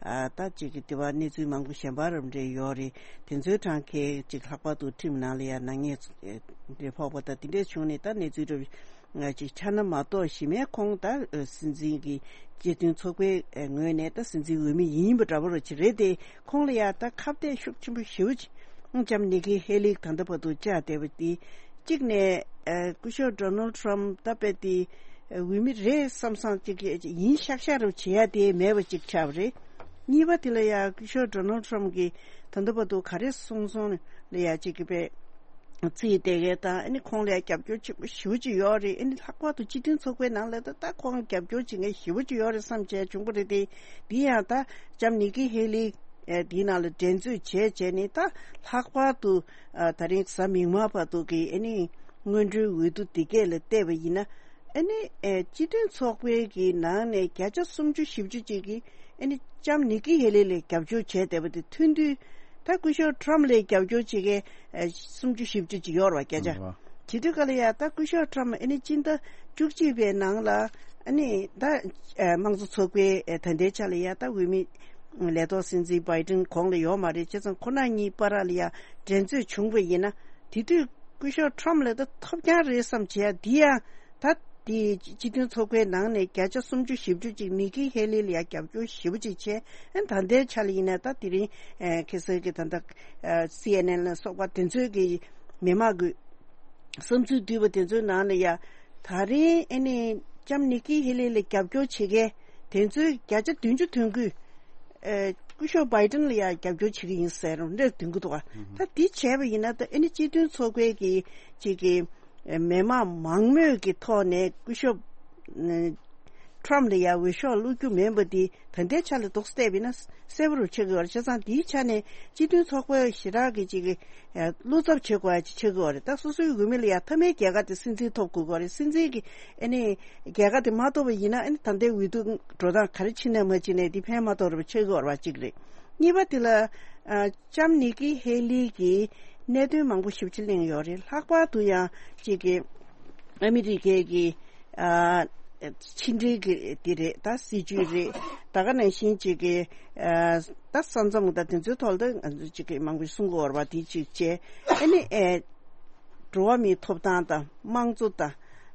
ཨ་ད་ཅིག་གི་དེ་བ་གནས་ཚུལ་མང་པོ་གཞན་པ་རབ་འདྲེས་ཡོད་རེད། དེ་ཚོའི་གྲངས་ཀས་ཅིག་ལྷག་པར་དུ་ཁྲིམས་ནང་ལ་ཡ་ནག་ཉེས་ཨ་འདྲེས་ཕོག་པ་དང་དེ་འདྲས་བྱུང་ནས། ད་གནས་ཚུལ་རབ་ ཅིག་ཆགས་ན་མ་གཏོགས། གཞི་མའི་ཁོང་ད་སྲིད་འཛིན་གྱི་སྤྱི་མཐུན་ཚོགས་པའི་ངོས་ནས་ད་སྲིད་འཛིན་འོས་མི་ཡིན་པ་འདྲ་པོ་ར་ཅིག་རེད་དེ། ཁོང་ལ་ཡ་ད་ཁ་གཏད་ཤུགས་ཆེན་པོ་ཞེ་པོ་ཅིག་ལྕམ་ནི་ཀི་ཧེ་ལི་ད་ལྟ་བར་དུ་བཅར་བསྡད་པ་དེ། གཅིག་ནས་ཨ་སྐུ་ཞབས་ཌོ་ནལ་ཊམ་ད་དཔེ་དེ་འོས་མི་རེད་བསམ་བསམ་ཅིག་ཡིན་ཤག་ཤག་རུ་བྱེད་ཡ་དེ་མེད་པ་ཅིག་ཆགས་པ་རེད། གཉིས་པ་དེ་ལ་ཡ་སྐུ་ཞབས་ཌོ་ནལ་ཊམ་གྱིས་ད་ལྟ་བར་དུ་ག་རེ་གསུངས་སོང་ལ་ཡ་ཅིག་གི་དཔེ་རྩིས་དེ་གའི་དང་། ཨ་ནི་ཁོང་ལ་ཡ་རྒྱབ་སྐྱོར་ཆེན་པོ་ཞེ་པོ་ཅིག་ཡོད་རེད། ཨ་ནི་ལྷག་པར་དུ་སྤྱི་མཐུན་ཚོགས་པའི་ནང་ལ་ད་ད་ཁོང་རྒྱབ་སྐྱོར་བྱེད་མཁན་ཞེ་པོ་ཅིག་ཡོད་རེད་བསམ་བྱས་བྱུང་པ་རེད་དེ། འདི་ཡང་ད་ལྕམ་ནི་ཀི་ཧེ་ལི་ཨེ་འདིའི་ནང་ལ་འགྲན་རྩོད་བྱས་བྱས་ནས། ད་ལྷག་པར་དུ་ཨ་ད་རིང་གཟའ་མིག་དམར་བར་དུ་གི་ཨ་ནི་སྔོན་འགྲོའི་འོས་བསྡུ་འདི་གས་ལ་བལྟས་པ་ཡིན་ན། ཨ་ནི་ཨེ་སྤྱི་མཐུན་ཚོགས་པའི་གི་ནང་ནས་བརྒྱ་ཆ་སུམ་ཅུ་བཞི་བཅུ་ཅིག་གིས་ཨ་ནི་ལྕམ་ནི་ཀི་ཧེ་ལི་ལ་རྒྱབ་སྐྱོར་བྱས་བསྡད་པ་དེ་མཐུན་དུས། ད་སྐུ་ཞབས་ཊམ་ལ་རྒྱབ་སྐྱོར་བྱེད་མཁན་ཨེ་སུམ་ཅུ་བཞི་བཅུ་ཅིག་ཡོད་རེད་བ་སྐད་ཆ། ཨ། དེ་དུས་ག་ལ་ཡ་ད་སྐུ་ཞབས་ཊམ་ཨ་ནི་སྤྱི་ཟླ་བཅུ་གཅིག་པའི་ནང་ལ་ཨ་ནི་ད་ཨེ་དམངས་གཙོ་ཚོགས་པའི་ཨེ་ད་ལྟའི་ཆ་ལ་ཡ་ད་འོས་མི་ལས་ཐོག་སྲིད་འཛིན་བྷའི་ཏིན་གོང་ལ་ཡོད་མ་རེད། བྱས་ཙང་ཁོ་རང་གཉིས་བར་ལ་ཡ་འགྲན་རྩོད་བྱུང་བ་ཡིན་ན། དེ་དུས་སྐུ་ཞབས་ཊམ་ལ་ད་ཐོབ་རྐྱང་རེད་བསམ་བྱས་ཡ་འདི་ཡང་ད། དེ་སྤྱི་མཐུན་ཚོགས་པའི་ནང་ནས་བརྒྱ་ཆ་སུམ་ཅུ་བཞི་བཅུ་ཅིག་ནི་ཀི་ཧེ་ལི་ལ་ཡ་རྒྱབ་སྐྱོར་ཞེ་པོ་ཅིག་བྱས། ཨ་ད་ལྟའི་ཆ་ལ་ཡིན་ན་ད་དེ་རིང་ཨ་ཁ་སང་གི་ད་ལྟ་ཨ་སི་ཨེན་ཨེན་ལ་སོགས་པ་དེ་ཚོའི་གི་མི་མང་གི་བསམ་ཚུལ་བསྡུས་པ་དེ་ཚོའི་ནང་ལ་ཡ། ད་རིང་ཨ་ནི་ལྕམ་ནི་ཀི་ཧེ་ལི་ལ་རྒྱབ་སྐྱོར་བྱེད་མཁན་དེ་ཚོའི་བརྒྱ་ཆ་བདུན་ཅུ་དོན་དགུས་ཨ་སྐུ་ཞབས་བྷའི་ཏིན་ལ་ཡ་རྒྱབ་སྐྱོར་བྱེད་ཀྱི་ཡིན་ཟེར་རུང་འདྲ་འདོན་གི་འདུག་ག་ད་འདི་བྱས་པ་ཡིན་ན་ད་ཨ་ནི་སྤྱི་མཐུན་ཚོགས་པའི་གི་ཅིག་གི་མི་མང་མང་མོས་ཀྱི་ཐོག་ནས་སྐུ་ཞབས་ཨ་ཊམ་ལ་ཡ་འོས་ཤོག་བླུག་རྒྱུ་མིན་པ་འདི་ད་ལྟའི་ཆ་ལ་དོགས་སེ་བལྟས་པ་ཡིན་ན་གསལ་པོ་རུ་ཆགས་ཀྱི་ཡོད་རེད། བྱས་ཙང་འདིའི་ཆ་ནས་སྤྱི་མཐུན་ཚོགས་པ་ཞེ་དྲག་གི་ཅིག་གི་ཨ་བློ་འཚབ་བྱེད་དགོས་ཡ་ཅིག་ཆགས་ཀྱི་ཡོད་རེད། ད་སོ་སོའི་འོས་མི་ལ་ཡ་མཐའ་མའི་རྒྱལ་ཁ་དེ་སྲིད་འཛིན་ཐོབ་དགོས་ཀྱི་ཡོད་རེད། སྲིད་འཛིན་གྱི་ཨ་ནི་རྒྱལ་ཁ་དེ་མ་ཐོབ་པ་ཡིན་ན་ཨ་ནི་ད་ལྟའི་འོས་བསྡུ་འགྲོ་སྟངས་ག་རེ་ཕྱིན་ནའི་མ་ཕྱིན་ནའི་འདི་ཕན་མ་ཐོགས་རེད་པ་ཆགས་ཀྱི་ཡོད་རེད་པ་གཅིག་རེད། གཉིས་པ་དེ་ལ་ཨ་ལྕམ་ནི་ཀི་ཧེ་ལི་གིས་གནད་དོན་མང་པོ་ཞིབ་ཕྲ་གླེང་ཡོད་རེད། ལྷག་པར་དུ་ཡང་གཅིག་གི་ཨ་མི་རི་ཀའི་གི་ཨ་ཕྱི་འབྲེལ་གི་དེ་རེད། ད་སྲིད་ཇུས་རེད། ད་ག་ནང་བཞིན་གཅིག་གི་ཨ་ད་ས་མཚམས་ད་དེ་ཚོའི་ཐོག་ལ་ད་གཅིག་གི་མང་པོ་གསུང་གི་ཡོད་རེད་པ། དེ་གཅིག་བྱས། ཨ་ནི་ཨེ་འགྲོ་བ་མིའི་ཐོབ་ཐང་དང་དམངས་གཙོ་དང་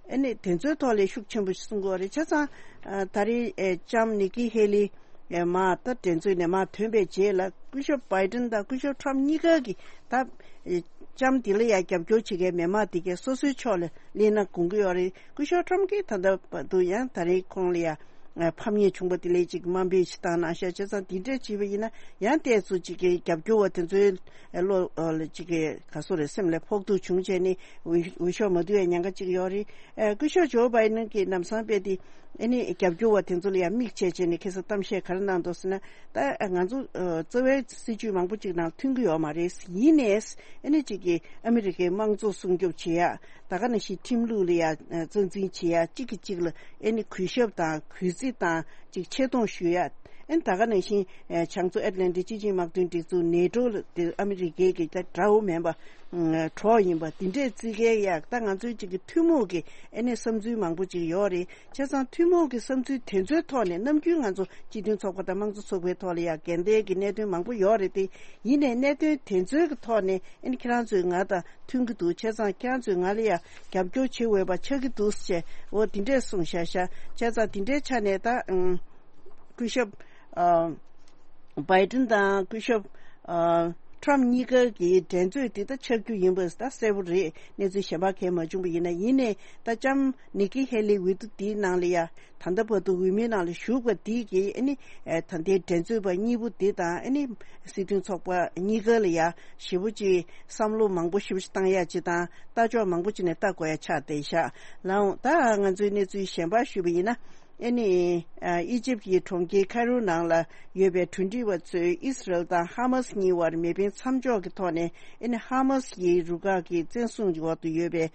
ཨ་ནི་དེ་ཚོའི་ཐོག་ལ་ཤུགས་ཆེན་པོ་གསུང་གི་ཡོད་རེད། བྱས་ཙང་ཨ་ད་རེས་ཨེ་ལྕམ་ནི་ཀི་ཧེ་ལི་ཨེ་མར་ད་འགྲན་རྩོད་ནས་མར་ཐོན་པའི་རྗེས་ལ་སྐུ་ཞབས་བྷའི་ཏིན་དང་སྐུ་ཞབས་ཊམ་གཉིས་ཀ་གིས་ད་ཨེ་ལྕམ་འདི་ལ་ཡ་རྒྱབ་སྐྱོར་བྱེད་མཁན་མི་མང་འདི་གས་སོ་སོའི་ཕྱོགས་ལ་སླེབས་ན་དགོངས་ཀྱི་ཡོད་རེད། སྐུ་ཞབས་ཊམ་གྱིས་ད་ལྟ་བར་དུ་ཡང་ད་རེས་ཁོང་ལ་ཡ་ཨ་ཕམ་ཉེས་བྱུང་བ་དེ་ལས་ཅིག་དམའ་འབེབས་ཤིག་བཏང་གནང་ཤག་བྱས་ཙང་འདི་འདྲས་བྱས་པ་ཡིན་ན་ཡང་ཏོག་ཙམ་ཅིག་གི་རྒྱབ་སྐྱོར་བ་དེ་ཚོའི་བློ་ལ་ཅིག་གི་ག་སོ་རེད། སེམས་ལ་ཕོག་ཐུག་བྱུང་བྱས་ནས་འོས་འོས་ཤོག་མ་བསྡུ་བའི་ཉེན་ཁ་ཅིག་ཡོད་རེད། ཨ་སྐུ་ཞབས་ཇོ་བྷའི་ཏིན་གྱིས་ལམ་སང་དཔེ་དེ་ཨ་ནི་རྒྱབ་སྐྱོར་བ་དེ་ཚོ་ལ་ཡང་དམིགས་བྱས་བྱས་ནས་ཁ་སང་གཏམ་བཤད་ག་རེ་གནང་འདུག་ཟེར་ན། ད་ང་ཚོ་ཨ་རྩ་བའི་སྲིད་ཇུས་མང་པོ་ཅིག་ནང་མཐུན་གྱི་ཡོད་མ་རེད། ཡིན་ནའི་ཨ་ནི་ཅིག་གི་ཨ་མི་རི་ཀའི་དམངས་གཙོ་སྲུང་སྐྱོབ་བྱེད་ཡ། ད་ག་ནང་བཞིན་ཁྲིམས་ལུགས་ལ་ཡ་ཨ་རྩ་འཛིན་བྱེད་ཡ། གཅིག་གིས་གཅིག་ལ་ཨེ་ནི་གུས་ཞབས་དང་གུས་བརྩི་དང་ཅིག་ཆེ་མཐོང་ཞུ་ཡ། ཨེ་ནི་ད་ག་ནང་བཞིན་ཨེ་བྱང་མཚོ་ཨེཊ་ལན་ཊིག་སྤྱི་ཆིངས་དམག་དོན་སྒྲིག་འཛུགས་ནེ་ཊོ་ལ་དེ་ཨ་མི་རི་ཀའི་གི་ད་དགྲ་བོ་མིན་པ་ཨ་གྲོགས་ཡིན་པ་འདི་འདྲས་བརྩི་མཁན་ཡ། ད་ང་ཚོའི་ཅིག་གི་ཐུན་མོང་གི་ཨེ་ནི་བསམ་ཚུལ་མང་པོ་ཅིག་ཡོད་རེད། བྱས་ཙང་ཐུན་མོང་གི་བསམ་ཚུལ་དེ་ཚོའི་ཐོག་ནས་ནམ་རྒྱུན་ང་ཚོ་སྤྱི་མཐུན་ཚོགས་པ་དང་དམངས་གཙོ་ཚོགས་པའི་ཐོག་ལ་ཡ་འགལ་ཟླའི་གི་གནད་དོན་མང་པོ་ཡོད་རེད་དེ། ཡིན་ནའི་གནད་དོན་དེ་ཚོའི་གི་ཐོག་ནས་ཨེ་ནི་ཁྱེད་རང་ཚོས་ང་དང་མཐུན་གྱི་འདུག་བྱས་ཙང་ཁྱེད་རང་ཚོས་ང་ལ་ཡ་རྒྱབ་སྐྱོར་བྱེད་འོས་པ་ཆགས་ཀྱི་འདུག་ཅེས་འོ་དེ་འདྲས་གསུངས་བཞག་ཤག་བྱས་ཙང་དེ་འདྲའི་ཆ་ནས་ད་ཨང་སྐུ་ཞབས་ཨ་བྷའི་ཏིན་དང་སྐུ་ཞབས་ཨ་ཊམ་གཉིས་ཀ་གི་འགྲན་རྩོད་དེ་ད་ཆགས་རྒྱུ་ཡིན་པ་ད་གསལ་པོ་རེད། གནས་ཚུལ་གཞན་པ་གང་ཡང་མ་བྱུང་བ་ཡིན་ན། ཡིན་ནའི་ད་ལྕམ་ནི་ཀི་ཧེ་ལི་འོས་བསྡུ་འདིའི་ནང་ལ་ཡ་ད་ལྟ་བར་དུ་འོས་མིའི་ནང་ལ་ཞུགས་པ་འདི་གིས་ཨ་ནི་ཨེ་ད་ལྟའི་འགྲན་རྩོད་པ་གཉིས་པོ་འདི་དང་ཨ་ནི་སྲིད་དོན་ཚོགས་པ་གཉིས་ཀ་ལ་ཡ་ཞེ་པོ་ཅིག་བསམ་བློ་མང་པོ་ཞེ་པོ་ཅིག་བཏང་ཡ་ཅིག་དང་ལྟ་ཕྱོགས་མང་པོ་ཅིག་ནས་ལྟ་དགོས་ཡ་ཆགས་བསྡད་ཤག་ལགས་འོང་། ད་ང་ཚོའི་གནས་ཚུལ་གཞན་པ་ཞུས་པ་ཡིན་ན། ཨ་ནི་ཨ་ཨི་ཇིབ་ཀྱི་གྲོང་ཁྱེར་ཁ་རུ་ནང་ལ་ཡོད་པའི་གྲོས་འདྲི་བ་ཚོས་ཨི་སི་རལ་དང་ཧ་མ་སི་གཉིས་བར་མེ་འཕེན་མཚམས་འཇོག་གི་ཐོག་ནས་ཨ་ནི་ཧ་མ་སི་ཡི་རུ་ཁག་གི་བཙན་བཟུང་འོག་ཏུ་ཡོད་པའི་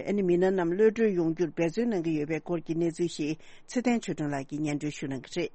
ཨ་ནི་མི་སྣ་རྣམས་གློད་གྲོལ་ཡོང་རྒྱུར་འབད་བརྩོན་གནང་གི་ཡོད་པའི་སྐོར་གྱི་གནས་ཚུལ་ཞིག་ཚེ་བརྟན་ཆོས་སྒྲོན་ལགས་ཀྱིས་སྙན་སྒྲོན་ཞུ་གནང་གི་རེད།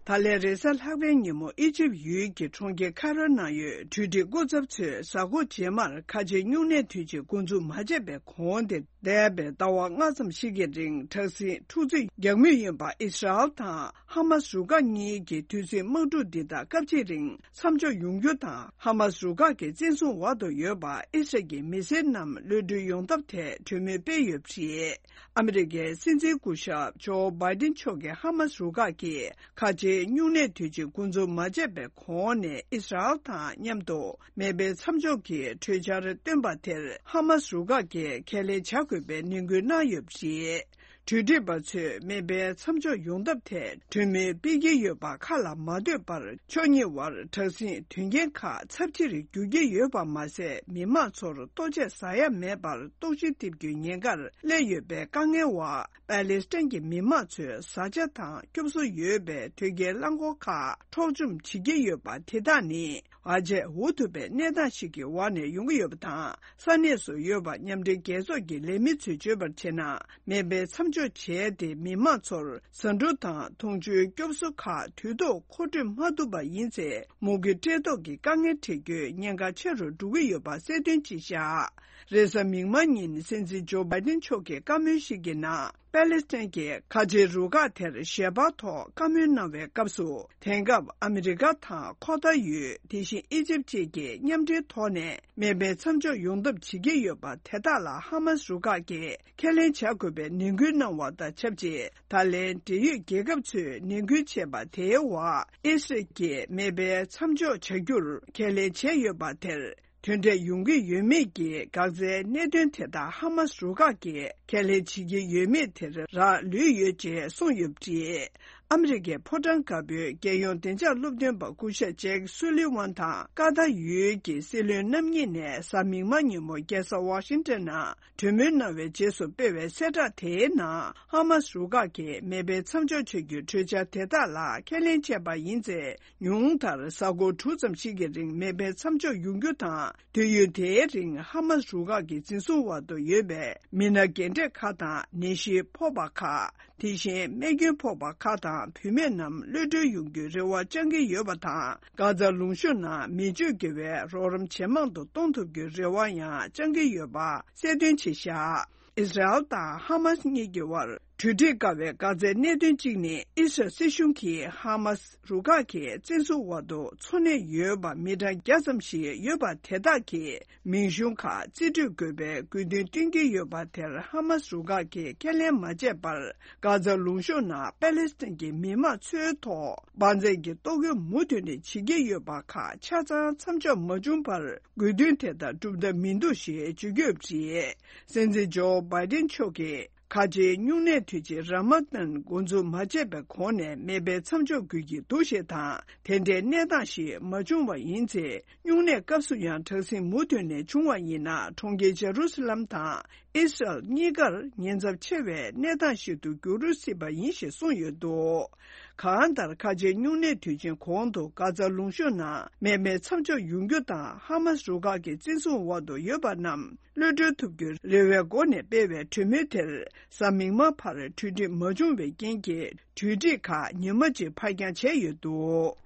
ད་ལན་རེས་གཟའ་ལྷག་པའི་ཉིན་མོ་ཨི་ཇིབ་ཡུལ་གྱི་གྲོང་ཁྱེར་ཁ་རོ་ནང་ཡོད་གྲོས་སྒྲིག་སྐུ་ཚབ་ཚོས་གཟའ་འཁོར་རྗེས་མར་ཁ་ཆེའི་སྨྱུང་གནས་དུས་ཆེན་འགོ་འཛུགས་མ་བྱས་པའི་གོང་དེ། འདས་པའི་ཟླ་བ་ལྔ་ཙམ་ཞིག་གི་རིང་དྲག་ཟིང་འཁྲུག་རྩོད་རྒྱག་མུས་ཡིན་པ། ཨི་སི་རལ་དང་ཧ་མ་སི་རུ་ཁག་གཉིས་ཀྱི་དུས་ཟིང་དམག་འཁྲུག་འདི་དག་སྐབས་གཅིག་རིང་མཚམས་འཇོག་ཡོང་རྒྱུ་དང་། ཧ་མ་སི་རུ་ཁག་གི་བཙན་བཟུང་འོག་ཏུ་ཡོད་པ་ཨི་སི་རལ་གྱི་མི་སེར་རྣམས་གློད་གྲོལ་ཡོང་ཐབས་ཐད་གྲོས་མོལ་སྤེལ་ཡོད་པ་རེད། ཨ་མི་རི་ཀའི་སྲིད་འཛིན་སྐུ་ཞབས་ཇོ་བྷའི་ཏིན་མཆོག་གིས་ཧ་མ་སི་རུ་ཁག་གིས་ཁ་ཆེའི་སྨྱུང་གནས་དུས་ཆེན་འགོ་འཛུགས་མ་བྱས་པའི་གོང་ནས་ཨི་སི་རལ་དང་མཉམ་དུ། མེ་འཕེན་མཚམས་འཇོག་གི་གྲོས་འཆར་བཏོན་པ་དེར་ཧ་མ་སི་རུ་ཁག་གིས་ཁས་ལེན་བྱ་དགོས་པའི་ནན་སྐུལ་གནང་ཡོད་པ་རེད། གྲོས་སྒྲིག་པ་ཚོས་མེ་འཕེན་མཚམས་འཇོག་ཡོང་ཐབས་ཐད་གྲོས་མོལ་སྤེལ་གྱི་ཡོད་པ་ཁ་ལ་མ་ཐོན་པར། ཕྱོགས་གཉིས་བར་དྲག་ཟིང་དོན་རྐྱེན་ཁག་ཚབས་ཆེར་འགྱུར་གྱི་ཡོད་པ་མ་ཟད། མི་མང་ཚོར་ལྟོ་ཆས་ཟ་ཡ་མེད་པར་ལྟོགས་ཤི་ཐེབས་རྒྱུའི་ཉེན་ཁར་སླེབས་ཡོད་པའི་དཀའ་ངལ་འོག་པ་ལེ་སི་ཐན་གྱི་མི་མང་ཚོས་བཟའ་བཅའ་དང་སྐྱོབ་གསོ་ཡོད་པའི་དོས་སྐྱེལ་རླངས་འཁོར་ཁག་འཕྲོག་བཅོམ་བྱེད་ཀྱི་ཡོད་པ། དེ་དག་ནི་བར་ཆད་འུ་ཐུག་པའི་གནས་སྟངས་ཤིག་གི་འོག་ནས་ཡོང་གི་ཡོད་པ་དང་། ས་གནས་སུ་ཡོད་པ་མཉམ་འབྲེལ་རྒྱལ་ཚོགས་ཀྱི་ལས་མི་ཚོས་བརྗོད་པར་བྱས་ན། མེ་འཕེན་མཚམས་འཇོག་བྱས་ཏེ། མི་མང་ཚོར་ཟ་འབྲུ་དང་འཐུང་ཆུའི་སྐྱོབ་གསོ་ཁག་དུས་ཐོག་མཁོ་སྤྲོད་མ་ཐུབ་པ་ཡིན་ཚེ། མུ་གེ་བཀྲེས་ལྟོགས་ཀྱི་དཀའ་ངལ་འཕྲད་རྒྱུའི་ཉེན་ཁ་ཆེ་རུ་འགྲོ་གི་ཡོད་པ་གསལ་སྟོན་བྱས་བཞག་རེས་གཟའ་མིག་དམར་ཉིན་སྲིད་འཛིན་ཇོ་བྷའི་ཏིན་མཆོག་གིས་བཀའ་མོལ་ཞིག་གི་ནང་། པ་ལེ་སི་ཐན་གྱི་ཁ་ཆེའི་རུ་ཁག་དེར་ཞལ་པར་ཐོག་བཀའ་མོལ་གནང་བའི་སྐབས་སུ། དེང་སྐབས་ཨ་མི་རི་ཀ་དང་ཁོ་ཐར་ཡུལ། དེ་བཞིན་ཨི་ཇིབ་བཅས་ཀྱིས་མཉམ་འབྲེལ་ཐོག་ནས་མེ་འཕེན་མཚམས་འཇོག་ཡོང་ཐབས་བྱེད་ཀྱི་ཡོད་པ། དེ་དག་ལ་ཧ་མ་སི་རུ་ཁག་གིས་ཁས་ལེན་བྱ་དགོས་པའི་ནན་སྐུལ་གནང་བ་དང་ཆབས་ཅིག་ད་ལན་འབྲེལ་ཡོད་རྒྱལ་ཁབ་ཚོས་ནན་སྐུལ་བྱས་པ་དེའི་འོག་ཨི་སི་རལ་གྱིས་མེ་འཕེན་མཚམས་འཇོག་བྱ་རྒྱུར་ཁས་ལེན་བྱས་ཡོད་པ་དེར། དོན་འབྲས་ཡོང་གི་ཡོད་མེད་ཀྱི་འགག་རྩའི་གནད་དོན་དེ་དག་ཧ་མ་སི་རུ་ཁག་གིས་ཁས་ལེན་བྱེད་ཀྱི་ཡོད་མེད་དེར་རག་ལུས་ཡོད་ཅེས་གསུངས་ཡོད་པ་རེད། ཨ་མི་རི་ཀའི་ཕོ་བྲང་དཀར་པོའི་རྒྱལ་ཡོངས་བདེ་འཇགས་སློབ་སྟོན་པ་སྐུ་ཞབས་ཇེཀ་སུ་ལི་ཝན་དང་ཀ་ཐར་ཡུལ་གྱི་སྲིད་བློན་རྣམ་གཉིས་ནས་གཟའ་མིག་དམར་ཉིན་མོ་རྒྱལ་ས་ཝ་ཤིང་ཏན་ནང་གྲོས་མོལ་གནང་བའི་རྗེས་སུ་སྤེལ་བའི་གསལ་བསྒྲགས་དེའི་ནང་། ཧ་མ་སི་རུ་ཁག་གིས་མེ་འཕེན་མཚམས་འཇོག་བྱ་རྒྱུའི་གྲོས་འཆར་དེ་དག་ལ་ཁས་ལེན་བྱས་པ་ཡིན་ཚེ། ཉུང་མཐར་གཟའ་འཁོར་དྲུག་ཙམ་ཞིག་གི་རིང་མེ་འཕེན་མཚམས་འཇོག་ཡོང་རྒྱུ་དང་། དུས་ཡུན་དེའི་རིང་ཧ་མ་སི་རུ་ཁག་གི་འཛིན་བཟུང་འོག་ཏུ་ཡོད་པའི་མི་སྣ་རྒན་གྲས་ཁག་དང་། ནད་གཞི་ཕོག་པ་ཁག་དེ་བཞིན་རྨས་སྐྱོན་ཕོག་པ་ཁག་དང་བུད་མེད་རྣམས་གློད་གྲོལ་ཡོང་རྒྱུའི་རེ་བ་བཅང་གི་ཡོད་པ་དང་། གྷ་ཛ་ལུང་གཤོང་ནང་མི་སྤྱོད་དགེ་བའི་རོགས་རམ་ཇེ་མང་དུ་གཏོང་ཐུབ་རྒྱུའི་རེ་བ་ཡང་བཅང་གི་ཡོད་པ་གསལ་སྟོན་བྱས་བཞག་ཨི་སི་རལ་དང་ཧ་མ་སི་གཉིས་ཀྱི་དབར་གྲོས་འགྲིག་དཀའ་བའི་འགག་རྩའི་གནད་དོན་གཅིག་ནི། ཨི་སི་རལ་སྲིད་གཞུང་གིས་ཧ་མ་སི་རུ་ཁག་གི་བཙན་བཟུང་འོག་ཏུ་འཚོ་གནས་ཡོད་པ་མི་གྲངས་བརྒྱ་ཙམ་ཞིག་ཡོད་པ་དེ་དག་གི་མིང་གཞུང་ཁག་རྩིས་སྤྲོད་དགོས་པའི་དགོས་འདུན་བཏོན་གྱི་ཡོད་པ་དེར་ཧ་མ་སི་རུ་ཁག་གིས་ཁས་ལེན་མ་བྱས་པར། གྷ་ཛ་ལུང་གཤོང་ནང་པ་ལེ་སི་ཐན་གྱི་མི་མང་ཚོའི་ཐོག་དབང་འཛིན་གྱི་ལྟོ་གོས་མུ་མཐུད་ནས་བྱེད་ཀྱི་ཡོད་པ་ཁག་ཆ་ཚང་མཚམས་འཇོག་མ་བྱུང་བར། དགོས་འདུན་དེ་དག་འགྲུབ་ཐབས་མི་འདུག་ཞེས་བརྗོད་ཀྱི་ཡོད་པ་རེད། སྲིད་འཛིན་ཇོ་བྷའི་ཏིན་མཆོག་གིས་ཁ་ཆེའི་སྨྱུང་གནས་དུས་ཆེན་ར་མ་ཏན་འགོ་འཛུགས་མ་བྱས་པའི་གོང་ནས་མེ་འཕེན་མཚམས་འཇོག་དགོས་ཀྱི་འདུག་ཞེས་དང་། དེ་འདྲའི་གནས་སྟངས་ཤིག་མ་བྱུང་བ་ཡིན་ཚེ། སྨྱུང་གནས་སྐབས་སུ་ཡང་དྲག་ཟིང་མུ་མཐུད་ནས་བྱུང་བ་ཡིན་ན། གྲོང་ཁྱེར་ཇེ་རུ་སི་ལམ་དང་ཨི་སི་རལ་གཉིས་ཀར་ཉེན་ཚབས་ཆེ་བའི་གནས་སྟངས་ཤིག་ཏུ་འགྱུར་སྲིད་པ་ཡིན་ཞེས་གསུངས་ཡོད་འདུག་གང་ལྟར། ཁ་ཆེའི་སྨྱུང་གནས་དུས་ཆེན་གོང་དུ་གྷ་ཛ་ལུང་གཤོང་ནང་མེ་འཕེན་མཚམས་འཇོག་ཡོང་རྒྱུ་དང་། ཧ་མ་སི་རུ་ཁག་གི་བཙན་བཟུང་འོག་ཏུ་ཡོད་པ་རྣམས་གློད་གྲོལ་ཐུབ་རྒྱུའི་རེ་བའི་སྒོ་ནས་སྤེལ་བའི་གྲོས་མོལ་དེར་གཟའ་མིག་དམར་བར་གྲོས་འགྲིག་མ་བྱུང་བའི་རྐྱེན་གྱིས། གྲོས་འགྲིག་ཁག་ཉི་མ་གཅིག་ཕར་འགྱངས་བྱས་ཡོད་འདུག་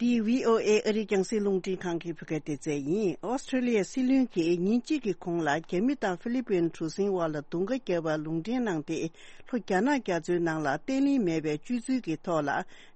འདི་བྷི་ཨོ་ཨེ་ཨ་རིའི་རྒྱང་སྲིང་རླུང་འཕྲིན་ཁང་གི་བོད་སྐད་སྡེ་ཚན་ཡིན། ཨོ་སི་ཁྲི་ལི་ཡའི་སྲིད་བློན་གྱིས་ཉིན་གཅིག་གི་གོང་ལ་རྒྱ་མི་དང་ཧྥི་ལི་པིན་གྲུ་གཟིངས་དབར་ལ་རྡུང་ཁ་བརྒྱབ་པར་ལུང་འདྲེན་གནང་སྟེ། ལྷོ་རྒྱ་ནག་རྒྱ་མཚོའི་ནང་ལ་བརྟན་ལྷིང་མེད་པའི་སྤྱོད་ཚུལ་གྱི་ཐོག་ལ།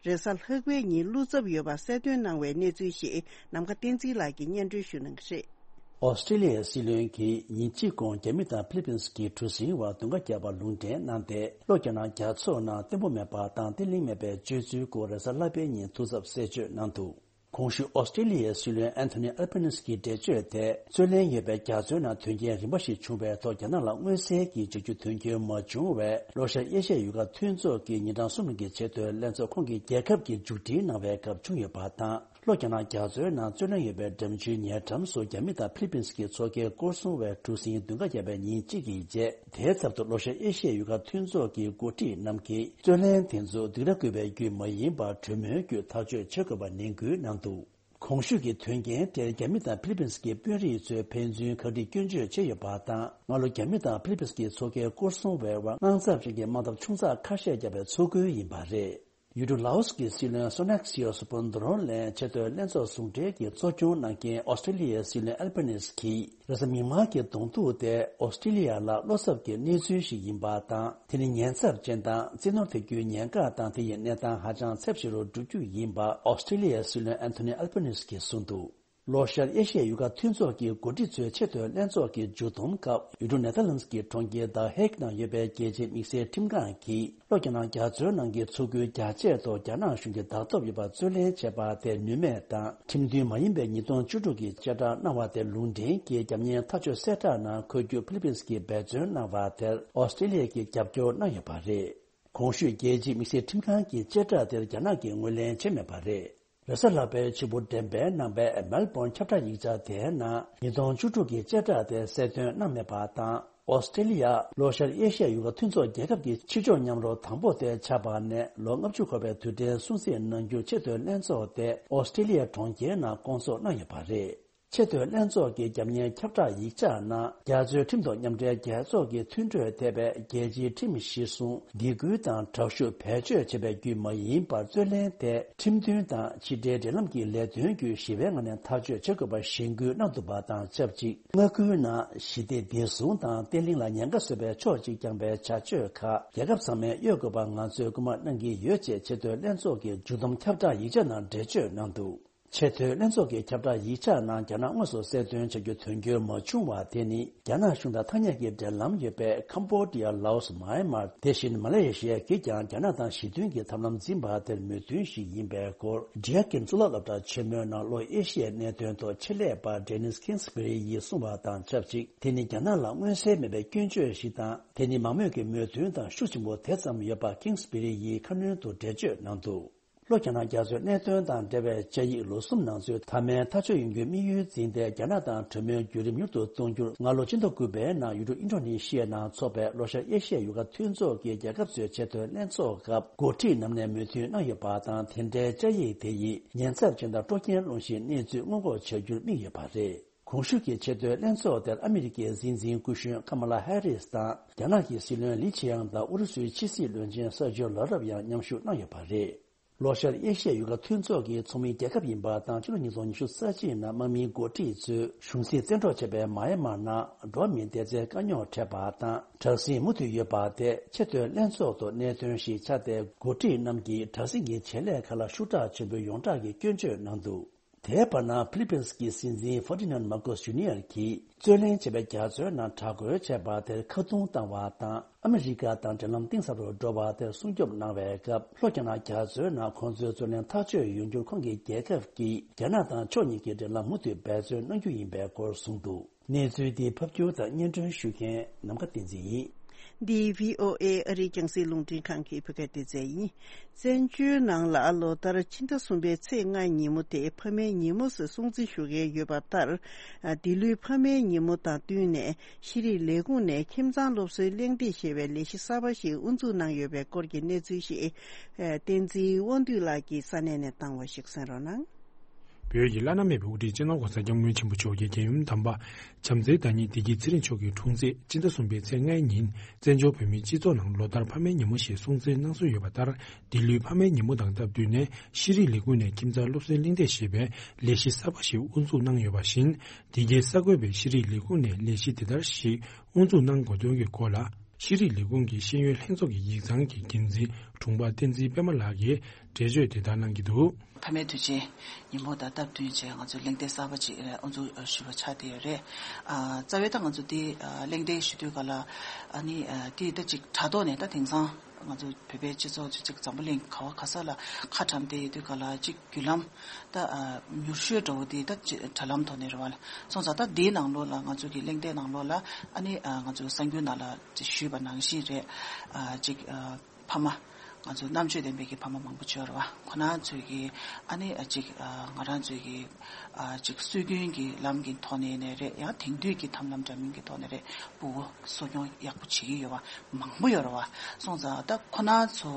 རེས་གཟའ་ལྷག་པའི་ཉིན་བློ་འཚབ་ཡོད་པ་གསལ་སྟོན་གནང་བའི་གནས་ཚུལ་ཞིག་ནམ་མཁའ་བསྟན་འཛིན་ལགས་ཀྱིས་སྙན་སྒྲོན་ཞུ་གནང་གི་རེད། ཨོ་སི་ཁྲི་ལི་ཡའི་སྲིད་བློན་གྱིས་ཉིན་གཅིག་གོང་རྒྱ་མི་དང་ཧྥི་ལི་པིན་གྱི་གྲུ་གཟིངས་བར་རྡུང་ཁ་བརྒྱབ་པར་ལུང་འདྲེན་གནང་སྟེ། ལྷོ་རྒྱ་ནག་རྒྱ་མཚོ་ནང་བརྟན་པོ་མེད་པ་དང་བརྟན་ལྷིང་མེད་པའི་སྤྱོད་ཚུལ་སྐོར་རེས་གཟའ་ལྷག་པའི་ཉིན་ཐུགས་འཚབ་གསལ་བརྗོད་གནང་འདུག་གོང་ཞུས་ཨོ་སི་ཁྲི་ལི་ཡའི་སྲིད་བློན་ཨན་ཐོ་ནི་ཨལ་པ་ནིས་ཀྱི་འགྲེལ་བརྗོད་དེ། རྩོད་ལེན་ཡོད་པའི་རྒྱ་མཚོའི་ནང་དོན་རྐྱེན་རིམ་པ་ཞིག་བྱུང་བའི་ཐོག་རྒྱ་ནག་ལ་མངོན་གསལ་གྱིས་བྱ་རྒྱུ་དོན་འཁྱོལ་མ་བྱུང་བས། ལྷོ་ཤར་ཨེ་ཤ་ཡའི་ཡུལ་ཁག་མཐུན་ཚོགས་ཀྱིས་ཉིན་གྲངས་གསུམ་རིང་གི་ཆེས་མཐོའི་ལྷན་ཚོགས་ཁོང་གི་རྒྱལ་ཁབ་ཀྱིས་མཇུག་སྒྲིལ་གནང་བའི་སྐབས་བྱུང་ཡོད་པ་དང་། ལྷོ་རྒྱ་ནག་རྒྱ་མཚོའི་ནང་རྩོད་ལེན་ཡོད་པའི་འགྲམ་ཆུའི་ཉེ་འགྲམ་སུ་རྒྱ་མི་དང་ཧྥི་ལི་པིན་གྱི་མཚོ་ཁའི་སྐོར་སྲུང་བའི་གྲུ་གཟིངས་མདུན་ཁ་བརྒྱབ་པའི་ཉིན་གཅིག་གི་རྗེས། དེའི་ཚབ་ཏུ་ལྷོ་ཤར་ཨེ་ཤ་ཡའི་ཡུལ་ཁག་མཐུན་ཚོགས་ཀྱི་འགོ་ཁྲིད་རྣམས་ཀྱིས་རྩོད་ལེན་དེ་ཚོ་སྡིགས་ར་བསྐུལ་བའི་བརྒྱུད་མ་ཡིན་པར་གྲོས་མོལ་བརྒྱུད་ཐག་གཅོད་བྱེད་དགོས་པ་ནན་སྐུལ་གནང་འདུག་གོང་ཞུས་ཀྱི་དོན་རྐྱེན་དེར་རྒྱ་མི་དང་ཧྥི་ལི་པིན་གྱི་དཔོན་རིགས་ཚོས་ཕན་ཚུན་ཁ་ཏིག་སྐྱོན་བརྗོད་བྱས་ཡོད་པ་དང་། སྔ་ལོ་རྒྱ་མི་དང་ཧྥི་ལི་པིན་གྱི་མཚོ་ཁའི་སྐོར་སྲུང་བའི་དབར་དངངས་འཚབ་ཅན་གྱི་དམག་འཐབ་ཆུང་ཙག་ཁ་ཤས་བརྒྱབ་པའི་ཚོགས་འཁོར་ཡིན་པ་རེད། ཡུལ་གྲུ་ལའོ་སི་གི་སྲིད་བློན་སོ་ནག་སིའོ་སུ་ཕུན་དོ་རོན་ལན་ཆེས་མཐོའི་ལྷན་ཚོགས་ཟུང་འབྲེལ་གྱིས་གཙོ་སྐྱོང་གནང་མཁན་ཨོ་སི་ཀྲི་ལི་ཡའི་སྲིད་བློན་ཨལ་བྷ་ནིས་ཀྱིས། རེས་གཟའ་མིག་དམར་གྱི་གདོང་ཐུག་དེ་ཨོ་སི་ཀྲི་ལི་ཡ་ལ་བློ་འཚབ་ཀྱི་གནས་ཚུལ་ཞིག་ཡིན་པ་དང་། དེ་ནི་ཉེན་ཚབས་ཅན་དང་བཙན་གནོན་ཐེབས་རྒྱུའི་ཉེན་ཁ་དང་། དེ་ཡི་གནས་སྟངས་ཧ་ཅང་ཚབས་ཆེ་རུ་འགྲོ་རྒྱུ་ཡིན་པ་ཨོ་སི་ཀྲི་ལི་ཡའི་སྲིད་བློན་ཨན་ཐོ་ནི་ཨལ་བྷ་ནིས་ཀྱིས་གསུངས་འདུག་ལྷོ་ཤར་ཨེ་ཤི་ཡའི་ཡུལ་ཁག་མཐུན་ཚོགས་ཀྱི་འགོ་ཁྲིད་ཚོའི་ཆེས་མཐོའི་ལྷན་ཚོགས་ཀྱི་མཇུག་བསྡོམས་སྐབས། ཡུལ་གྲུ་ནེ་ཐར་ལན་སི་ཀྱི་གྲོང་ཁྱེར་ད་ཧེག་ནང་ཡོད་པའི་རྒྱལ་སྤྱིའི་དམིགས་བསལ་ཁྲིམས་ཁང་གིས། ལྷོ་རྒྱ་ནག་རྒྱ་མཚོའི་ནང་གི་མཚོ་ཁུལ་རྒྱ་ཆེ་ཐོག་རྒྱ་ནག་གཞུང་གིས་བདག་སྟོབས་ཡོད་པ་རྩོད་ལེན་བྱས་པ་དེ་ནུས་མེད་དང་། ཁྲིམས་མཐུན་མ་ཡིན་པའི་ཉིས་སྟོང་བཅུ་དྲུག་གི་བཅད་ཁྲ་གནང་བ་དེ་ལུང་འདྲེན་གྱིས། རྒྱབ་གཉེར་ཐག་གཅོད་གསལ་བསྒྲགས་ནང་འཁོད་རྒྱུ་ཕི་ལི་པིན་སི་གིས་འབད་བརྩོན་གནང་བ་དེར་ཨོ་སི་ཀྲི་ལི་ཡ་གིས་རྒྱབ་སྐྱོར་གནང་ཡོད་པ་རེད། གོང་ཞུས་རྒྱལ་སྤྱིའི་དམིགས་བསལ་ཁྲིམས་ཁང་གི་བཅད་ཁྲ་དེར་རྒྱ་ནག་གིས་ངོས་ལེན་བྱས་མེད་པ་རེད། རེས་གཟའ་ལྷག་པའི་ཕྱི་པོ་འགྲེམས་སྤེལ་གནང་པའི་མེལ་བོན་ཁྱབ་བསྒྲགས་ཡིག་ཆ་དེའི་ནང་། ཉིས་སྟོང་བཅུ་དྲུག་གི་བཅད་ཁྲ་དེ་གསལ་སྟོན་གནང་མེད་པ་དང་། ཨོ་སི་ཀྲི་ལི་ཡ། ལྷོ་ཤར་ཨེ་ཤི་ཡ་ཡུལ་ཁག་མཐུན་ཚོགས་རྒྱལ་ཁབ་ཀྱི་ཕྱི་ཕྱོགས་མཉམ་རོགས་དང་པོ་དེ་ཆགས་པ་ནས་ལོ་ལྔ་བཅུ་འཁོར་བའི་དུས་དྲན་སྲུང་བརྩི་གནང་རྒྱུ་ཆེས་མཐོའི་ལྷན་ཚོགས་དེ་ཨོ་སི་ཀྲི་ལི་ཡ་གྲོང་ཁྱེར་ནང་སྐོང་ཚོགས་གནང་ཡོད་པ་རེད། ཆེས་མཐོའི་ལྷན་ཚོགས་ཀྱི་རྒྱབ་གཉེར་ཁྱབ་བསྒྲགས་ཡིག་ཆ་ནང་། རྒྱ་མཚོའི་ཁྲིམས་ཐོག་མཉམ་འབྲེལ་རྒྱལ་ཚོགས་ཀྱི་མཐུན་གྲོས་ཐེབས་པའི་རྒྱལ་སྤྱིའི་ཁྲིམས་གཞིར་བཟུང་། སྡིགས་སྐུལ་དང་དྲག་ཤུགས་བེད་སྤྱོད་བྱེད་པའི་བརྒྱུད་མ་ཡིན་པར་རྩོད་ལེན་དེ་ཁྲིམས་མཐུན་དང་ཕྱི་འབྲེལ་འབྲེལ་ལམ་གྱི་ལས་དོན་བརྒྱུད་ཞི་བའི་ངང་ནས་ཐག་གཅོད་བྱེད་དགོས་པར་གཞེན་སྐུལ་གནང་འདུག་པ་དང་ཆབས་ཅིག་མངའ་ཁུལ་ནང་ཞི་བདེ་བདེ་སྲུང་དང་བརྟན་ལྷིང་ལ་ཉེན་ཁ་བཟོ་བའི་ཕྱོགས་གཅིག་རྐྱང་པའི་བྱ་སྤྱོད་ཁག་རྒྱལ་ཁབ་ཚང་མས་གཡོལ་དགོས་པ་ང་ཚོས་སྐུལ་མ་གནང་གི་ཡོད་ཅེས་ཆེས་མཐོའི་ལྷན་ཚོགས་ཀྱི་མཇུག་བསྡོམས་ཁྱབ་བསྒྲགས་ཡིག་ཆ་ནང་འགྲེལ་བརྗོད་གནང་འདུག་ཆེས་མཐོའི་ལྷན་ཚོགས་ཀྱི་ཁྱབ་བསྒྲགས་ཡིག་ཆ་ནང་། རྒྱ་ནག་དངོས་སུ་གསལ་སྟོན་བྱ་རྒྱུ་དོན་འཁྱོལ་མ་བྱུང་བ་དེ་ནི། རྒྱ་ནག་གཞུང་དང་ཐ་སྙད་ཀྱི་འབྲེལ་ལམ་ཡོད་པའི་ཁམ་བྷོ་ཌི་ཡ། ལའོ་སི། མཱ་ཡན་མར། དེ་བཞིན་མ་ལེ་ཤི་ཡ་གིས་ཀྱང་རྒྱ་ནག་དང་ཞི་མཐུན་གྱི་ཐབས་ལམ་འཛིན་པ་དེར་མོས་མཐུན་ཞིག་ཡིན་པའི་སྐོར། ཌི་ཡ་ཀིན་གཙུག་ལག་སློབ་གྲྭ་ཆེན་མོའི་ནང་ལྷོ་ཨེ་ཤི་ཡའི་གནད་དོན་ཐོག་ཆེད་ལས་པ་ཌེ་ནིས་ཁིང་སི་བྷེ་རི་ཡིས་གསུངས་པ་དང་ཆབས་ཅིག་དེ་ནི་རྒྱ་ནག་ལ་མངོན་གསལ་མེད་པའི་སྐྱོན་བརྗོད་ཞིག་དང་། དེ་ནི་མང་མོས་ཀྱི་མོས་མཐུན་དང་ཤུགས་ཆེན་པོ་དེ་ཙམ་ཡོད་པ་ཁིང་སི་བྷེ་རི་ཡིས་ཁ་སྣོན་དུ་འགྲེལ་བརྗོད་གནང་འདུག་ལྷོ་རྒྱ་ནག་རྒྱ་མཚོའི་གནད་དོན་དང་འབྲེལ་བའི་བཅའ་ཡིག་ལོ་གསུམ་ནང་ཚུད་མཐའ་མའི་ཐག་གཅོད་ཡོང་རྒྱུའི་དམིགས་ཡུལ་འཛིན་ཏེ། རྒྱ་ནག་དང་གྲོས་མོལ་བརྒྱུད་རིམ་མྱུར་དུ་གཏོང་རྒྱུར་སྔ་ལོ་སྤྱི་ཟླ་དགུ་པའི་ནང་ཡུལ་གྲུ་ཨིན་ཌོ་ནེ་ཤི་ཡའི་ནང་འཚོགས་པའི་ལྷོ་ཤར་ཨེ་ཤི་ཡའི་ཡུལ་ཁག་མཐུན་ཚོགས་ཀྱི་རྒྱལ་ཁབ་ཚོའི་ཆེས་མཐོའི་ལྷན་ཚོགས་སྐབས། འགོ་ཁྲིད་རྣམས་ནས་མོས་མཐུན་གནང་ཡོད་པ་དང་། དེ་འབྲེལ་བཅའ་ཡིག་དེ་ཡིས་ཉེན་ཚབས་ཅན་དང་སྤྲོ་སྐྱིད་སློང་གཞིའི་གནས་ཚུལ་སྔོན་འགོག་བྱ་རྒྱུར་དམིགས་ཡོད་པ་རེད། གོང་ཞུས་ཀྱི་ཆེས་མཐོའི་ལྷན་ཚོགས་དེར་ཨ་མི་རི་ཀའི་སྲིད་འཛིན་སྐུ་གཞོན་ཀ་མ་ལ་ཧེ་རིས་དང་། རྒྱ་ནག་གི་སྲིད་བློན་ལི་ཆི་ཡང་དང་ཨུ་རུ་སུའི་ཕྱི་སྲིད་བློན་ཆེན་སར་ཇོ་ལ་རབ་ཡང་མཉམ་ཞུགས་གནང་ཡོད་པ་རེད། ལྷོ་ཤར་ཨེ་ཤི་ཡའི་ཡུལ་ཁག་མཐུན་ཚོགས་ཀྱི་ཚོགས་མི་རྒྱལ་ཁབ་ཡིན་པ་དང་། ཕྱི་ལོ་ཉིས་སྟོང་ཉི་ཤུ་རྩ་གཅིག་ནང་དམག་མིའི་འགོ་ཁྲིད་ཚོས་གཞུང་སྲིད་བཙན་འཕྲོག་བྱས་པའི་མཱ་ཡན་མར་ནང་འགྲོ་བ་མིའི་བདེ་རྩའི་དཀའ་རྙོག་འཕྲད་པ་དང་། དྲག་ཟིང་མུ་མཐུད་ཡོད་པ་དེ་ཆེས་མཐོའི་ལྷན་ཚོགས་ཐོག་གནད་དོན་ཞིག་ཆགས་ཏེ། འགོ་ཁྲིད་རྣམས་ཀྱིས་དྲག་ཟིང་གི་བྱེད་ལས་ཁག་ལ་ཤུགས་དྲག་ཆེན་པོའི་ཡོངས་གྲགས་ཀྱི་སྐྱོན་བརྗོད་གནང་འདུག་དེའི་བར་ན་ཕི་ལི་པིན་སི་གི་སྲིད་འཛིན་ཧྥར་ཏི་ནན་མར་ཀོས་ཇུ་ནི་ཡར་གྱིས་རྩོད་ལེན་བྱས་པའི་རྒྱ་མཚོའི་ནང་དྲག་རྒོལ་བྱས་པ་དེར་ཁ་རྡུང་བཏང་བ་དང་། ཨ་མི་རི་ཀ་དང་འབྲེལ་ལམ་གཏིང་ཟབ་རུ་འགྲོ་བ་དེར་སྲུང་སྐྱོབ་གནང་བའི་སྐབས། ལྷོ་རྒྱ་ནག་རྒྱ་མཚོའི་ནང་ཁོང་ཚོའི་རྩོད་ལེན་ཐག་གཅོད་ཡོང་རྒྱུར་ཁོང་གི་རྒྱལ་ཁབ་ཀྱིས་རྒྱ་ནག་དང་ཕྱོགས་གཉིས་ཀྱི་འབྲེལ་ལམ་མུ་མཐུད་འབད་བརྩོན་གནང་རྒྱུ་ཡིན་པའི་སྐོར་གསུངས་འདུག་གནས་ཚུལ་འདི་ཕབ་སྒྱུར་དང་སྙན་སྒྲོན་ཞུ་མཁན་ནམ་མཁའ་བསྟན་འཛིན་ཡིན། འདི་བྷི་ཨོ་ཨེ་ཨ་རིའི་རྒྱང་སྲིང་རླུང་འཕྲིན་ཁང་གི་བོད་སྐད་སྡེ་ཚན་ཡིན། བཙན་བྱོལ་ནང་ལ་ལོ་ལྟར་ཕྱི་ཟླ་གསུམ་པའི་ཚེས་ལྔའི་ཉིན་མོ་དེ་ཕ་མའི་ཉིན་མོ་ཞེས་སྲུང་བརྩི་ཞུ་གི་ཡོད་པ་ལྟར། འདི་ལོའི་ཕ་མའི་ཉིན་མོ་དང་བསྟུན་ནས་ཤེས་རིག་ལས་ཁུངས་ནས་ཁྱིམ་ཚང་སློབ་གསོའི་གླེང་སྟེགས་ཞེས་པའི་ལས་གཞི་གསར་པ་ཞིག་དབུ་འཛུགས་གནང་ཡོད་པའི་སྐོར་གྱི་གནས་ཚུལ་ཞིག་བསྟན་འཛིན་དབང་འདུས་ལགས་ཀྱིས་ས་གནས་ནས་བཏང་བ་ཞིག་གསན་རོགས་གནང་། བོད་ཀྱི་བླ་ན་མེད་པའི་དབུ་ཁྲིད་སྤྱི་ནོར་༸གོང་ས་༸སྐྱབས་མགོན་ཆེན་པོ་མཆོག་གི་རྒྱལ་ཡུམ་དམ་པ་བྱམས་བརྩེའི་བདག་ཉིད་བདེ་སྐྱིད་ཚེ་རིང་མཆོག་གི་འཁྲུངས་ཚེས་སྤྱི་ཟླ་གསུམ་པའི་ཚེས་ལྔའི་ཉིན། བཙན་བྱོལ་བོད་མིའི་སྤྱི་ཚོགས་ནང་ལོ་ལྟར་ཕ་མའི་ཉིན་མོ་ཞེས་སྲུང་བརྩི་གནང་སྲོལ་ཡོད་པ་ལྟར། འདི་ལོའི་ཕ་མའི་ཉིན་མོ་དང་སྟབས་བསྟུན་ནས། ཤེས་རིག་ལས་ཁུངས་ནས་ཁྱིམ་ཚང་སློབ་གསོའི་གླེང་སྟེགས་ཞེས་པའི་ལས་གཞི་གསར་པ་ཞིག་དབུ་འཛུགས་གནང་ཡོད་པ་བཞིན། འདི་གའི་གསར་འགོད་པས་ཤེས་རིག་ལས་ཁུངས་ནས་ལས་གཞི་དེ་ལྟར་ཞིག་དབུ་འཛུགས་གནང་དགོས་དོན་གྱི་སྐོར་ལ། ཤེས་རིག་ལས་ཁུངས་ཀྱི་ཤེས་ཡོན་ལྷན་ཚོགས་ཀྱི་ཡིག་ཚང་གི་འགན་འཛིན་དྲུང་འཕར་བསྟན་འཛིན་པད་མ་ལགས་ཀྱིས་འགྲེལ་བརྗོད་དེ་ལྟར་གནང་གི་འདུག་ཕ་མའི་དུས་ཆེན་ཉིན་མོ་དང་སྟབས་བསྟུན་བྱས། ང་ཚོས་གླེང་སྟེགས་གསར་པ་ཅིག་དབུ་འཛུགས་ཞུས་པ་ཆགས་བསྡད་ཡོད་རེད། ཨ། རྩ་བའི་ད་ང་ཚོ་འདི་ཨ་གླེང་སྟེགས་ཞུ་དུས་ག་ལ། ཨ་ནི་ཨ་འདི་ད་ཅིག་དྲ་ཐོག་ནས། ད་དེང་སང་ང་ཚོ་བོད་པའི་སྤྱི་ཚོགས་ཅིག་ཅིག་འཛམ་བུ་གླིང་ག་བ་ག་ས་ལ་ཁ་བཀྲམ་བསྡད་ཡོད་དུས་ག་ལ། ཅིག་བརྒྱུད་ལམ་ད་ཨ་མྱུར་ཤོས་འདྲ་བོ་འདི་ད་ཅིག་དྲ་ལམ་ཐོག་ནས་རེད་བ། སོང་ཙང་ད་འདིའི་ནང་ལོགས་ལ། ང་ཚོ་གི་གླེང་སྟེགས་ནང་ལོགས་ལ། ཨ་ནི་ཨ་ང་ཚོ་གསར་འགྱུར་ནང་ལ་ཅིག་ཞུས་པ་ནང་བཞིན་རེད། ཨ་ཅིག་ཨ་ཕ་མ། ང་ཚོ་རྣམ་དཔྱོད་ལྡན་པའི་གི་ཕ་མ་མང་པོ་ཅིག་ཡོད་རེད་བ། ཁོ་རང་ཚོས་གི་ཨ་ནི་ཨ་ཅིག་ཨ་ང་རང་ཚོས་གི་ ཨ་ཅིག་སྲོལ་རྒྱུན་གྱི་ལམ་གྱི་ཐོག་ནས་ནས་རེད། ཡང་དེང་དུས་ཀྱི་ཐབས་ལམ་འདྲ་མིན་གྱི་ཐོག་ནས་རེད། སྤུ་གུ་གསོ་སྐྱོང་ཡག་པོ་བྱེད་ཀྱི་ཡོད་པ་མང་པོ་ཡོད་རེད་བ། སོང་ཙང་ད་ཁོ་ན་ཚོ་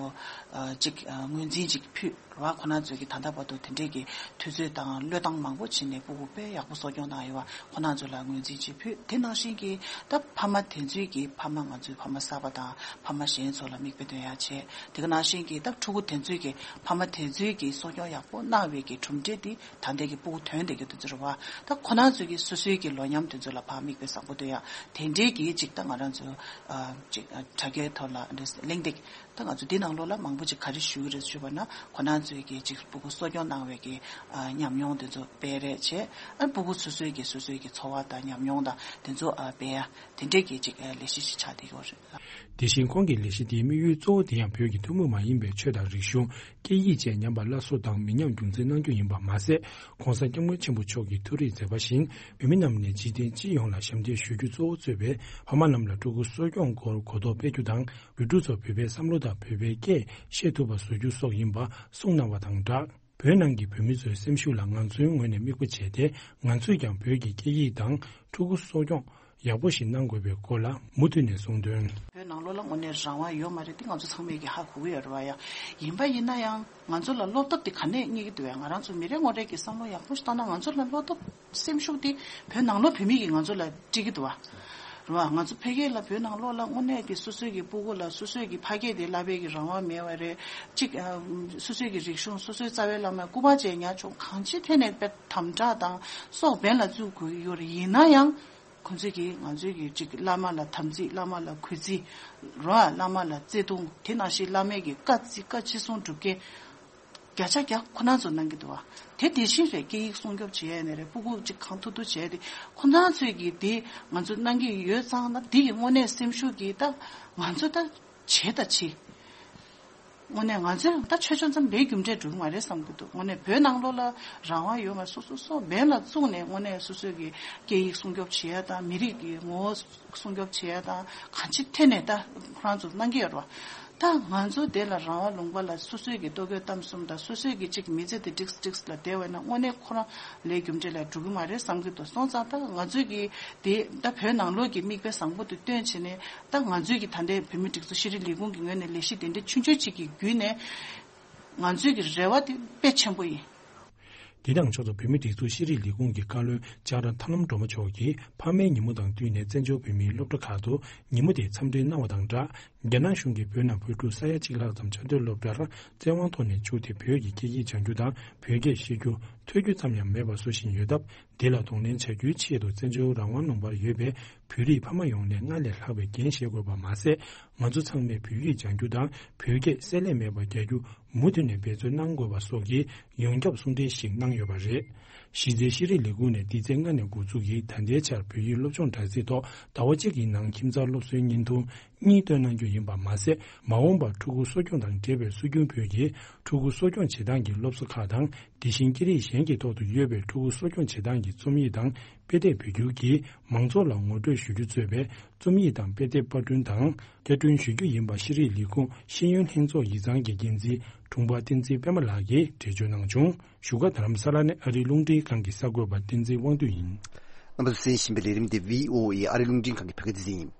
ཨ་ཅིག་ཨ་ངོས་འཛིན་ཅིག་ཕུལ་རེད་བ། ཁོ་ན་ཚོས་ཀྱི་ད་ལྟ་བར་དུ་དེ་འདྲས་ཀྱི་དུས་ཚོད་དང་བློས་བཏང་མང་པོ་བྱས་ནས་སྤུ་གུ་དཔེ་ཡག་པོ་གསོ་སྐྱོང་གནང་ཡོད་པ་ཁོ་ན་ཚོ་ལ་ངོས་འཛིན་ཅིག་ཕུལ། དེ་ནང་བཞིན་གྱི་ད་ཕ་མ་དེ་ཚོས་ཀྱི་ཕ་མ་ང་ཚོའི་ཕ་མ་གསར་པ་དང་ཕ་མ་གཞན་ཚོ་ལ་མིག་དཔེ་སྟོན་ཡག་བྱས། དེ་ག་ནང་བཞིན་གྱི་ད་ཕྲུ་གུ་དེ་ཚོས་ཀྱི་ཕ་མ་དེ་ཚོས་ཀྱི་གསོ་སྐྱོང་ཡག་པོ་གནང་བའི་གི་གྲུབ་འབྲས་དེ་ད་ལྟའི་གི་སྤུ་གུ་ཐོན་བསྡད་ཀྱི་དེ་ཚོ་རེད་བ། ད་ཁོ་ན་ཚོས་ཀྱི་སོ་སོའི་གི་ལོ་མཉམ་དེ་ཚོ་ལ་ཕར་མིག་དཔེ་བཟང་པོ་སྟོན་ཡག་དེ་འདྲའི་གི་ཅིག་ད་ང་རང་ཚོ་ཨ་ཅིག་ཨ་དྲ་རྒྱའི་ཐོག་ལ་འདྲ་གླེང་སྟེགས་ད་ང་ཚོ་འདི་ནང་ལོགས་ལ་མང་པོ་ཅིག་ག་རེ་ཞུ་གི་རེད་ཞུས་པ་ན་ཁོ་ན་ཚོས་ཀྱི་ཅིག་སྤུ་གུ་གསོ་སྐྱོང་གནང་བའི་གི་ཨ་ཉམས་མྱོང་དེ་ཚོ་སྤེལ་རེས་བྱས། ཨ་སྤུ་གུ་སོ་སོའི་གི་སོ་སོའི་གི་འཚོ་བ་དང་ཉམས་མྱོང་དང་དེ་ཚོ་ཨ་སྤེལ་ཡག་དེ་འདྲའི་གི་ཅིག་ཨ་ལས་གཞི་ཞིག་ཆགས་བསྡད་ཡོད་རེད། དེ་བཞིན་ཁོང་གི་ལས་གཞི་དེའི་དམིགས་ཡུལ་གཙོ་བོ་དེ་ཡང་བོད་ཀྱི་ཐུན་མོང་མ་ཡིན་པའི་ཆོས་དང་རིག་གཞུང་། སྐད་ཡིག་བཅས་ཉམས་པ་སླར་གསོ་དང་མི་ཉམས་རྒྱུན་འཛིན་གནང་རྒྱུ་ཡིན་པ་མ་ཟད། ྋགོང་ས་ྋསྐྱབས་མགོན་ཆེན་པོ་མཆོག་གི་ཐུགས་རེའི་མཛད་པ་བཞིན་བོད་མི་རྣམས་ནས་འཇིག་རྟེན་སྤྱི་ཡོངས་ལ་ཞབས་འདེགས་ཞུ་རྒྱུ་གཙོ་བོ་གཙོས་པའི་ཕ་མ་རྣམས་ལ་ཕྲུ་གུ་གསོ་སྐྱོང་སྐོར་གོ་རྟོགས་སྤེལ་རྒྱུ་དང་། བོད་ཕྲུག་ཚོ་བོད་པའི་བསམ་བློ་དང་བོད་པའི་སྐད་བཤད་ཐུབ་པ་བཟོ་རྒྱུ་སོགས་ཡིན་པ་གསུངས་གནང་བ་དང་སྦྲགས། བོད་ནང་གི་བོད་མི་ཚོའི་སེམས་ཤུགས་ལ་ང་ཚོའི་ངོས་ནས་དམིགས་པ་བྱས་ཏེ་ང་ཚོས་ཀྱང་བོད་ཀྱི་སྐད་ཡིག་དང་ཕྲུ་གུ་གསོ་སྐྱོང་ཡག་པོ་ཞིག་གནང་དགོས་པའི་སྐོར་ལ་མུ་མཐུད་ནས་གསུངས་དོན། བོད་ནང་ལོགས་ལ་དངོས་གནས་རང་དབང་ཡོད་མ་རེད་དེ་ང་ཚོ་ཚང་མས་ཀྱི་ཧ་གོ་གི་ཡོད་རེད་བ་ཡ། ཡིན་པ་ཡིན་ན་ཡང་ང་ཚོ་ལ་བློ་སྟོབས་དེ་ག་ནས་རྙེད་ཀྱི་འདུག་བས། ང་རང་ཚོ་མི་རེ་ངོ་རེ་གི་བསམ་བློ་ཡག་པོ་ཞིག་བཏང་ན་ང་ཚོ་ལ་བློ་སྟོབས་སེམས་ཤུགས་དེ་བོད་ནང་ལོགས་བོད་མི་གིས་ང་ཚོ་ལ་སྤྲད་ཀྱི་འདུག་བ། རེད་བ། ང་ཚོ་ཕ་གི་ལ་བོད་ནང་ལོགས་ལ་དངོས་གནས་ཀྱི་སོ་སོའི་གི་སྤུ་གུ་ལ་སོ་སོའི་གི་ཕ་སྐད་དེ་བསླབ་པའི་གི་རང་དབང་མེད་པ་རེད། གཅིག་ཨ། སོ་སོའི་གི་རིག་གཞུང་སོ་སོའི་རྩ་བའི་བླ་མ་སྐུ་པར་བཅས་ཉར་ཆོག་གང་ཅིའི་ཐད་ནས་དཔེ་དམ་དྲག་དང་སྲོག་འབེན་ལ་བཙུགས་དགོས་ཀྱི་ཡོད་རེད། ཡིན་ན་ཡང་ཁོང་ཚོས་ཀྱིས་ང་ཚོའི་གི་གཅིག་བླ་མ་ལ་དམ་ཚིག་བླ་མ་ལ་གུས་བརྩི་རོ། བླ་མ་ལ་བརྩེ་དུང་དེ་ནང་བཞིན་བླ་མའི་གི་བཀའ་བརྩི་བཀའ་ཅི་གསུང་སྒྲུབ་མཁན་བརྒྱ་ཆ་བརྒྱ་ཁོ་ན་ཚོ་གནང་གི་འདུག་བ། དེ་དེ་བཞིན་རེད། སྐད་ཡིག་སྲུང་སྐྱོབ་བྱེད་ཡ་ནས་རེད། སྤུ་གུ་གཅིག་གང་ཐུབ་ཐུབ་བྱས་ཏེ་ཁོ་ན་ཚོས་ཀྱིས་དེ་ང་ཚོ་གནང་གི་ཡོད་ཙང་ན་དེ་གི་དངོས་གནས་སེམས་ཤུགས་ཀྱིས་ད་ང་ཚོ་ད་བྱེད་ད་བྱེད། དངོས་གནས་ང་ཚོས་ད་ཆོས་ཆོས་ཙམ་ལས་རྒྱུ་འབྲས་འགྲོ་གི་མ་རེད་བསམ་གྱི་འདུག་དངོས་གནས་བོད་ནང་ལོགས་ལ་རང་དབང་ཡོད་མ་སོ་སོ་སོ་འབེན་ལ་བཙུགས་ནས་དངོས་གནས་སོ་སོའི་གི་སྐད་ཡིག་སྲུང་སྐྱོབ་བྱེད་ཡ་དང་མི་རིགས་ཀྱི་ངོ་བོ་སྲུང་སྐྱོབ་བྱེད་ཡ་དང་གང་ཅི་ཐད་ནས་ད་ཁོ་རང་ཚོ་གནང་གི་ཡོད་རེད་བ། ད་ང་ཚོ་དེ་ལ་རང་དབང་ལུང་པ་ལ་སོ་སོའི་གི་ལྟོ་གོས་གཏམ་གསུམ་དང་སོ་སོའི་གི་གཅིག་མི་ཚེ་དེ་འགྲིགས་འགྲིགས་ལ་བསྡད་པ་ན་དངོས་གནས་ཁོ་རང་ལས་རྒྱུ་འབྲས་ལ་འགྲོ་གི་མ་རེད་བསམ་གྱི་འདུག་སོང་ཙང་ད་ང་ཚོས་གི་དེ་ད་བོད་ནང་ལོགས་ཀྱི་མིག་དཔེ་བཟང་པོ་དེ་སྟོན་བྱས་ནས་ད་ང་ཚོས་གི་ད་ལྟའི་བོད་མི་སྒྲིག་འཛུགས་ཤེས་རིག་ལས་ཁུངས་ཀྱི་ངོས་ནས་ལས་གཞི་དེ་འདྲ་ཆུང་ཆུང་གཅིག་གི་བརྒྱུད་ནས་ང་ཚོའི་གི་རེ་བ་དེ་དཔེ་ཆེན་པོ་ཡིན། འདི་དང་ཕྱོགས་སུ་བོད་མིའི་སྒྲིག་འཛུགས་ཤེས་རིག་ལས་ཁུངས་ཀྱི་བཀའ་བློན་ལྕགས་ར་ཐར་ལམ་སྒྲོལ་མ་མཆོག་གིས་ཕ་མའི་ཉིན་མོ་དང་བསྟུན་ནས་བཙན་བྱོལ་བོད་མིའི་སློབ་གྲྭ་ཁག་ཏུ་ཉིན་མོ་དེ་འཚམས་འདྲི་གནང་བ་དང་སྦྲགས། རྒྱ་ནག་གཞུང་གིས་བོད་ནང་བོད་ཕྲུག་ས་ཡ་གཅིག་ལྷག་ཙམ་ཆ་མཐུན་སློབ་གྲྭར་བཙན་དབང་ཐོག་ནས་བཅུག་སྟེ་བོད་ཀྱི་སྐད་ཡིག་སྦྱང་རྒྱུ་དང་བོད་སྐད་ཤེས་རྒྱུ་ཐོས་རྒྱུ་ཙམ་ཡང་མེད་པ་བཟོ་བཞིན་ཡོད་སྟབས། འདི་ལ་གདོང་ལེན་བྱ་རྒྱུའི་ཆེད་དུ་བཙན་བྱོལ་རང་དབང་ལུང་པར་ཡོད་པའི་བོད་རིགས་ཕ་མ་ཡོངས་ནས་སྔར་ལས་ལྷག་པའི་འགན་བཞེས་དགོས་པ་མ་ཟད། ང་ཚོ་ཚང་མས་བོད་ཡིག་སྦྱང་རྒྱུ་དང་བོད་སྐད་བསྲེ་ལྷད་མེད་པར་རྒྱག་རྒྱུ་མུ་མཐུད་ནས་འབད་བརྩོན་གནང་དགོས་པ་སོགས་ཀྱི་ཡོངས་ཁྱབ་གསུང་འཕྲིན་ཞིག་གནང་ཡོད་པ་རེད། གཞི་རྩའི་ཤེས་རིག་ལས་ཁུངས་ནས་འདི་ཚེས་ལྔ་ནས་འགོ་འཛུགས་ཀྱིས་ད་ལྟའི་ཆར་བོད་ཡིག་སློབ་སྦྱོང་དྲ་ཚིགས་ཐོག་ཟླ་བ་གཅིག་གི་ནང་ཁྱིམ་ཚང་སློབ་གསོའི་བརྙན་ཐུང་གཉིས་བཏོན་གནང་རྒྱུ་ཡིན་པ་མ་ཟད། མ་འོངས་པར་ཕྲུ་གུ་གསོ་སྐྱོང་དང་འབྲེལ་བའི་སྲོལ་རྒྱུན་བོད་ཀྱི་ཕྲུ་གུ་གསོ་སྐྱོང་བྱེད་སྟངས་ཀྱི་སློབ་གསོ་ཁག་དང་། དེ་བཞིན་སྐད་རིགས་གཞན་གྱི་ཐོག་ཏུ་ཡོད་པའི་ཕྲུ་གུ་གསོ་སྐྱོང་བྱེད་སྟངས་ཀྱི་རྩོམ་ཡིག་དང་དཔེ་དེབ་བོད་བསྒྱུར་གྱིས་མང་ཚོགས་ལ་ངོ་སྤྲོད་ཞུ་རྒྱུ་གཙོས་པའི་རྩོམ་ཡིག་དང་དཔེ་དེབ་པར་སྐྲུན་དང་བསྐྱར་སྐྲུན་ཞུ་རྒྱུ་ཡིན་པ་ཤེས་རིག་ལས་ཁུངས་ཤེས་ཡོན་ལྷན་ཚོགས་ཡིག་ཚང་གི་འགན་འཛིན་དྲུང་པ་བསྟན་འཛིན་པད་མ་ལགས་ཀྱིས་འགྲེལ་བརྗོད་གནང་བྱུང་། བཞུགས་སྒར་རྡ་རམ་ས་ལ་ནས་ཨ་རིའི་རླུང་འཕྲིན་ཁང་གི་གསར་འགོད་པ་བསྟན་འཛིན་དབང་འདུས་ཡིན། རྣམ་པ་ཚོས་གསན་བཞིན་པའི་ལས་རིམ་དེ་བྷི་ཨོ་ཨེ་ཨ་རིའི་རླུང་འཕྲིན་ཁང་གི་བོད་སྐད་སྡེ་ཚན་ཡིན།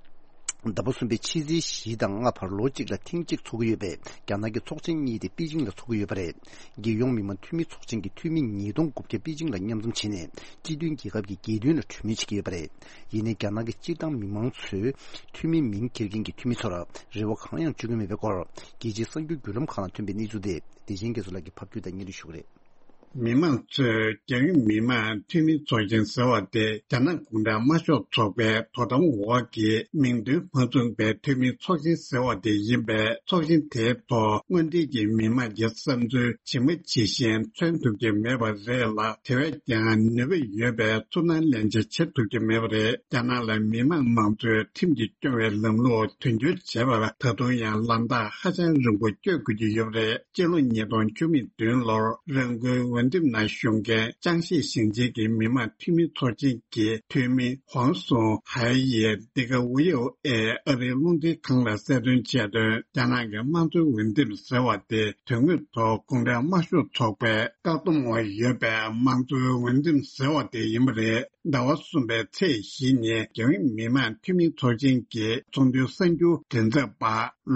ཟླ་བ་གསུམ་པའི་ཕྱི་ཚེས་བཞི་དང་ལྔ་བར་ལོ་གཅིག་ལ་ཐེངས་གཅིག་འཚོགས་ཀྱི་ཡོད་པའི་རྒྱ་ནག་གི་ཚོགས་ཆེན་གཉིས་དེ་པེ་ཅིང་ལ་འཚོགས་ཀྱི་ཡོད་པ་རེད། རྒྱལ་ཡོངས་མི་དམངས་འཐུས་མི་ཚོགས་ཆེན་གྱི་འཐུས་མི་ཉིས་སྟོང་དགུ་བརྒྱ་པེ་ཅིང་ལ་མཉམ་འཛོམས་བྱས་ནས་སྤྱི་མཐུན་རྒྱལ་ཁབ་ཀྱི་རྒྱལ་དོན་ལ་གྲོས་མོལ་བྱེད་ཀྱི་ཡོད་པ་རེད། ཡིན་ནའི་རྒྱ་ནག་གི་སྤྱིར་བཏང་མི་མང་ཚོས་འཐུས་མི་མིང་འཁྱེར་མཁན་གྱི་འཐུས་མི་ཚོར་རེ་བ་གང་ཡང་བཅོལ་གྱི་མེད་པའི་སྐོར་རྒྱལ་སྤྱིའི་གསར་འགྱུར་བརྒྱུད་ལམ་ཁག་ནང་ཐོན་པའི་གནས་ཚུལ་དེ་བདེ་ཆེན་རྒྱ་མཚོ་ལགས་ཀྱིས་ཕབ་སྒྱུར་དང་སྙན་སྒྲོན་ཞུ་གི་རེད། མི་མང་ཚོས་རྒྱལ་ཡོངས་མི་དམངས་འཐུས་མི་ཚོགས་ཆེན་ཟེར་བ་དེ་རྒྱ་ནག་གུང་ཁྲན་དམར་ཤོག་ཚོགས་པའི་དོ་དམ་འོག་གི་མིང་དོན་མ་མཚུངས་པའི་འཐུས་མི་ཚོགས་ཆེན་ཟེར་བ་དེ་ཡིན་པས། ཚོགས་ཆེན་དེའི་ཐོག་དངོས་འབྲེལ་གྱི་མི་དམངས་ཀྱི་བསམ་ཚུལ་ཇི་མ་ཇི་བཞིན་མཚོན་ཐུབ་ཀྱི་མེད་པ་རེད་ལ། དེ་བས་ཀྱང་ནུས་པ་ཡོད་པའི་ཚུར་སྣང་ལེན་བྱ་བྱེད་ཐུབ་ཀྱི་མེད་པ་རེད། རྒྱ་ནག་ལ་མི་དམངས་མང་གཙོའི་ཁྲིམས་ཀྱིས་སྐྱོང་བའི་ལམ་ལུགས་དོན་འཁྱོལ་བྱེད་པར་ད་དུང་ཡང་ལམ་ཐག་ཧ་ཅང་རིང་པོ་བསྐྱོད་དགོས་ཀྱི་ཡོད་པ་རེད། སྤྱི་ལོ་ཉིས་སྟོང་བཅུ་མེད་བདུན་ལོར་རང་འགུལ་ འོས་འདེམས་ནང་ཞུགས་མཁན་ཅང་ཤིས་ཞིང་ཆེན་གྱི་མི་དམངས་འཐུས་མི་ཚོགས་ཆེན་གྱི་འཐུས་མི་ཧོང་སུང་ཧའེ་ཡིས་འདི་ག་ཝི་ཨོ་ཨེ་ཨ་རིའི་རླུང་འཕྲིན་ཁང་ལ་གསལ་སྟོན་བྱས་དོན། རྒྱ་ནག་གི་དམངས་གཙོའི་འོས་འདེམས་ཟེར་བ་དེ་དོན་དངོས་ཐོག་གུང་ཁྲན་དམར་ཤོག་ཚོགས་པའི་བཀག་སྡོམ་འོག་ཡོད་པའི་དམངས་གཙོའི་འོས་འདེམས་ཟེར་བ་དེ་ཡིན་པ་རེད། ཟླ་བ་གསུམ་པའི་ཚེས་བཞི་ཉིན་རྒྱལ་ཡོངས་མི་དམངས་འཐུས་མི་ཚོགས་ཆེན་གྱི་ཚོགས་འདུའི་གསར་འགྱུར་མགྲིན་ཚབ་པ་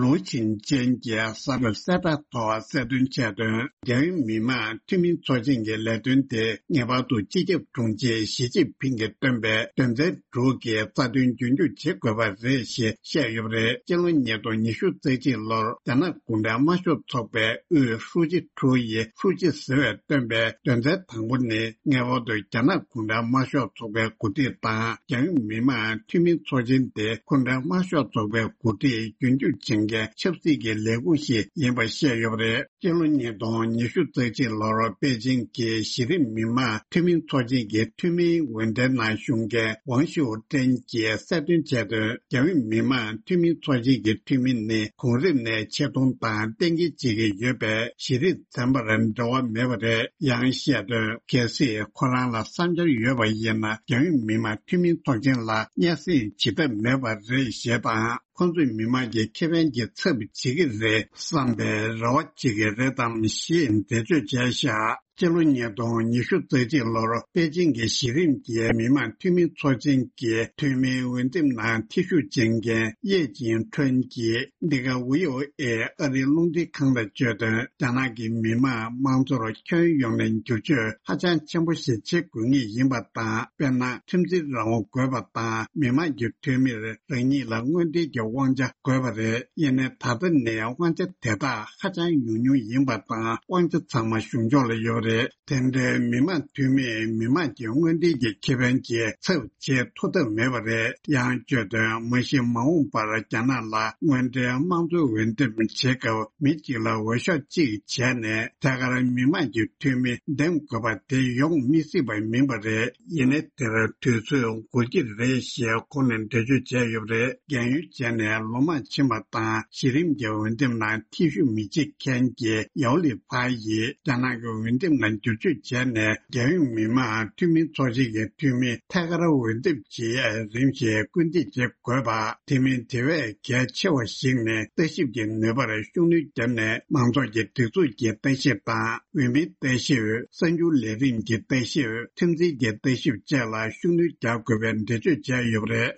ལུའུ་ཆིང་ཅན་གྱིས་གསར་འགོད་གསལ་བསྒྲགས་ཐོག་གསལ་སྟོན་བྱས་དོན། རྒྱལ་ཡོངས་མི་དམངས་འཐུས་མི་ཚོགས་ཆེན་གྱི་ལས་དོན་དེ་ངེས་པར་དུ་སྤྱི་ཁྱབ་དྲུང་ཆེ་ཞི་ཅིན་ཕིང་གིས་བཏོན་པའི་དོན་ཚན་དྲུག་གི་རྩ་དོན་རྒྱུན་འཁྱོངས་བྱེད་དགོས་པ་རེད་ཞེས་བཤད་ཡོད་པ་རེད། སྤྱི་ལོ་ཉིས་སྟོང་ཉི་ཤུ་རྩ་གཅིག་ལོར་རྒྱ་ནག་གུང་ཁྲན་དམར་ཤོག་ཚོགས་པའི་དབུས་ཧྲུའུ་ཅི་ཁྲུའུ་ཡི་ཧྲུའུ་ཅི་ཟེར་བས་བཏོན་པའི་དོན་ཚན་དང་པོ་ནི། ངེས་པར་དུ་རྒྱ་ནག་གུང་ཁྲན་དམར་ཤོག་ཚོགས་པའི་འགོ་ཁྲིད་དང་རྒྱལ་ཡོངས་མི་དམངས་འཐུས་མི་ཚོགས་ཆེན་དེ་གུང་ཁྲན་དམར་ཤོག་ཚོགས་པའི་འགོ་ཁྲིད་རྒྱུན་སྐྱོང་བྱེད་མཁན་ཆབ་སྲིད་ཀྱི་ལས་ཁུངས་ཤིག་ཡིན་པ་བཤད་ཡོད་པ་རེད། སྤྱི་ལོ་ཉིས་སྟོང་ཉི་ཤུ་རྩ་གཅིག་ལོར་པེ་ཅིང་གི་གཞི་རིམ་མི་དམངས་འཐུས་མི་ཚོགས་ཆེན་གྱི་འཐུས་མིའི་འོས་འགྲན་ནང་ཞུགས་མཁན་ཝང་ཞུའོ་ཀྲེན་གྱིས་གསལ་སྟོན་བྱས་དོན། རྒྱལ་ཡོངས་མི་དམངས་འཐུས་མི་ཚོགས་ཆེན་གྱི་འཐུས་མི་ནི་གོང་རིམ་ནས་ཆེ་མཐོང་དང་གཏན་འཁེལ་བྱེད་ཀྱི་ཡོད་པའི་གཞི་རིམ་ཚན་པར་འབྲེལ་བ་མེད་པ་རེད། ཡང་བཤད་དོན། གལ་སྲིད་ཁོ་རང་ལ་བསམ་འཆར་ཡོད་པ་ཡིན་ན། རྒྱལ་ཡོངས་མི་དམངས་འཐུས་མི་ཚོགས་ཆེན་ལ་སྙན་སེང་བྱེད་ཐབས་མེད་པ་རེད་ཞེས་དང་། ཁོ་ཚོས་མི་དམངས་ཀྱི་ཁེ་ཕན་གྱི་ཚབ་བྱེད་ཀྱི་རེད་བསམ་པའི་རེ་བ་བྱེད་ཀྱི་རེད་དམ་ཞེས་འགྲེལ་བརྗོད་བྱས་བཞག་སྤྱི་ལོ་ཉིས་སྟོང་ཉི་ཤུ་རྩ་གཅིག་ལོར་པེ་ཅིང་གི་གཞི་རིམ་གྱི་མི་དམངས་འཐུས་མི་ཚོགས་ཆེན་གྱི་འཐུས་མིའི་འོས་འདེམས་ནང་ཐེ་ཞུགས་བྱེད་མཁན་ཡེ་ཅིན་ཁྲོན་གྱིས་འདི་ག་ཝི་ཨོ་ཨེ་ཨ་རིའི་རླུང་འཕྲིན་ཁང་ལ་བརྗོད་དོན། རྒྱ་ནག་གི་མི་དམངས་དམངས་གཙོར་ཁྱོན་ཡོངས་ནས་བསྒྱུར་བཅོས་ཧ་ཅང་ཆེན་པོ་ཞིག་བྱེད་དགོས་ངེས་ཡིན་པ་དང་། དཔེར་ན། ཁྲིམས་འཛིན་རང་དབང་དགོས་པ་དང་། མི་དམངས་ཀྱི་འཐུས་མིར་རང་ཉིད་ལ་དངོས་འབྲེལ་གྱི་དབང་ཆ་དགོས་པ་རེད། ཡིན་ནའི་ད་ལྟ་ནས་དབང་ཆ་དེ་དག་ཧ་ཅང་ཉུང་ཉུང་ཡིན་པ་དང་། དབང་ཆ་ཚང་མ་གཞུང་ཕྱོགས་ལ་ཡོད་པ་རེད། དེ་འདྲའི་མི་དམངས་འཐུས་མིས་མི་དམངས་ཀྱི་དངོས་འབྲེལ་གྱི་ཁེ་ཕན་གྱི་ཚབ་བྱེད་ཐུབ་ཐབས་མེད་པ་རེད། ཡང་བརྗོད་དོན། མ་གཞི་མ་འོངས་པར་རྒྱ་ནག་ལ་དངོས་འབྲེལ་དམངས་གཙོའི་འོས་འདེམས་བྱེད་སྐབས་མི་གཅིག་ལ་འོས་ཤོག་གཅིག་བྱས་ནས་ཐད་ཀར་མི་དམངས་ཀྱི་འཐུས་མི་འདེམས་དགོས་པ་དེ་ཡོང་མི་སྲིད་པ་མིན་པ་རེད། ཡིན་ནའི་དེར་དུས་ཚོད་འགོར་གྱི་རེད་ཞེས་ཁོང་ནས་འགྲེལ་བརྗོད་བྱས་ཡོད་པ་རེད། རྒན་ཡོལ་བྱས་ནས་ལོ་མང་ཕྱིན་པ་དང་། གཞི་རིམ་གྱི་འོས་འདེམས་ནང་ཐེ་ཞུགས་མི་བྱེད་མཁན་གྱི་ཡའོ་ལི་ཕ་ཡིས་རྒྱ་ནག་གི་འོས་འདེམས་ནང་བསྒྱུར་བཅོས་བྱས་ནས། རྒྱལ་ཡོངས་མི་དམངས་འཐུས་མི་ཚོགས་ཆེན་གྱི་འཐུས་མི་ཐད་ཀར་འོས་འདེམས་བྱེད་ཡས་རིམ་བཞིན་སྐུལ་འདེད་བྱེད་དགོས་པ། དེ་མིན་དེ་བས་གལ་ཆེ་བ་ཞིག་ནི་ལྟ་ཞིབ་ཀྱི་ནུས་པར་ཤུགས་སྣོན་བརྒྱབ་ནས། མང་ཚོགས་ཀྱི་སྒྲིག་འཛུགས་ཀྱི་ལྟ་ཞིབ་དང་། འོས་མིའི་ལྟ་ཞིབ། གསར་འགྱུར་ལས་རིམ་གྱི་ལྟ་ཞིབ། ཁྲིམས་འཛིན་གྱི་ལྟ་ཞིབ་བཅས་ལ་ཤུགས་སྣོན་རྒྱག་དགོས་པའི་འགྲེལ་བརྗོད་བྱས་ཡོད་པ་རེད།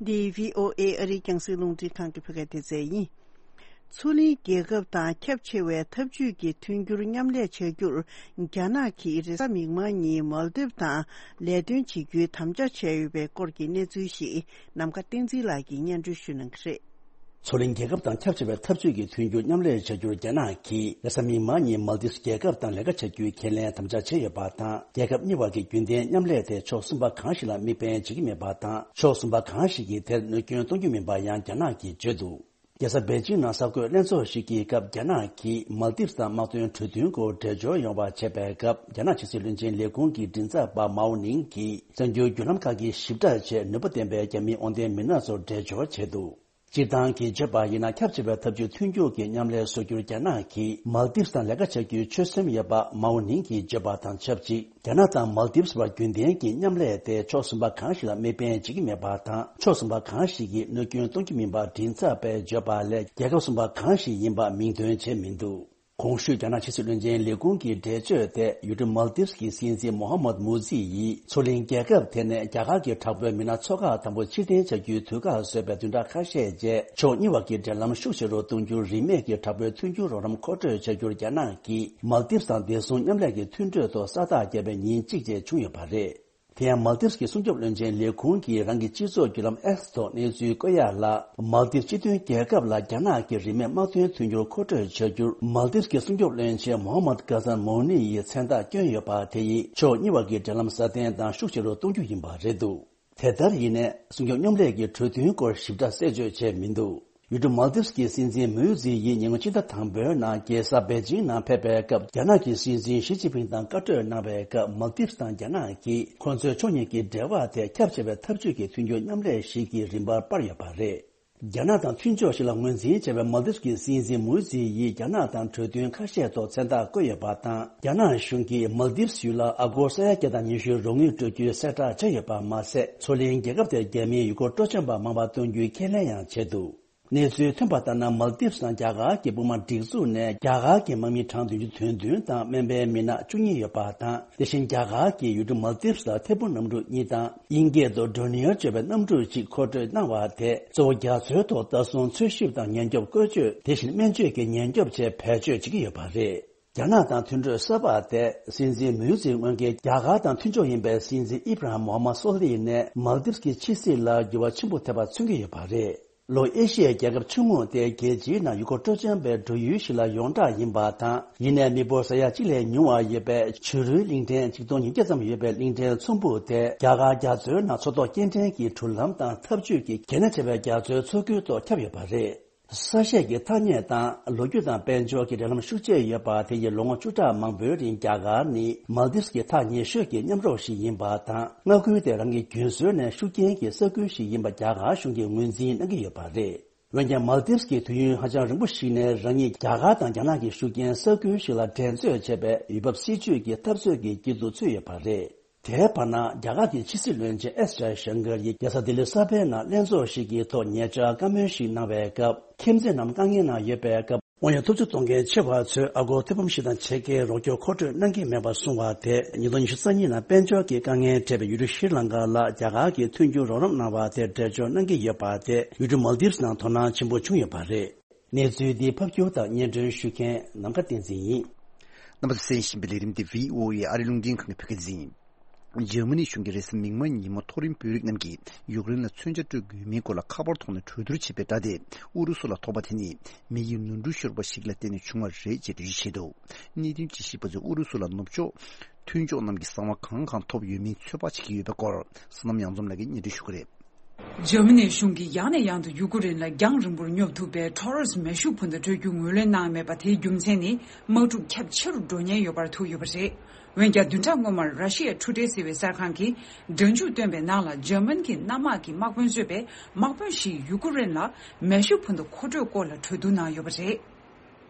འདི་བྷི་ཨོ་ཨེ་ཨ་རིའི་རྒྱང་སྲིང་རླུང་འཕྲིན་ཁང་གི་བོད་སྐད་སྡེ་ཚན་ཡིན། མཚོ་གླིང་རྒྱལ་ཁབ་དང་ཁྱབ་ཆེ་བའི་འཐབ་ཇུས་ཀྱི་མཐུན་འགྱུར་མཉམ་ལས་བྱ་རྒྱུར་རྒྱ་ནག་གིས་རེས་གཟའ་མིག་དམར་ཉིན་མལ་དིབ་དང་ལས་དོན་བྱེད་རྒྱུའི་དམ་བཅའ་བྱས་ཡོད་པའི་སྐོར་གྱི་གནས་ཚུལ་ཞིག་ནམ་མཁའ་བསྟན་འཛིན་ལགས་ཀྱིས་སྙན་སྒྲོན་ཞུ་གནང་གི་རེད། མཚོ་གླིང་རྒྱལ་ཁབ་དང་ཁྱབ་ཆེ་བའི་འཐབ་ཇུས་ཀྱི་མཐུན་འགྱུར་མཉམ་ལས་བྱ་རྒྱུར་རྒྱ་ནག་གིས་རེས་གཟའ་མིག་དམར་ཉིན་མལ་དིབ་རྒྱལ་ཁབ་དང་ལས་ཀ་བྱ་རྒྱུའི་ཁས་ལེན་དམ་བཅའ་བྱས་ཡོད་པ་དང་། རྒྱལ་ཁབ་གཉིས་བར་གྱི་རྒྱུན་ལྡན་མཉམ་ལས་དེ་ཕྱོགས་གསུམ་པ་གང་ཞིག་ལ་དམིགས་འབེན་བྱེད་ཀྱི་མིན་པ་དང་། ཕྱོགས་གསུམ་པ་གང་ཞིག་གིས་དེར་གནོད་སྐྱོན་གཏོང་རྒྱུ་མིན་པ་ཡང་རྒྱ་ནག་གིས་བརྗོད་འདུག་རྒྱལ་ས་པེ་ཅིང་ནང་གསར་འགོད་ལྷན་ཚོགས་ཤིག་གི་སྐབས། རྒྱ་ནག་གིས་མལ་དིབ་དང་དམག་དོན་གྲོས་མཐུན་སྐོར་འགྲེལ་བརྗོད་ཡོང་བ་བྱས་པའི་སྐབས། རྒྱ་ནག་ཕྱི་སྲིད་བློན་ཆེན་ལས་ཁུངས་ཀྱི་མགྲིན་ཚབ་པ་མའོ་ནིང་གིས་གསར་འགྱུར་བརྒྱུད་ལམ་ཁག་གིས་ཞིབ་ཕྲ་བྱས་ནུས་པ་ལྡན་པའི་རྒྱ་མིའི་དབང་ལྡན་མི་སྣ་ཚོར་འགྲེལ་བརྗོད་བྱས་འདུག་སྤྱིར་བཏང་གི་བརྗོད་པ་ཡིན་ན། ཁྱབ་ཆེ་བའི་འཐབ་ཇུས་མཐུན་འགྱུར་གྱི་མཉམ་ལས་བཟོ་རྒྱུར་རྒྱ་ནག་གིས་མལ་དིབ་དང་ལས་ཀ་བྱ་རྒྱུའི་ཆོད་སེམས་ཡོད་པ། མའོ་ནིང་གིས་བརྗོད་པ་དང་ཆབས་ཅིག་རྒྱ་ནག་དང་མལ་དིབ་བར་རྒྱུན་ལྡན་གྱི་མཉམ་ལས་དེ་ཕྱོགས་གསུམ་པ་གང་ཞིག་ལ་དམིགས་འབེན་བྱེད་ཀྱི་མེད་པ་དང་། ཕྱོགས་གསུམ་པ་གང་ཞིག་གིས་གནོད་སྐྱོན་གཏོང་རྒྱུ་མིན་པ་མགྲིན་ཚབ་པས་བརྗོད་པ་ལས། རྒྱལ་ཁབ་གསུམ་པ་གང་ཞིག་ཡིན་པ་མིང་འདོན་བྱས་མི་འདུག་གོང་ཞུས་རྒྱ་ནག་ཕྱི་སྲིད་བློན་ཆེན་ལས་ཁུངས་ཀྱི་འགྲེལ་བརྗོད་དེ། ཡུལ་གྲུ་མལ་དིབ་ཀྱི་སྲིད་འཛིན་མོ་ཧ་མད་མུ་ཛི་ཡིས་མཚོ་གླིང་རྒྱལ་ཁབ་དེ་ནས་རྒྱ་གར་གྱི་དྲག་པོའི་མི་སྣ་ཚོགས་ཁག་དང་པོ་ཕྱིར་འཐེན་བྱ་རྒྱུའི་དུས་བཀག་བཟོས་པའི་བདུན་ཕྲག་ཁ་ཤས་རྗེས། ཕྱོགས་གཉིས་བར་གྱི་འབྲེལ་ལམ་ཤུགས་ཆེ་རུ་གཏོང་རྒྱུར་རིན་མེད་ཀྱི་དྲག་པོའི་མཐུན་འགྱུར་རོགས་རམ་མཁོ་སྤྲོད་བྱ་རྒྱུར་རྒྱ་ནག་གིས་མལ་དིབ་དང་བདེ་སྲུང་མཉམ་ལས་ཀྱི་མཐུན་གྲོས་ཐོག་ས་རྟགས་བརྒྱབ་པའི་ཉིན་གཅིག་རྗེས་བྱུང་ཡོད་པ་རེད། དེ་ཡང་མལ་དིབ་ཀྱི་སྲུང་སྐྱོབ་བློན་ཆེན་ལས་ཁུངས་ཀྱིས་རང་གི་སྤྱི་ཚོགས་བརྒྱུད་ལམ་X་ཐོག་གནས་ཚུལ་བཀོད་ཡག་ལ། མལ་དིབ་སྤྱི་མཐུན་རྒྱལ་ཁབ་ལ་རྒྱ་ནག་གི་རིན་མེད་དམག་དོན་མཐུན་འགྱུར་མཁོ་སྤྲོད་བྱ་རྒྱུར། མལ་དིབ་ཀྱི་སྲུང་སྐྱོབ་བློན་ཆེན་མོ་ཧ་མད་ཀ་ཟན་མོ་ནི་ཡི་མཚན་རྟགས་བསྐྱོན་ཡོད་པ་དེ་ཡིས། ཕྱོགས་གཉིས་བར་གྱི་འབྲེལ་ལམ་སྲ་བརྟན་དང་ཤུགས་ཆེ་རུ་གཏོང་རྒྱུ་ཡིན་པ་རེད་འདུག་དེ་ལྟར་ཡིན་ནའི། སྲུང་སྐྱོབ་མཉམ་ལས་ཀྱི་གྲོས་མཐུན་སྐོར་ཞིབ་ཕྲ་གསལ་བརྗོད་བྱས་མི་འདུག་ཡུལ་གྲུ་མལ་དིབ་ཀྱི་སྲིད་འཛིན་མུའུ་ཛི་ཡིས་ཉེ་སྔོན་ཕྱི་ཟླ་དང་པོའི་ནང་རྒྱལ་ས་པེ་ཅིང་ནང་ཕེབས་པའི་སྐབས། རྒྱ་ནག་གི་སྲིད་འཛིན་ཞི་ཅིན་ཕིང་དང་བཀའ་གྲོས་གནང་བའི་སྐབས། མལ་དིབ་དང་རྒྱ་ནག་གིས་ཁོ་ཚོའི་ཕྱོགས་གཉིས་ཀྱི་འབྲེལ་བ་དེ་ཁྱབ་ཆེ་བའི་འཐབ་ཇུས་ཀྱི་མཐུན་འགྱུར་མཉམ་ལས་ཤིག་གི་རིམ་པར་སྤར་ཡོད་པ་རེད། རྒྱ་ནག་དང་མཐུན་ཕྱོགས་ཤིག་ལ་ངོས་འཛིན་བྱས་པའི་མཱལ་དིབ་ཀྱི་སྲིད་འཛིན་མུའུ་ཛི་ཡིས་རྒྱ་ནག་དང་གྲོས་མཐུན་ཁ་ཤས་ཐོག་མཚན་རྟགས་བཀོད་ཡོད་པ་དང་། རྒྱ་ནག་གཞུང་གིས་མཱལ་དིབ་ཡུལ་ལ་ཨ་སྒོར་ས་ཡ་བརྒྱ་དང་ཉི་ཤུ་རོགས་དངུལ་སྤྲོད་རྒྱུའི་གསལ་བསྒྲགས་བྱས་ཡོད་པ་མ་ཟད། མཚོ་གླིང་རྒྱལ་ཁབ་དེར་རྒྱ་མིའི་ཡུལ་སྐོར་སྤྲོ་འཆམ་པ་མང་བ་གཏོང་རྒྱུའི་ཁས་ལེན་ཡང་བྱས་འདུག་གནས་ཚུལ་ཐོན་པ་ལྟར་ན། མཱལ་དིབ་དང་རྒྱ་གར་གྱི་དཔུང་དམག་སྒྲིག་འཛུགས་ནས་རྒྱ་གར་གྱི་དམག་མི་གྲངས་བདུན་ཅུ་དོན་བདུན་དང་སྨན་པའི་མི་སྣ་བཅུ་གཉིས་ཡོད་པ་དང་། དེ་བཞིན་རྒྱ་གར་གྱི་ཡུལ་གྲུ་མཱལ་དིབ་ལ་ཐད་འཕུར་གནམ་གྲུ་གཉིས་དང་། དབྱིན་སྐད་དུ་ཌོ་ནིའར་ཅེས་པའི་གནམ་གྲུ་གཅིག་མཁོ་སྤྲོད་གནང་བ་དེ་གཙོ་བོ་རྒྱ་མཚོའི་ཐོག་ལྟ་སྲུང་འཚོལ་ཞིབ་དང་ཉེན་སྐྱོབ་བཀོལ་སྤྱོད། དེ་བཞིན་སྨན་བཅོས་ཀྱི་ཉེན་སྐྱོབ་ཆེད་བེད་སྤྱོད་བྱེད་ཀྱི་ཡོད་པ་རེད། རྒྱ་ནག་དང་མཐུན་གྲོས་གསར་པ་དེ་སྲིད་འཛིན་མུའུ་ཛི་སྔོན་གྱི་རྒྱ་གར་དང་མཐུན་ཕྱོགས་ཡིན་པའི་སྲིད་འཛིན་ཨི་བྷ་ར་ཧམ་མོ་ཧམ་མད་སོ་ལི་ནས་མཱལ་དིབ་ཀྱི་ཕྱི་སྲིད་ལ་འགྱུར་བ་ཆེན་པོ་ཐེབས་པ་མཚོན་གྱི་ཡོད་པ་རེད། ལྷོ་ཨེ་ཤི་ཡའི་རྒྱལ་ཁབ་ཆུང་ངུ་དེ་རྒྱལ་སྤྱིའི་ནང་ཡུལ་སྐོར་སྤྲོ་འཆམ་པའི་འགྲོ་ཡུལ་ཞིག་ལ་ཡོངས་གྲགས་ཡིན་པ་དང་། ཡིན་ནའི་མི་འབོར་ས་ཡ་གཅིག་ལས་ཉུང་བ་ཡོད་པའི་བྱུ་རུའི་གླིང་ཕྲན་ཆིག་སྟོང་ཉིས་བརྒྱ་ཙམ་ཡོད་པའི་གླིང་ཕྲན་ཚོམ་བུ་དེ་རྒྱ་གར་རྒྱ་མཚོའི་ནང་མཚོ་ཐོག་སྐྱེལ་འདྲེན་གྱི་འགྲུལ་ལམ་དང་འཐབ་ཇུས་ཀྱི་གལ་གནད་ཆེ་བའི་རྒྱ་མཚོའི་མཚོ་ཁུལ་ཐོག་ཁྱབ་ཡོད་པ་རེད། ས་གཤིས་ཀྱི་ཐ་སྙད་དང་ལོ་རྒྱུས་དང་དཔལ་འབྱོར་གྱི་འབྲེལ་ལམ་ཤུགས་ཆེ་ཡོད་པ་དེ་ཡིས་ལོ་ངོ་བཅུ་ཕྲག་མང་པོའི་རིང་རྒྱ་གར་ནི་མཱལ་དིབ་ཀྱི་ཐག་ཉེ་ཤོས་ཀྱི་མཉམ་རོགས་ཤིག་ཡིན་པ་དང་། མངའ་ཁུལ་དེ་རང་གི་རྒྱུན་སྲོལ་ནས་ཤུགས་རྐྱེན་གྱི་ས་ཁུལ་ཞིག་ཡིན་པ་རྒྱ་གར་གཞུང་གིས་ངོས་འཛིན་གནང་གི་ཡོད་པ་རེད། འོན་ཀྱང་། མཱལ་དིབ་ཀྱི་དུས་ཡུན་ཧ་ཅང་རིང་པོ་ཞིག་ནས་རང་ཉིད་རྒྱ་གར་དང་རྒྱ་ནག་གི་ཤུགས་རྐྱེན་ས་ཁུལ་ཞིག་ལ་འགྲན་རྩོད་བྱེད་པའི་ཡུལ་བབ་སྲིད་ཇུས་ཀྱི་འཐབ་རྩོད་ཀྱི་དཀྱིལ་དུ་ཚུད་ཡོད་པ་རེད། དེའི་བར་ན། རྒྱ་གར་གྱི་ཕྱི་སྲིད་བློན་ཆེན་ཨེས་ཇའི་ཤང་ཀར་ཡིས་རྒྱལ་ས་ལྡི་ལི་གསར་པའི་ནང་ལྷན་ཚོགས་ཤིག་གི་ཐོག་ཉེ་ཆར་བཀའ་མོལ་ཞིག་གནང་བའི་སྐབས། ཁྱིམ་མཚེས་རྣམས་དཀའ་ངལ་ནང་ཡོད་པའི་སྐབས། དབང་ཡོད་ཐབས་ཇུས་གཏོང་མཁན་ཆེ་བ་ཚོས་ཨ་སྒོར་ཐེར་འབུམ་བཞི་དང་ཕྱེད་ཀའི་རོགས་སྐྱོར་མཁོ་སྤྲོད་གནང་གི་མེད་པ་གསུངས་པ་དེ། ཉིས་སྟོང་ཉི་ཤུ་རྩ་གཉིས་ནང་དཔལ་འབྱོར་གྱི་དཀའ་ངལ་འཕྲད་པའི་ཡུལ་གྲུ་ཤྲི་ལང་ཀ་ལ་རྒྱ་གར་གྱིས་མཐུན་འགྱུར་རོགས་རམ་གནང་བ་དེར་འགྲེལ་བརྗོད་གནང་གི་ཡོད་པ་དེ། ཡུལ་གྲུ་མཱལ་དིབ་ནང་དོ་སྣང་ཆེན་པོ་བྱུང་ཡོད་པ་རེད། གནས་ཚུལ་འདི་ཕབ་སྒྱུར་དང་སྙན་སྒྲོན་ཞུ་མཁན་ནམ་མཁའ་བསྟན་འཛིན་ཡིན། རྣམ་པ་ཚོས་གསན་བཞིན་པའི་ལས་རིམ་འདི་བྷི་ཨོ་ཨེ་ཨ་རི་རླུང་འཕྲིན་ཁང་གི་བོད་སྐད་སྡེ་ཚན་ཡིན། འཇར་མ་ནི་གཞུང་གིས་རེས་གཟའ་མིག་དམར་ཉིན་མོ་མཐོ་རིམ་བོད་རིགས་རྣམས་ཀྱིས་ཡུཀ་རེན་ལ་མཚོན་ཆ་སྤྲོད་དགོས་མིན་སྐོར་ལ་ཁ་པར་ཐོག་ནས་གྲོས་བསྡུར་བྱེད་པའི་སྒྲ་དེ། ཨུ་རུ་སུ་ལ་ཐོབ་པ་དེ་ནི་མི་ཡི་ནོར་འཁྲུལ་ཤོར་བ་ཞིག་ལ་བརྟེན་ནས་བྱུང་བ་རེད་ཅེས་འགྲེལ་བརྗོད་བྱས་འདུག་གནད་དོན་དཔྱད་ཞིབ་པ་ཚོས་ཨུ་རུ་སུ་ལ་ནུབ་ཕྱོགས་མཐུན་ཕྱོགས་རྣམས་ཀྱིས་གསང་བ་གང་གང་ཐོབ་ཡོད་མིན་ཚོད་དཔག་བྱེད་ཀྱི་ཡོད་པའི་སྐོར། བསོད་ནམས་གཡང་འཛོམས་ལགས་ཀྱིས་སྙན་སྒྲོན་ཞུ་གི་རེད། འཇར་མ་ནིའི་གཞུང་གིས་ཡང་ནས་ཡང་དུ་ཡུ་ཀེ་རེན་ལ་རྒྱང་རིང་པོར་སྙོབ་ཐུབ་པའི་ཊོ་རེས་མེ་ཤུགས་འཕུར་མདའ་སྤྲོད་རྒྱུ་ངོས་ལེན་གནང་མེད་པ་དེའི་རྒྱུ་མཚན་ནི། དམག་འཁྲུག་ཁྱབ་ཆེ་རུ་འགྲོ་ཉེན་ཡོད་པར་ཐུག་ཡོད་པ་རེད། འོན་ཀྱང་། བདུན་ཕྲག་སྔོན་མར་ར་ཤི་ཡའི་ཊུ་ཌེ་ཟེར་བའི་གསར་ཁང་གིས་སྒྲ་འཇུག་བཏོན་པའི་ནང་ལ། འཇར་མན་གྱི་གནམ་དམག་གི་དམག་དཔོན་གཙོས་པའི་དམག་དཔོན་ཞིག་ཡུ་ཀེ་རེན་ལ་མེ་ཤུགས་འཕུར་མདའ་མཁོ་སྤྲོད་སྐོར་ལ་གྲོས་བསྡུར་གནང་ཡོད་པ་རེད།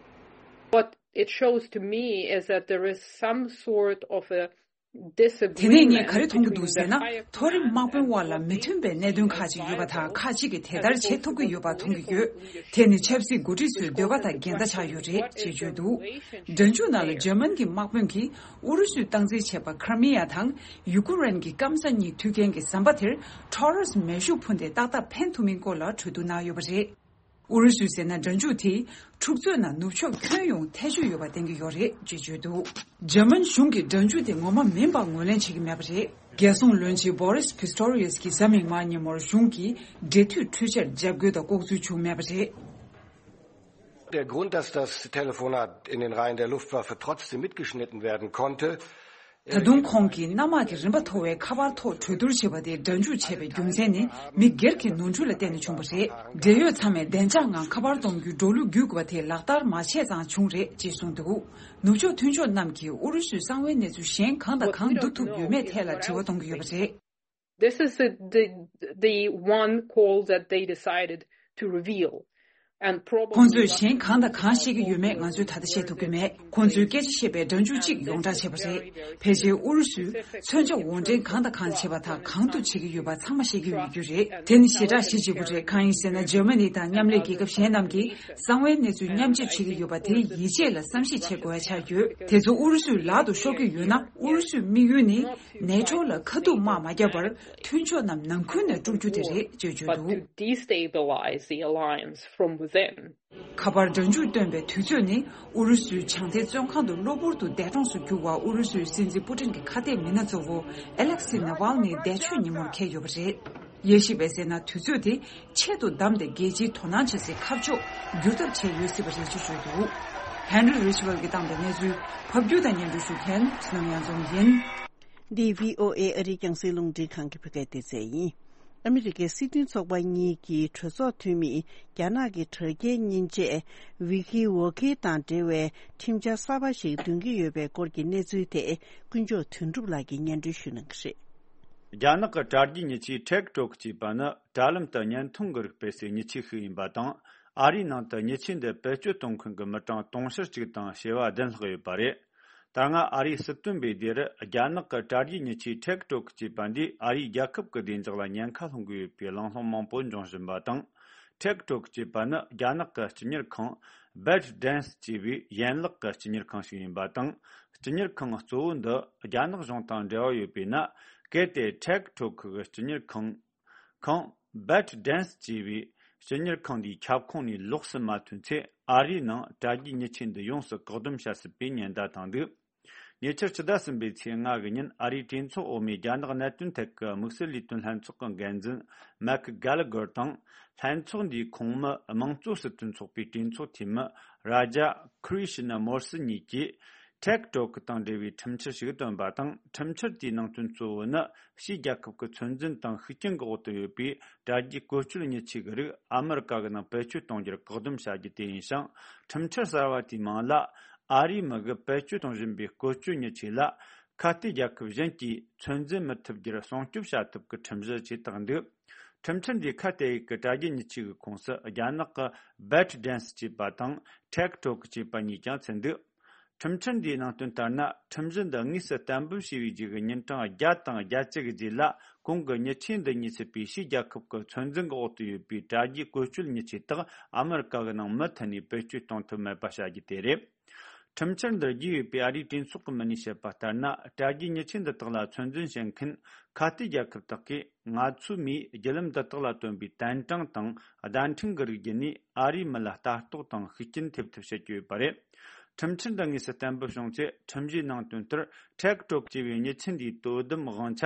What it shows to me is that there is some sort of a དེ་ནས་ངས་ག་རེ་མཐོང་གི་འདུག་ཟེར་ན། མཐོ་རིམ་དམག་དཔོན་དབར་ལ་མི་མཐུན་པའི་གནད་དོན་ཁག་ཅིག་ཡོད་པ་དང་། ཁག་ཅིག་གིས་དེ་ལྟར་བྱེད་ཐུབ་ཀྱི་ཡོད་པ་མཐོང་གི་ཡོད། དེ་ནི་ཆབ་སྲིད་འགོ་ཁྲིད་ཚོའི་འདོད་པ་དང་འགལ་ཟླ་ཆགས་ཡོད་རེད་ཅེས་བརྗོད་འདུག་སྒྲ་འཇུག་ནང་ལ་འཇར་མན་གྱི་དམག་དཔོན་གྱིས་ཨུ་རུ་སུས་སྟངས་འཛིན་བྱས་པ་ཁར་མི་ཡ་དང་ཡུ་ཀེ་རེན་གྱི་སྐམ་ས་གཉིས་མཐུད་མཁན་གྱི་ཟམ་པ་དེར་ཊོ་རེས་མེ་ཤུགས་འཕུར་མདའི་ཏག་ཏག་འཕེན་ཐུབ་མིན་སྐོར་ལ་གྲོས་བསྡུར་གནང་ཡོད་པ་རེད། ཨུ་རུ་སུས་ཟེར་ན། སྒྲ་འཇུག་དེས་འཁྲུག་རྩོད་ནང་ནུབ་ཕྱོགས་ཁྱོན་ཡོངས་ཐེ་བྱུས་ཡོད་པ་བསྟན་གྱི་ཡོད་རེད་ཅེས་བརྗོད་འདུག་འཇར་མན་གཞུང་གིས་སྒྲ་འཇུག་དེ་ངོ་མ་མིན་པ་ངོས་ལེན་བྱེད་ཀྱི་མེད་པ་རེད། རྒྱལ་སྲུང་བློན་ཆེན་བྷོ་རིས་ཕི་སྟོ་རི་ཡེས་ཀྱིས་གཟའ་མིག་དམར་ཉིན་མོར་གཞུང་གིས་འབྲེལ་མཐུད་འཕྲུལ་ཆས་འཇབ་རྒོལ་དང་ལྐོག་འཛུལ་བྱུང་མེད་པ་རེད། Der Grund, dass das Telefonat in den Reihen der Luftwaffe trotzdem mitgeschnitten werden konnte, ད་དུང་ཁོང་གིས་གནམ་དམག་གི་རིམ་པ་མཐོ་བའི་ཁ་པར་ཐོག་གྲོས་བསྡུར་བྱས་པ་དེ་སྒྲ་འཇུག་བྱས་པའི་རྒྱུ་མཚན་ནི། མི་སྒེར་གྱི་ནོར་འཁྲུལ་ལ་བརྟེན་ནས་བྱུང་བ་རེད། འབྲེལ་ཡོད་ཚང་མས་བདེ་འཇགས་ངང་ཁ་པར་གཏོང་རྒྱུའི་འགྲོ་ལུགས་བརྒྱུད་དགོས་པ་དེ་ལག་བསྟར་མ་བྱས་ཙང་བྱུང་རེད་ཅེས་གསུངས་འདུག་ནུབ་ཕྱོགས་མཐུན་ཕྱོགས་རྣམས་ཀྱིས་ཨུ་རུ་སུའི་གསང་བའི་གནས་ཚུལ་གཞན་གང་དང་གང་བསྡུ་ཐུབ་ཡོད་མེད་ཐད་ལ་དྲི་བ་གཏོང་གི་ཡོད་པ་རེད། This is the, the, the one call that they decided to reveal. And probably ཁོང་ཚོས་གཞན་གང་དང་གང་བཤད་ཀྱི་ཡོད་མེད་ང་ཚོས་ད་ལྟ་བཤད་ཐུབ་ཀྱི་མེད། ཁོང་ཚོས་སྐད་ཆ་བཤད་པའི་སྒྲ་འཇུག་ཅིག་ཡོངས་གྲགས་བྱས་པ་རེད། ཕལ་ཆེར་ཨུ་རུ་སུས་མཚོན་ཆ་དབོར་འདྲེན་གང་དང་གང་བྱས་པ་དང་གང་དུ་བྱེད་ཀྱི་ཡོད་པ་ཚང་མ་ཤེས་ཀྱི་ཡོད་རྒྱུ་རེད། དེ་ནི་ཞེ་དྲག་གཞི་གཅིག་པུ་རེད། གང་ཡིན་ཟེར་ན། འཇར་མ་ནི་དང་མཉམ་ལས་རྒྱལ་ཁབ་གཞན་རྣམས་ཀྱིས་གསང་བའི་གནས་ཚུལ་མཉམ་སྤྱོད་བྱེད་ཀྱི་ཡོད་པ་དེའི་ཡིད་ཆེས་ལ་བསམ་གཞིག་བྱེད་དགོས་ཡ་ཆགས་ཡོད། དེ་ཚོ་ཨུ་རུ་སུའི་ལག་ཏུ་ཤོར་གྱི་ཡོད་ན། ཨུ་རུ་སུའི་དམིགས་ཡུལ་ནི། ནེ་ཊོ་ལ་ཁ་ཐུག་དམག་མ་བརྒྱབ་པར། མཐུན་ཕྱོགས་རྣམས་ནང་ཁུལ་ནས་དཀྲུག་རྒྱུ་དེ་རེད་ཅེས་བརྗོད་འདུག But to destabilize the alliance from within. ཁ་པར་སྒྲ་འཇུག་བཏོན་པའི་དུས་ཚོད་ནི། ཨུ་རུ་སུའི་བྱང་མཐའི་བཙོན་ཁང་དུ་གློ་བུར་དུ་འདས་གྲོངས་སུ་གྱུར་བ་ཨུ་རུ་སུའི་སྲིད་འཛིན་པུ་ཏིན་གྱི་ཁ་གཏད་མི་སྣ་གཙོ་བོ་ཨེ་ལེག་སི་ནཱ་ཝལ་ནིའི་འདས་མཆོད་ཉིན་མོར་འཁེལ་ཡོད་པ་རེད། དབྱེ་ཞིབ་པས་ཟེར་ན། དུས་ཚོད་དེ་ཆེད་དུ་བདམས་ཏེ་རྒྱལ་སྤྱིའི་དོ་སྣང་བྱེད་སའི་ཁ་ཕྱོགས་བསྒྱུར་ཐབས་བྱས་ཡོད་སྲིད་པ་རེད་ཅེས་བརྗོད་འདུག་ཧན་རི་རི་ཆི་ཝེལ་གྱིས་བཏང་པའི་གནས་ཚུལ་ཕབ་སྒྱུར་དང་སྙན་སྒྲོན་ཞུ་མཁན་བསོད་ནམས་གཡང་འཛོམས་ཡིན། འདི་བྷི་ཨོ་ཨེ་ཨ་རིའི་རྒྱང་སྲིང་རླུང་འཕྲིན་ཁང་གི་བོད་སྐད་སྡེ་ཚན་ཡིན། ཨ་མི་རི་ཀའི་སྲིད་དོན་ཚོགས་པ་གཉིས་ཀྱི་གྲོས་ཚོགས་འཐུས་མིས་རྒྱ་ནག་གི་དྲ་རྒྱའི་མཉེན་ཆས་ཝི་ཁི་ཝོ་ཁི་དང་འབྲེལ་བའི་ཁྲིམས་འཆར་གསར་པ་ཞིག་འདོན་གྱི་ཡོད་པའི་སྐོར་གྱི་གནས་ཚུལ་དེ་དཀོན་མཆོག་དོན་གྲུབ་ལགས་ཀྱིས་སྙན་སྒྲོན་ཞུ་གནང་གི་རེད། རྒྱ་ནག་གི་དྲ་རྒྱའི་མྱི་ཆས་ཊེག་ཊོག་ཅེས་པ་ནི་དྲ་ལམ་དུ་བརྙན་ཐུང་གི་རིགས་སྤེལ་སའི་མྱི་ཆས་ཤིག་ཡིན་པ་དང་། ཨ་རིའི་ནང་དུ་མྱི་ཆས་འདི་བེད་སྤྱོད་གཏོང་མཁན་གྱི་མི་གྲངས་དུང་ཕྱུར་གཅིག་དང་བྱེ་བ་བདུན་ལྷག་ཡོད་པ་རེད། ད་སྔ་ཨ་རིའི་སྲིད་དོན་པས་འདིར་རྒྱ་ནག་གི་དྲ་རྒྱའི་མྱི་ཆས་ཊེག་ཊོག་ཅེས་པ་འདིས་ཨ་རིའི་རྒྱལ་ཁབ་ཀྱི་བདེ་འཇགས་ལ་ཉེན་ཁ་སློང་གི་ཡོད་པའི་གླེང་སློང་མང་པོ་འབྱུང་བཞིན་པ་དང་། ཊེག་ཊོག་ཅེས་པ་ནི་རྒྱ་ནག་གི་སྤྱི་གཉེར་ཁང་བེད་ཌན་སི་ཅེས་པའི་ཡན་ལག་གི་སྤྱི་གཉེར་ཁང་ཞིག་ཡིན་པ་དང་། སྤྱི་གཉེར་ཁང་གཙོ་བོ་འདི་རྒྱ་ནག་གཞུང་དང་འབྲེལ་བ་ཡོད་པས་ན། གལ་ཏེ་ཊེག་ཊོག་གི་སྤྱི་གཉེར་ཁང་ཁང་བེད་ཌན་སི་ཅེས་པའི་སྤྱི་གཉེར་ཁང་འདིའི་ཁྱབ་ཁོངས་ནས་ལོགས་སུ་མ་ཐོན་ཚེ། ཨ་རིའི་ནང་དྲ་རྒྱའི་མྱི་ཆས་འདི་ཡོངས་སུ་བཀག་སྡོམ་བྱ་སྲིད་པའི་ཉེན་བརྡ་བཏང་འདུག་ཉེ་ཆར་ཕྱི་ཟླ་གསུམ་པའི་ཚེས་ལྔ་གི་ཉིན། ཨ་རིའི་གྲོས་ཚོགས་འོག་མའི་རྒྱ་ནག་གནད་དོན་ཐད་ཀྱི་དམིགས་བསལ་ལས་དོན་ལྷན་ཚོགས་ཀྱི་འགན་འཛིན་མེག་གྷེ་ལི་གྷར་དང་། ལྷན་ཚོགས་འདིའི་ཁོངས་མི་དམངས་གཙོ་སྲིད་དོན་ཚོགས་པའི་གྲོས་ཚོགས་འཐུས་མི་རཱ་ཇཱ་ཁྲི་ཤི་ན་མོར་སི་གཉིས་ཀྱིས། ཊེག་ཊོག་དང་འབྲེལ་བའི་ཁྲིམས་འཆར་ཞིག་བཏོན་པ་དང་། ཁྲིམས་འཆར་དེའི་ནང་དོན་གཙོ་བོ་ནི། ཕྱིའི་རྒྱལ་ཁབ་ཀྱི་ཚོད་འཛིན་དང་ཤུགས་རྐྱེན་གྱི་འོག་ཏུ་ཡོད་པའི་དྲ་རྒྱའི་བཀོལ་སྤྱོད་མྱི་ཆས་ཀྱི་རིགས། ཨ་མི་རི་ཀ་གི་ནང་བེད་སྤྱོད་གཏོང་རྒྱུར་བཀག་སྡོམ་བྱ་རྒྱུ་དེ་ཡིན་ཞིང་། ཁྲིམས་འཆར་གསར་བ་དེའི་མིང་ལ། ཨ་རིའི་མི་གིས་བེད་སྤྱོད་གཏོང་བཞིན་པའི་བཀོལ་སྤྱོད་མྱི་ཆས་ལ། ཁ་གཏད་རྒྱལ་ཁབ་གཞན་གྱིས་ཚོད་འཛིན་མི་ཐུབ་རྒྱུར་སྲུང་སྐྱོབ་བྱ་ཐབས་ཀྱི་ཁྲིམས་གཞི་ཅེས་བཏགས་འདུག་ཁྲིམས་འཆར་འདིས་ཁ་གཏད་ཡུལ་གྱི་དྲ་རྒྱའི་མྱི་ཆས་ཀྱི་ཁོངས་སུ་རྒྱ་ནག་གི་བེད་ཌན་སི་ཅེས་པ་དང་ཊེག་ཊོག་ཅེས་པ་གཉིས་ཀྱང་ཚུད་འདུག་ཁྲིམས་འཆར་འདིའི་ནང་དོན་ལྟར་ན། ཁྲིམས་གཞི་འདི་དངོས་སུ་གཏན་འབེབས་བྱས་པའི་རྗེས་ཀྱི་ཉིན་གྲངས་བརྒྱ་དང་བརྒྱད་ཅུ་གི་རྗེས་ལ། གོང་གི་མྱི་ཆས་འདི་གཉིས་ཚུད་པའི་ཕྱིའི་རྒྱལ་ཁབ་ཀྱི་ཚོད་འཛིན་གྱི་འོག་ཏུ་ཡོད་པའི་དྲ་རྒྱའི་བཀོལ་སྤྱོད་མྱི་ཆས་དག་ཨ་མི་རི་ཀ་གི་ནང་མུ་མཐུད་ནས་བེད་སྤྱོད་གཏོང་ཐུབ་མེད་པ་བྱ་རྒྱུ་དེ་རེད། ཁྲིམས་འཆར་འདི་བརྒྱུད་ཡོད་པའི་ཨ་རིའི་གྲོས་ཚོགས་ཀྱི་མི་སྣས་བཤད་པ་ལྟར་ན། དྲ་རྒྱའི་མྱི་ཆས་འདི་དག་ལ་ཚོད་འཛིན་བྱེད་མཁན་ཁ་གཏད་རྒྱལ་ཁབ་དག་གིས། ང་ཚོའི་མིས་བརྒྱུད་ལམ་འདི་དག་ལ་བཏོན་པའི་བསྟན་གྲངས་དང་བརྡ་འཕྲིན་གྱི་རིགས་བརྒྱུད་ནས་ཨ་རིའི་མི་ལ་ལྟ་རྟོག་དང་ཤུགས་རྐྱེན་ཐེབས་ཐབས་བྱེད་ཀྱི་ཡོད་པ་རེད། ཁྲིམས་འཆར་འདི་དངོས་སུ་གཏན་འབེབས་བྱུང་ཚེ། ཁྲིམས་གཞིའི་ནང་དོན་ལྟར། ཊེག་ཊོག་ཅེས་པའི་མྱི་ཆས་འདིའི་དོ་དམ་དབང་ཆ་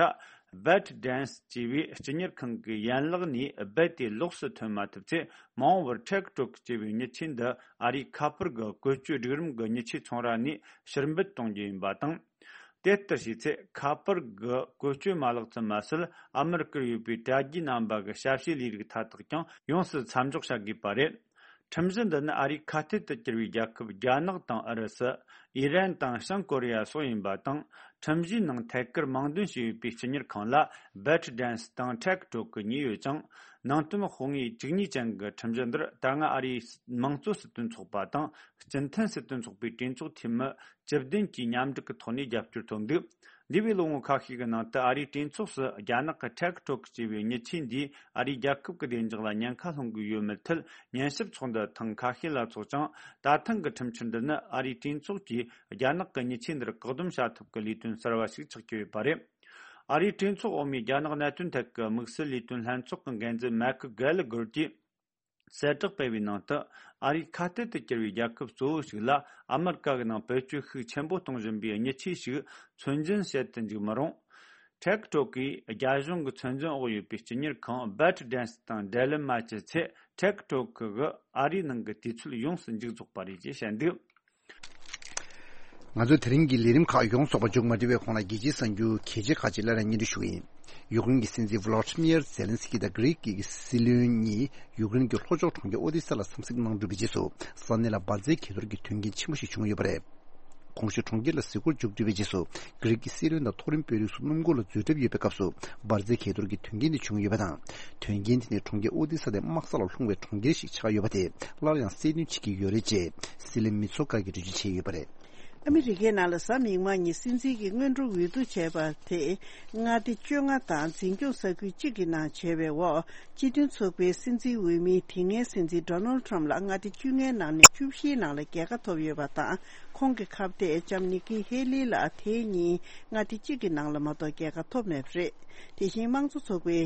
བེད་ཌན་སི་ཅེས་པའི་སྤྱི་གཉེར་ཁང་གི་ཡན་ལག་ནས་རྦད་དེ་ལོགས་སུ་ཐོན་མ་ཐུབ་ཚེ། མ་འོངས་པར་ཊེག་ཊོག་ཅེས་པའི་མྱི་ཆས་འདི་ཨ་རིའི་ཁ་པར་གྱི་བཀོལ་སྤྱོད་སྒྲིག་རིམ་གྱི་མྱི་ཆས་ཚོང་ར་ནས་ཕྱིར་འབུད་གཏོང་རྒྱུ་ཡིན་པ་དང་། དེ་ལྟར་བྱས་ཚེ། ཁ་པར་གྱི་བཀོལ་སྤྱོད་མ་ལག་ཙམ་མ་ཟད། ཨ་མི་རི་ཀར་ཡོད་པའི་དྲ་རྒྱའི་རྣམ་པ་གི་ཞབས་ཞུའི་ལས་རིགས་མཐའ་དག་ཀྱང་ཡོངས་སུ་མཚམས་འཇོག་བྱ་དགོས་པ་རེད། ཁྲིམས་གཞི་འདི་ནི་ཨ་རིའི་ཁ་གཏད་དུ་གྱུར་བའི་རྒྱལ་ཁབ་རྒྱ་ནག་དང་ཨུ་རུ་སུ། ཨི་རན་དང་བྱང་ཀོ་རི་ཡ་སོགས་ཡིན་པ་དང་། ཁྲིམས་གཞིའི་ནང་ཐད་ཀར་དམངས་འདོན་བྱས་ཡོད་པའི་སྤྱི་གཉེར་ཁང་ལ་བེད་ཌན་སི་དང་ཊེག་ཊོག་གི་གཉིས་ཡོད་ཅིང་། ནང་དོན་དཔང་ངེས་བཅུ་གཉིས་ཅན་གྱི་ཁྲིམས་གཞི་འདིར། ད་སྔ་ཨ་རིའི་དམངས་གཙོ་སྲིད་དོན་ཚོགས་པ་དང་། སྤྱི་མཐུན་སྲིད་དོན་ཚོགས་པའི་གྲོས་ཚོགས་འཐུས་མི་བཅུ་བདུན་གྱིས་མཉམ་འབྲེལ་གྱི་ཐོག་ནས་རྒྱབ་སྐྱོར་ཐོབ་འདུག་འདས་པའི་ལོ་ངོ་ཁ་ཤས་ཀྱི་ནང་དུ། ཨ་རིའི་གྲོས་ཚོགས་སུ་རྒྱ་ནག་གི་ཊེག་ཊོག་ཅེས་པའི་མྱི་ཆས་འདིས་ཨ་རིའི་རྒྱལ་ཁབ་ཀྱི་བདེ་འཇགས་ལ་ཉེན་ཁ་སློང་གི་ཡོད་མེད་ཐད་ཉན་ཞིབ་ཚོགས་འདུ་ཐེངས་ཁ་ཤས་ལ་འཚོགས་ཀྱང་། ད་ཐེངས་ཀྱི་ཁྲིམས་འཆར་འདི་ནི་ཨ་རིའི་གྲོས་ཚོགས་ཀྱིས་རྒྱ་ནག་གི་མྱི་ཆས་འདིར་བཀག་སྡོམ་བྱ་ཐབས་ཀྱི་ལས་དོན་གསར་བ་ཞིག་ཆགས་ཀྱི་ཡོད་པ་རེད། ཨ་རིའི་གྲོས་ཚོགས་འོག་མའི་རྒྱ་ནག་གནད་དོན་ཐད་ཀྱི་དམིགས་བསལ་ལས་དོན་ལྷན་ཚོགས་ཀྱི་འགན་འཛིན་མེག་གྷེ་ལི་གྷར་གྱིས། གསལ་བསྒྲགས་སྤེལ་བའི་ནང་དུ། ཨ་རིའི་ཁ་གཏད་དུ་གྱུར་བའི་རྒྱལ་ཁབ་གཙོ་བོ་ཞིག་ལ་ཨ་མི་རི་ཀ་གི་ནང་བེད་སྤྱོད་ཤུགས་ཆེན་པོ་གཏོང་བཞིན་པའི་མྱི་ཆས་ཤིག་ཚོད་འཛིན་བྱེད་དུ་འཇུག་མི་རུང་། ཊེག་ཊོག་གིས་རྒྱ་གཞུང་གི་ཚོད་འཛིན་འོག་ཡོད་པའི་སྤྱི་གཉེར་ཁང་བེད་ཌན་སི་དང་འབྲེལ་ལམ་མ་བྱས་ཚེ། ཊེག་ཊོག་གིས་ཨ་རིའི་ནང་གི་དུས་ཚོད་ཡོངས་སུ་མཇུག་རྫོགས་པ་རེད་ཅེས་བཤད་འདུག་ང་ཚོས་དེ་རིང་གི་ལས་རིམ་ཁག་ཡོངས་རྫོགས་པ་མཇུག་མ་སྒྲིལ་བའི་གོང་ལ། རྒྱལ་སྤྱིའི་གསར་འགྱུར་གལ་ཆེ་ཁག་ཅིག་སླར་ཡང་སྙན་སྒྲོན་ཞུ་གི་ཡིན། ཡུཀ་རེན་གྱི་སྲིད་འཛིན་ཝོ་ལོ་ཏི་མིར་ཛེ་ལན་སི་ཀི་དང་གྷི་རིག་གི་སྲིད་བློན་གཉིས་ཡུཀ་རེན་གྱི་ལྷོ་ཕྱོགས་གྲོང་ཁྱེར་ཨོ་དི་ས་ལ་འཚམས་གཟིགས་གནང་གྲུབ་པའི་རྗེས་སུ། ས་གནས་ལ་འབར་རྫས་གས་གཏོར་གྱི་དོན་རྐྱེན་ཆེན་པོ་ཞིག་བྱུང་ཡོད་པ་རེད། གོང་ཞུས་གྲོང་ཁྱེར་ལ་གཟིགས་སྐོར་མཇུག་སྒྲིལ་བའི་རྗེས་སུ། གྷི་རིག་གི་སྲིད་བློན་དང་མཐོ་རིམ་དཔོན་རིགས་སུ་སྣུམ་འཁོར་ལ་འཛུལ་གྲབས་ཡོད་པའི་སྐབས་སུ། འབར་རྫས་གས་གཏོར་གྱི་དོན་རྐྱེན་དེ་བྱུང་ཡོད་པ་དང་། དོན་རྐྱེན་དེ་ནི་གྲོང་ཁྱེར་ཨོ་དི་ས་དེ་དམག་ས་ལ་ལྷུང་བའི་གྲོང་ཁྱེར་ཞིག་ཆགས་ཡོད་པ་དེ་སླར་ཡང་གསལ་སྟོན་བྱེད་ཀྱི་ཡོད་རེད་ཅེས་སྲིད་བློན་མི་ཚོ་ཀ་གིས་འགྲེལ་བརྗོད་བྱས་ཡོད་པ་རེད། ཨ་མི་རི་ཀའི་ནང་ལ་གཟའ་མིག་དམར་ཉིན་སྲིད་འཛིན་གྱི་སྔོན་འགྲོ་འོས་བསྡུ་བྱས་པ་དེ་མངའ་སྡེ་བཅོ་ལྔ་དང་འཛིན་སྐྱོང་ས་ཁུལ་གཅིག་གི་ནང་བྱས་པའི་འོག་སྤྱི་མཐུན་ཚོགས་པའི་སྲིད་འཛིན་འོས་མི་དེ་སྔའི་སྲིད་འཛིན་ཌོ་ནལ་ཊམ་ལ་མངའ་སྡེ་བཅོ་ལྔའི་ནང་ནས་བཅུ་བཞིའི་ནང་ལ་རྒྱལ་ཁ་ཐོབ་ཡོད་པ་དང་། ཁོང་གི་ཁ་གཏད་ལྕམ་ནིག་ཀི་ཧེ་ལི་ལ་དེ་ཉིན་མངའ་སྡེ་གཅིག་གི་ནང་ལ་མ་གཏོགས་རྒྱལ་ཁ་ཐོབ་མེད་པ་རེད། དེ་བཞིན་དམངས་གཙོ་ཚོགས་པའི་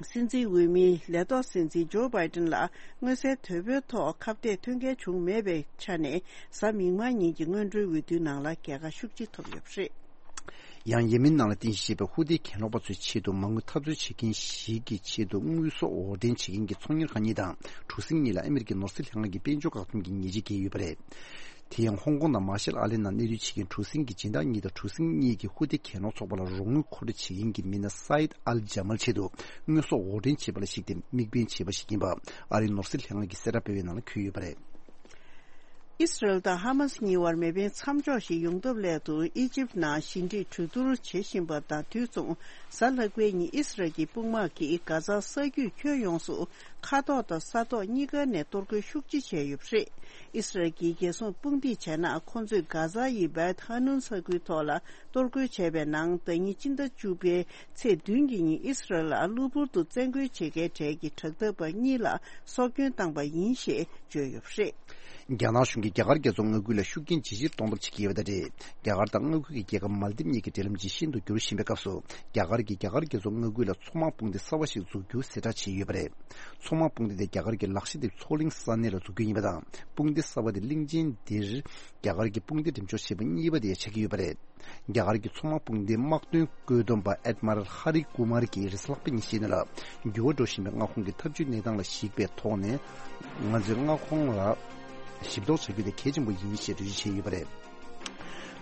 སྲིད་འཛིན་འོས་མི་ལས་ཐོག་སྲིད་འཛིན་ཇོ་བྷའི་ཏིན་ལ་མངོན་གསལ་དོད་པོའི་ཐོག་ཁ་གཏད་ཐོན་མཁན་བྱུང་མེད་པའི་ཆ་ནས། གཟའ་མིག་དམར་ཉིན་གྱི་སྔོན་འགྲོའི་འོས་བསྡུའི་ནང་ལ་རྒྱལ་ཁ་ཤུགས་ཆེ་ཐོབ་ཡོད་པ་རེད། ཡང་ཡེ་མེན་ནང་ལ་རྟེན་གཞི་བྱས་པའི་ཧུ་ཏི་གྱེན་ལོག་པ་ཚོའི་ཆེད་དུ་མ་དངུལ་འཐབ་རྩོད་བྱེད་མཁན་ཞིག་གི་ཆེད་དུ་དངོས་ཟོག་འོར་འདྲེན་བྱེད་མཁན་གྱི་ཚོང་གཉེར་ཁང་གཉིས་དང་གྲུ་གཟིངས་གཉིས་ལ་ཨ་མི་རི་ཀའི་ནོར་སྲིད་ལྷན་ཁང་གིས་དཔལ་འབྱོར་བཀག་སྡོམ་གྱི་ཉེས་ཆད་བཀལ་ཡོད་པ་རེད། དེ་ཡང་ཧོང་ཀོང་དང་མར་ཤལ་ཨ་ལེ་ནང་གནས་སྡོད་བྱེད་མཁན་གྲུ་གཟིངས་ཀྱི་སྦྱིན་བདག་གཉིས་དང་གྲུ་གཟིངས་གཉིས་ཀྱིས་ཧུ་ཏི་གྱེན་ལོག་ཚོགས་པ་ལ་རོགས་དངུལ་མཁོ་སྤྲོད་བྱེད་མཁན་གྱི་མི་སྣ་སཱ་ཡིད་ཨལ་ཇ་མལ་ཆེད་དུ་དངོས་ཟོག་འོར་འདྲེན་བྱས་པ་ལ་གཞིགས་ཏེ་དམིགས་འབེན་བྱས་པ་ཞིག་ཡིན་པ་ཨ་རིའི་ནོར་སྲིད་ལྷན་ཁང་གིས་གསལ་བསྒྲགས་སྤེལ་བའི་ནང་ལ་འཁོད་ཡོད་པ་རེད། ཨི་སི་རལ་དང་ཧ་མ་སི་གཉིས་བར་མེ་འཕེན་མཚམས་འཇོག་ཞིག་ཡོང་ཐབས་སླད་དུ་ཨི་ཇིབ་ནང་ཞི་འགྲིག་གྲོས་བསྡུར་བྱེད་བཞིན་པ་དང་དུས་མཚུངས། གཟའ་ལྷག་པའི་ཉིན་ཨི་སི་རལ་གྱི་དཔུང་དམག་གིས་གྷ་ཛ་ས་རྒྱུད་ཁྱོན་ཡོངས་སུ་མཁའ་ཐོག་དང་ས་ཐོག་གཉིས་ཀ་ནས་གཏོར་རྒོལ་ཤུགས་ཆེ་བྱས་ཡོད་པ་རེད། ཨི་སི་རལ་གྱི་རྒྱལ་སྲུང་དཔུང་སྡེས་བྱས་ན། ཁོང་ཚོས་གྷ་ཛ་ཡི་བེད་ཧ་ནུན་ས་ཁུལ་ཐོག་ལ་གཏོར་རྒོལ་བྱས་པའི་ནང་། ཟླ་ཉིན་སྤྱི་ཟླ་བཅུ་པའི་ཚེས་བདུན་གྱི་ཉིན་ཨི་སི་རལ་ལ་གློ་བུར་དུ་བཙན་རྒོལ་བྱེད་མཁན་གྲས་ཀྱི་དྲག་འཐབ་པ་གཉིས་ལ་སྲོག་སྐྱོན་བཏང་པ་ཡིན་ཞེས་བརྗོད་ཡོད་པ་རེད། རྒྱ་ནག་གཞུང་གིས་རྒྱ་གར་རྒྱལ་ཚོགས་མངའ་ཁུལ་ལ་ཤུགས་རྐྱེན་ཇི་ཆེར་གཏོང་ཐབས་བྱེད་ཀྱི་ཡོད་པ་དང་འབྲེལ། རྒྱ་གར་དང་མངའ་ཁུལ་གྱི་རྒྱལ་ཁབ་མལ་དིབ་གཉིས་ཀྱི་འབྲེལ་ལམ་ཇི་ཤིན་ཏུ་འགྱུར་བཞིན་པའི་སྐབས་སུ། རྒྱ་གར་གྱིས་རྒྱ་གར་རྒྱལ་ཚོགས་མངའ་ཁུལ་ལ་མཚོ་དམག་དཔུང་སྡེ་གསར་བ་ཞིག་འཛུགས་རྒྱུ་གསལ་བསྒྲགས་བྱས་ཡོད་པ་རེད། མཚོ་དམག་དཔུང་སྡེ་དེ་རྒྱ་གར་གྱི་ལག་ཤེས་དེབ་མཚོ་གླིང་ས་གནས་ལ་འཛུགས་རྒྱུ་ཡིན་པ་དང་། དཔུང་སྡེ་གསར་བ་དེ་གླིང་ཆེན་འདིར་རྒྱ་གར་གྱི་དཔུང་སྡེ་འགྲེམས་འཇོག་བྱས་པ་གཉིས་པ་དེ་ཡང་ཆགས་ཀྱི་ཡོད་པ་རེད། རྒྱ་གར་གྱི་མཚོ་དམག་དཔུང་སྡེའི་དམག་དོན་བཀོད་འདོམས་པ་ཨེཌ་མི་རལ་ཧ་རི་ཀུ་མར་གྱིས་རེས་གཟའ་ལྷག་པའི་ཉིན་བཤད་ནི་ལ། འགྱུར་བ་འགྲོ་བཞིན་པའི་མངའ་ཁོངས་ཀྱི་འཐབ་ཇུས་གནས་སྟངས་ལ་གཞིགས་པའི་ཐོག་ནས། ང་ཚོས་མངའ་ཁོངས་ལ་ཞིབ་གཏོང་བྱ་རྒྱུ་དེ་གལ་ཆེན་པོ་ཡིན་ཞེས་འགྲེལ་བརྗོད་བྱས་ཡོད་པ་རེད།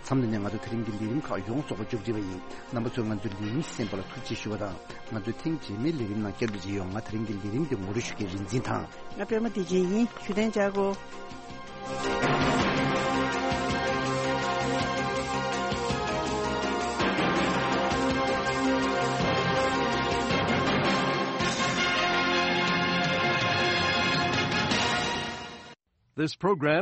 མཚམས་འདི་ནས་ང་ཚོ་དེ་རིང་གི་ལས་རིམ་ཁག་ཡོངས་རྫོགས་པ་མཇུག་སྒྲིལ་བ་ཡིན། རྣམ་པ་ཚོས་ང་ཚོའི་ལས་རིམ་གསན་པ་ལ་ཐུགས་རྗེ་ཞུ་བ་དང་། ང་ཚོའི་ཐེངས་རྗེས་མའི་ལས་རིམ་ནང་བསྐྱར་ཟློས་བྱེད་ཡོང་། ང་དེ་རིང་གི་ལས་རིམ་འདི་ངོ་སྤྲོད་ཞུ་མཁན་རིག་འཛིན་དང་། ང་པད་མ་བདེ་ཆེན་ཡིན། བཞུགས་གདན་འཇགས་དགོས། This program